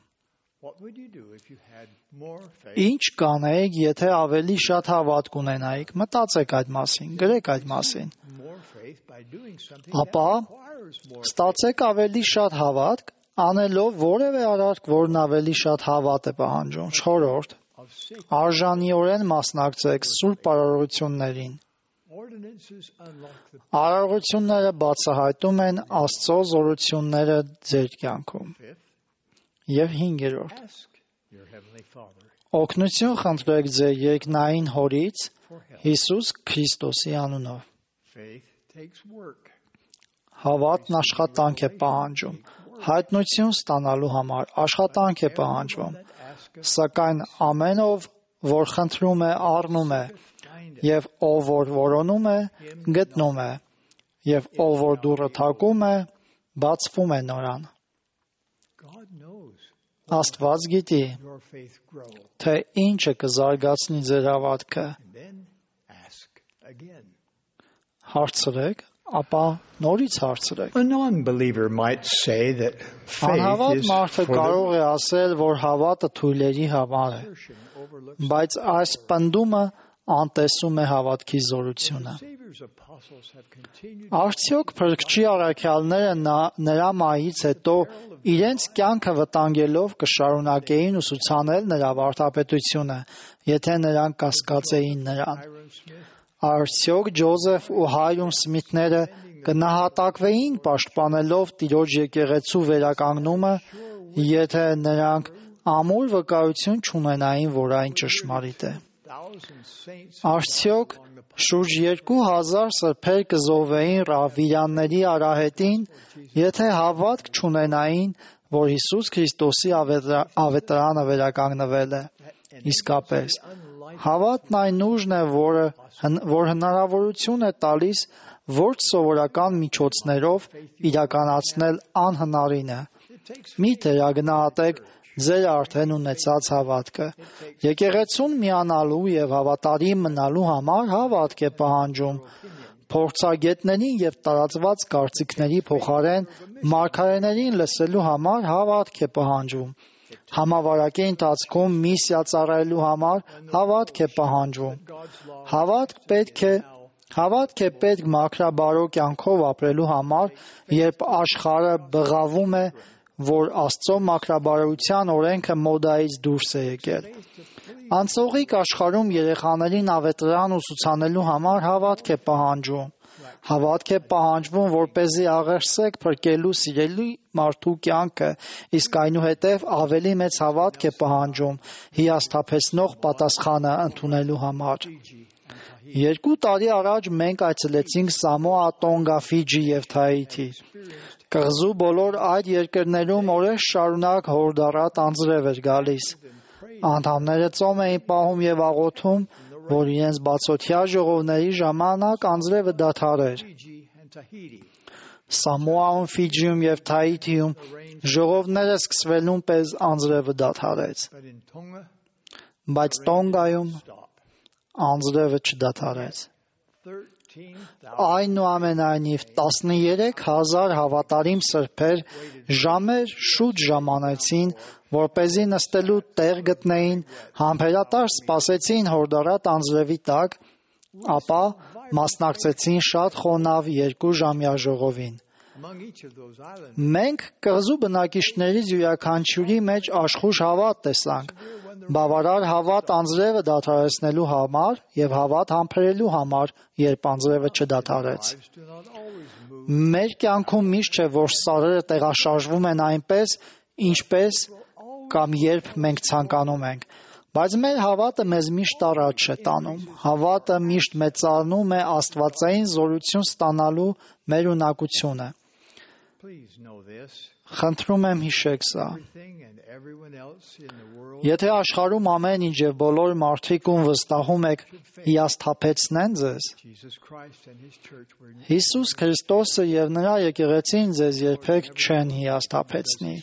Ինչ կանեիք, եթե ավելի շատ հավատք ունենայիք, մտածեք այդ մասին, գրեք այդ մասին։ Ապա ստացեք ավելի շատ հավատք, անելով որևէ արարք, որն ավելի շատ հավատ է պահանջում։ Չորրորդ, արժանիորեն մասնակցեք սուրբ արարողություններին։ Արարողությունները բացահայտում են Աստծո զորությունները ձեր կյանքում։ Եվ հինգերորդ, օգնություն խնդրեք ձեր երկնային Հորից Հիսուս Քրիստոսի անունով։ Հավատն աշխատանք է պահանջում, հայտնություն ստանալու համար աշխատանք է պահանջվում, սակայն ամեն ով, որ խնդրում է, առնում է, եւ ով որ որոնում է, գտնում է, եւ ով որ դուռը թակում է, բացվում է նորան։ Աստված գիտի, թե ինչը կզարգացնի ձեր հավատքը։ Հարցրեք, ապա նորից հարցրեք։ Անհավատ մարդը կարող է ասել, որ հավատը թույլերի համար է, բայց այս պնդումը անտեսում է հավատքի զորությունը։ Արդյոք փրկչի առաքյալները նրա մահից հետո իրենց կյանքը վտանգելով կշարունակեին ուսուցանել նրա վարդապետությունը, եթե նրանք կասկածեին նրան։ Արդյոք Ջոզեֆ ու Հայրում Սմիթները կնահատակվեին պաշտպանելով Տիրոջ եկեղեցու վերականգնումը, եթե նրանք ամուր վկայություն չունենային, որ այն ճշմարիտ է։ Արդյոք շուրջ 2000 սրբեր կզոհվեին Ռավիրանների արահետին, եթե հավատք չունենային, որ Հիսուս Քրիստոսի ավետարանը վերականգնվել է։ Իսկապես, հավատն այն ուժն է, որ հնարավորություն է տալիս ոչ սովորական միջոցներով իրականացնել անհնարինը։ Մի թերագնահատեք ձեր արդեն ունեցած հավատքը։ Եկեղեցուն միանալու եւ հավատարիմ մնալու համար հավատք է պահանջում։ Փորձագետներին եւ տարածված կարծիքների փոխարեն մարգարեներին լսելու համար հավատք է պահանջում։ Համավարակի ընթացքում միսիա ծառայելու համար հավատք է պահանջվում։ Հավատք է պետք մաքրաբարո կյանքով ապրելու համար, երբ աշխարհը բղավում է, որ Աստծո մաքրաբարության օրենքը մոդայից դուրս է եկել։ Անցողիկ աշխարհում երեխաներին ավետարան ուսուցանելու համար հավատք է պահանջվում։ Հավատք է պահանջվում, որպեսզի աղերսեք փրկելու սիրելի մարդու կյանքը, իսկ այնուհետև ավելի մեծ հավատք է պահանջվում հիասթափեցնող պատասխանը ընդունելու համար։ 2 տարի առաջ մենք այցելեցինք Սամոա, Տոնգա, Ֆիջի եւ Թահիթի։ Կղզու բոլոր այդ երկրներում օրեր շարունակ հորդառատ անձրև էր գալիս։ Անդամները ծոմ էին պահում եւ աղոթում, որ իրենց բացօթյա ժողովների ժամանակ անձրևը դադարեր։ Սամոայում, Ֆիջիում եւ Թահիթիում ժողովները սկսվելուն պես անձրևը դադարեց։ Բայց Տոնգայում անձրևը չդադարեց։ Այնուամենայնիվ 13,000 հավատարիմ սրբեր ժամեր շուտ ժամանեցին, որպեսզի նստելու տեղ գտնեին, համբերատար սպասեցին հորդառատ անձրևի տակ, ապա մասնակցեցին շատ խոնավ 2-ժամյա ժողովին։ Մենք կղզու բնակիչներից յուրաքանչյուրի մեջ աշխուժ հավատ տեսանք, բավարար հավատ անձրևը դադարեցնելու համար եւ հավատ համբերելու համար, երբ անձրևը չդադարեց։ Մեր կյանքում միշտ չէ, որ սարերը տեղաշարժվում են այնպես, ինչպես կամ երբ մենք ցանկանում ենք, բայց մեր հավատը մեզ միշտ առաջ է տանում։ Հավատը միշտ մեծանում է աստվածային զորություն ստանալու մեր ունակությունը։ Խնդրում եմ հիշեք սա։ Եթե աշխարհում ամեն ինչ եւ բոլոր մարդիկ ում վստահում եք հիասթափեցնեն ձեզ, Հիսուս Քրիստոսը եւ նրա եկեղեցին ձեզ երբեք չեն հիասթափեցնի։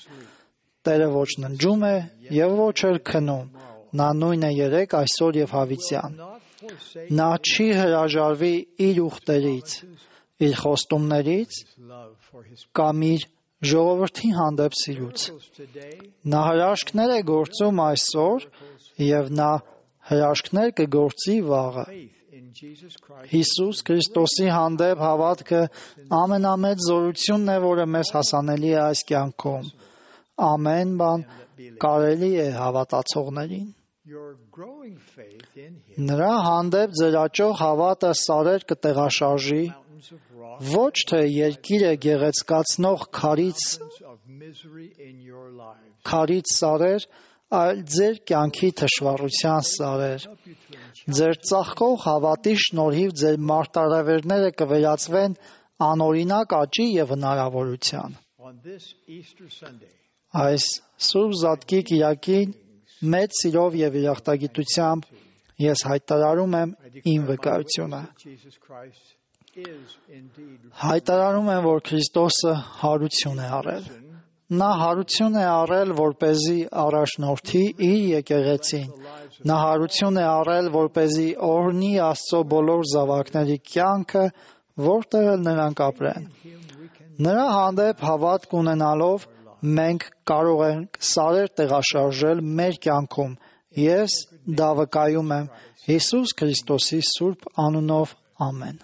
Տերը ոչ ննջում է եւ ոչ էլ քնում։ Նա նույնն է երեկ, այսօր եւ հավիտյան։ Նա չի հրաժարվի իր ուխտերից, իր խոստումներից կամ իր ժողովրդի հանդեպ սիրուց։ Նա հրաշքներ է գործում այսօր եւ նա հրաշքներ կգործի վաղը։ Հիսուս Քրիստոսի հանդեպ հավատքը ամենամեծ զորությունն է, որը մեզ հասանելի է այս կյանքում։ Ամեն բան կարելի է հավատացողներին։ Նրա հանդեպ ձեր աճող հավատը սարեր կտեղաշարժի, ոչ թե երկիրը գեղեցկացնող քարից սարեր, այլ ձեր կյանքի թշվառության սարեր։ Ձեր ծաղկող հավատի շնորհիվ ձեր մարտահրավերները կվերածվեն անօրինակ աճի եւ հնարավորության։ Այս Սուրբ Զատկի կիրակին մեծ սիրով եւ երախտագիտությամբ ես հայտարարում եմ իմ վկայությունը։ Հայտարարում եմ, որ Քրիստոսը հարություն է արել։ Նա հարություն է արել, որպեսզի առաջնորդի իր եկեղեցին։ Նա հարություն է արել, որպեսզի օրհնի Աստծո բոլոր զավակների կյանքը, որտեղ նրանք ապրեն։ Նրա հանդեպ հավատք ունենալով մենք կարող ենք սարեր տեղաշարժել մեր կյանքում։ Ես դա վկայում եմ Հիսուս Քրիստոսի սուրբ անունով, ամեն։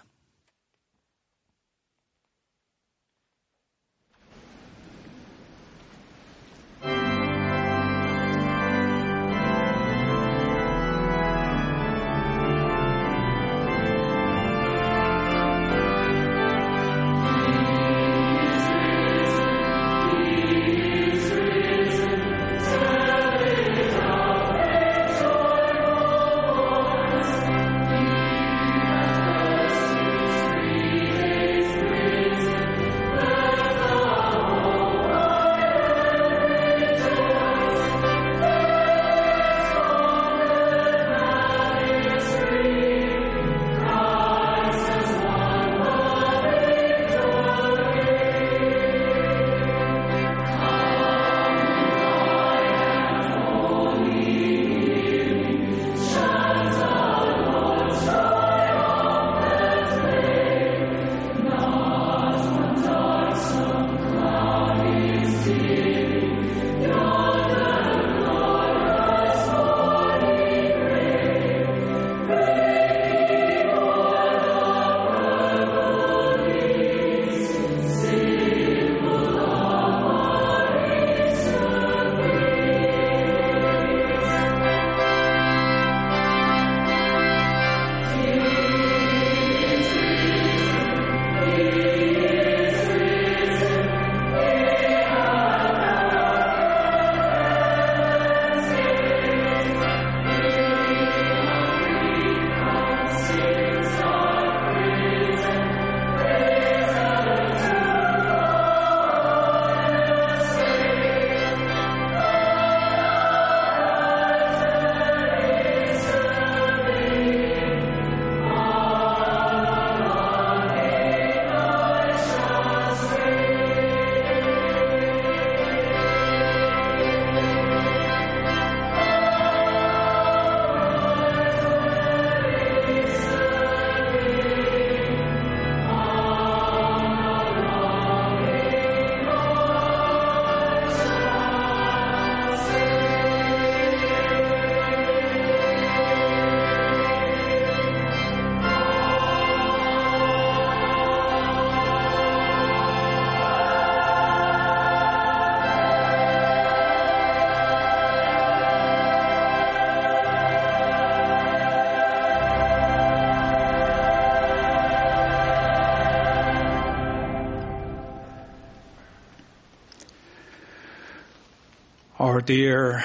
Our dear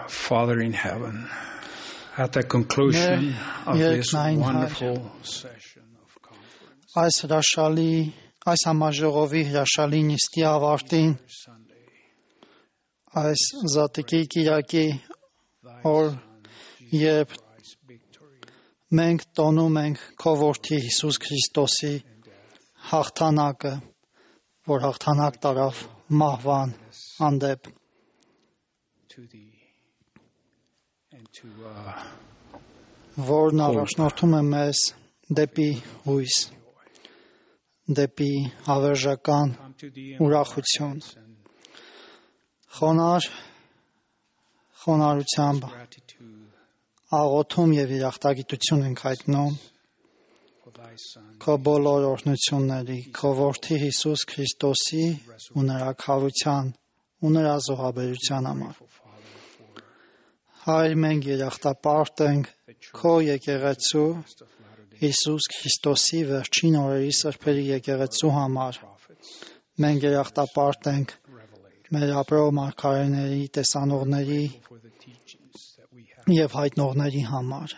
Father in heaven, at the conclusion of this wonderful session of conference, այս համաժողովի հրաշալի նիստի ավարտին, այս Զատկի կիրակի օր, երբ մենք տոնում ենք քո որդի Հիսուս Քրիստոսի հաղթանակը, որ հաղթանակ տարավ մահվան հանդեպ, որն առաջնորդում է մեզ դեպի հույս, դեպի հավերժական ուրախություն, խոնարհությամբ աղոթում եւ երախտագիտություն ենք հայտնում քո բոլոր օրհնությունների, քո որդի Հիսուս Քրիստոսի ու նրա քավության ու նրա զոհաբերության համար։ Հայր, մենք երախտապարտ ենք քո եկեղեցու Հիսուս Քրիստոսի վերջին օրերի սրբերի եկեղեցու համար։ Մենք երախտապարտ ենք մեր ապրող մարգարեների, տեսանողների եւ հայտնողների համար։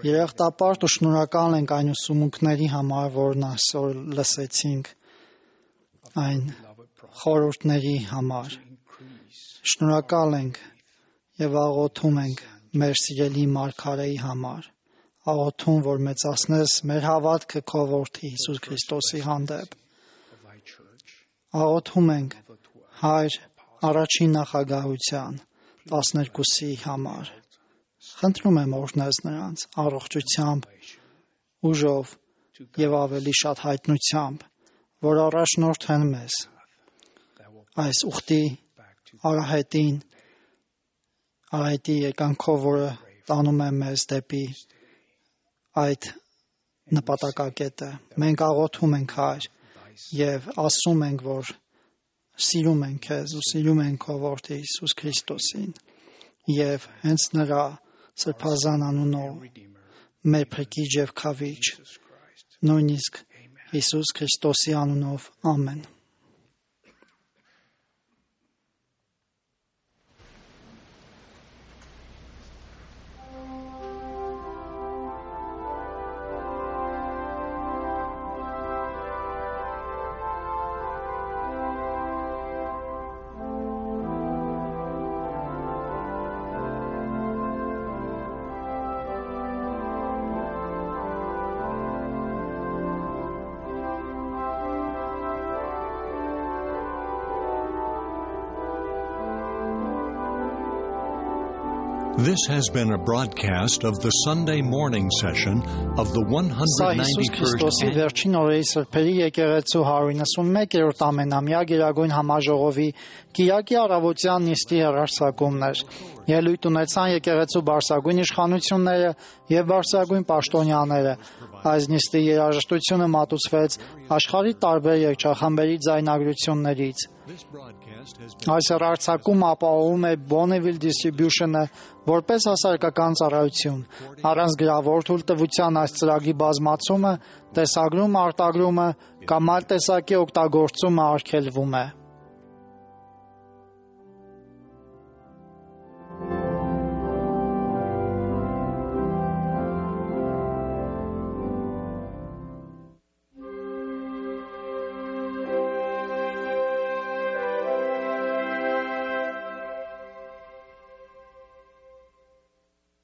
Երախտապարտ ու շնորհակալ ենք այն ուսումունքների համար, որն այսօր լսեցինք, այն խորհուրդների համար։ Շնորհակալ ենք եւ աղոթում ենք մեր սիրելի մարգարեի համար, աղոթում, որ մեծացնես մեր հավատքը քո որդի Հիսուս Քրիստոսի հանդեպ։ Աղոթում ենք Հայր առաջին նախագահության 12-ի համար։ Խնդրում եմ օրհնես նրանց առողջությամբ, ուժով եւ ավելի շատ հայտնությամբ, որ առաջնորդեն մեզ այս ուխտի արահետի եկանքով, որը տանում է մեզ դեպի այդ նպատակակետը։ Մենք աղոթում ենք Հայր եւ ասում ենք, որ սիրում ենք քեզ ու սիրում ենք քո որդի Հիսուս Քրիստոսին եւ հենց նրա սրբազան անունով մեր փրկիչ եւ քավիչ, նույնիսկ Հիսուս Քրիստոսի անունով, ամեն։ This has been a broadcast of the Sunday morning session of the 191st վերջին օրերի սրբերի եկեղեցու 191-րդ ամենամյա գերագույն համաժողովի կիրակի առավոտյան նիստի հեռարձակումներ։ Ելույթ ունեցան եկեղեցու բարձրագույն իշխանությունները եւ բարձրագույն պաշտոնյաները։ Այս նիստի երաժշտությունը մատուցվեց աշխարհի տարբեր երգչախմբերի ձայնագրություններից։ Այս հեռարձակումը ապահովում է Bonneville Distribution-ը որպես հասարակական ծառայություն։ Առանց գրավոր թույլտվության այս ծրագրի բազմացումը, տեսագրումը, արտագրումը կամ այլ տեսակի օգտագործումը արգելվում է։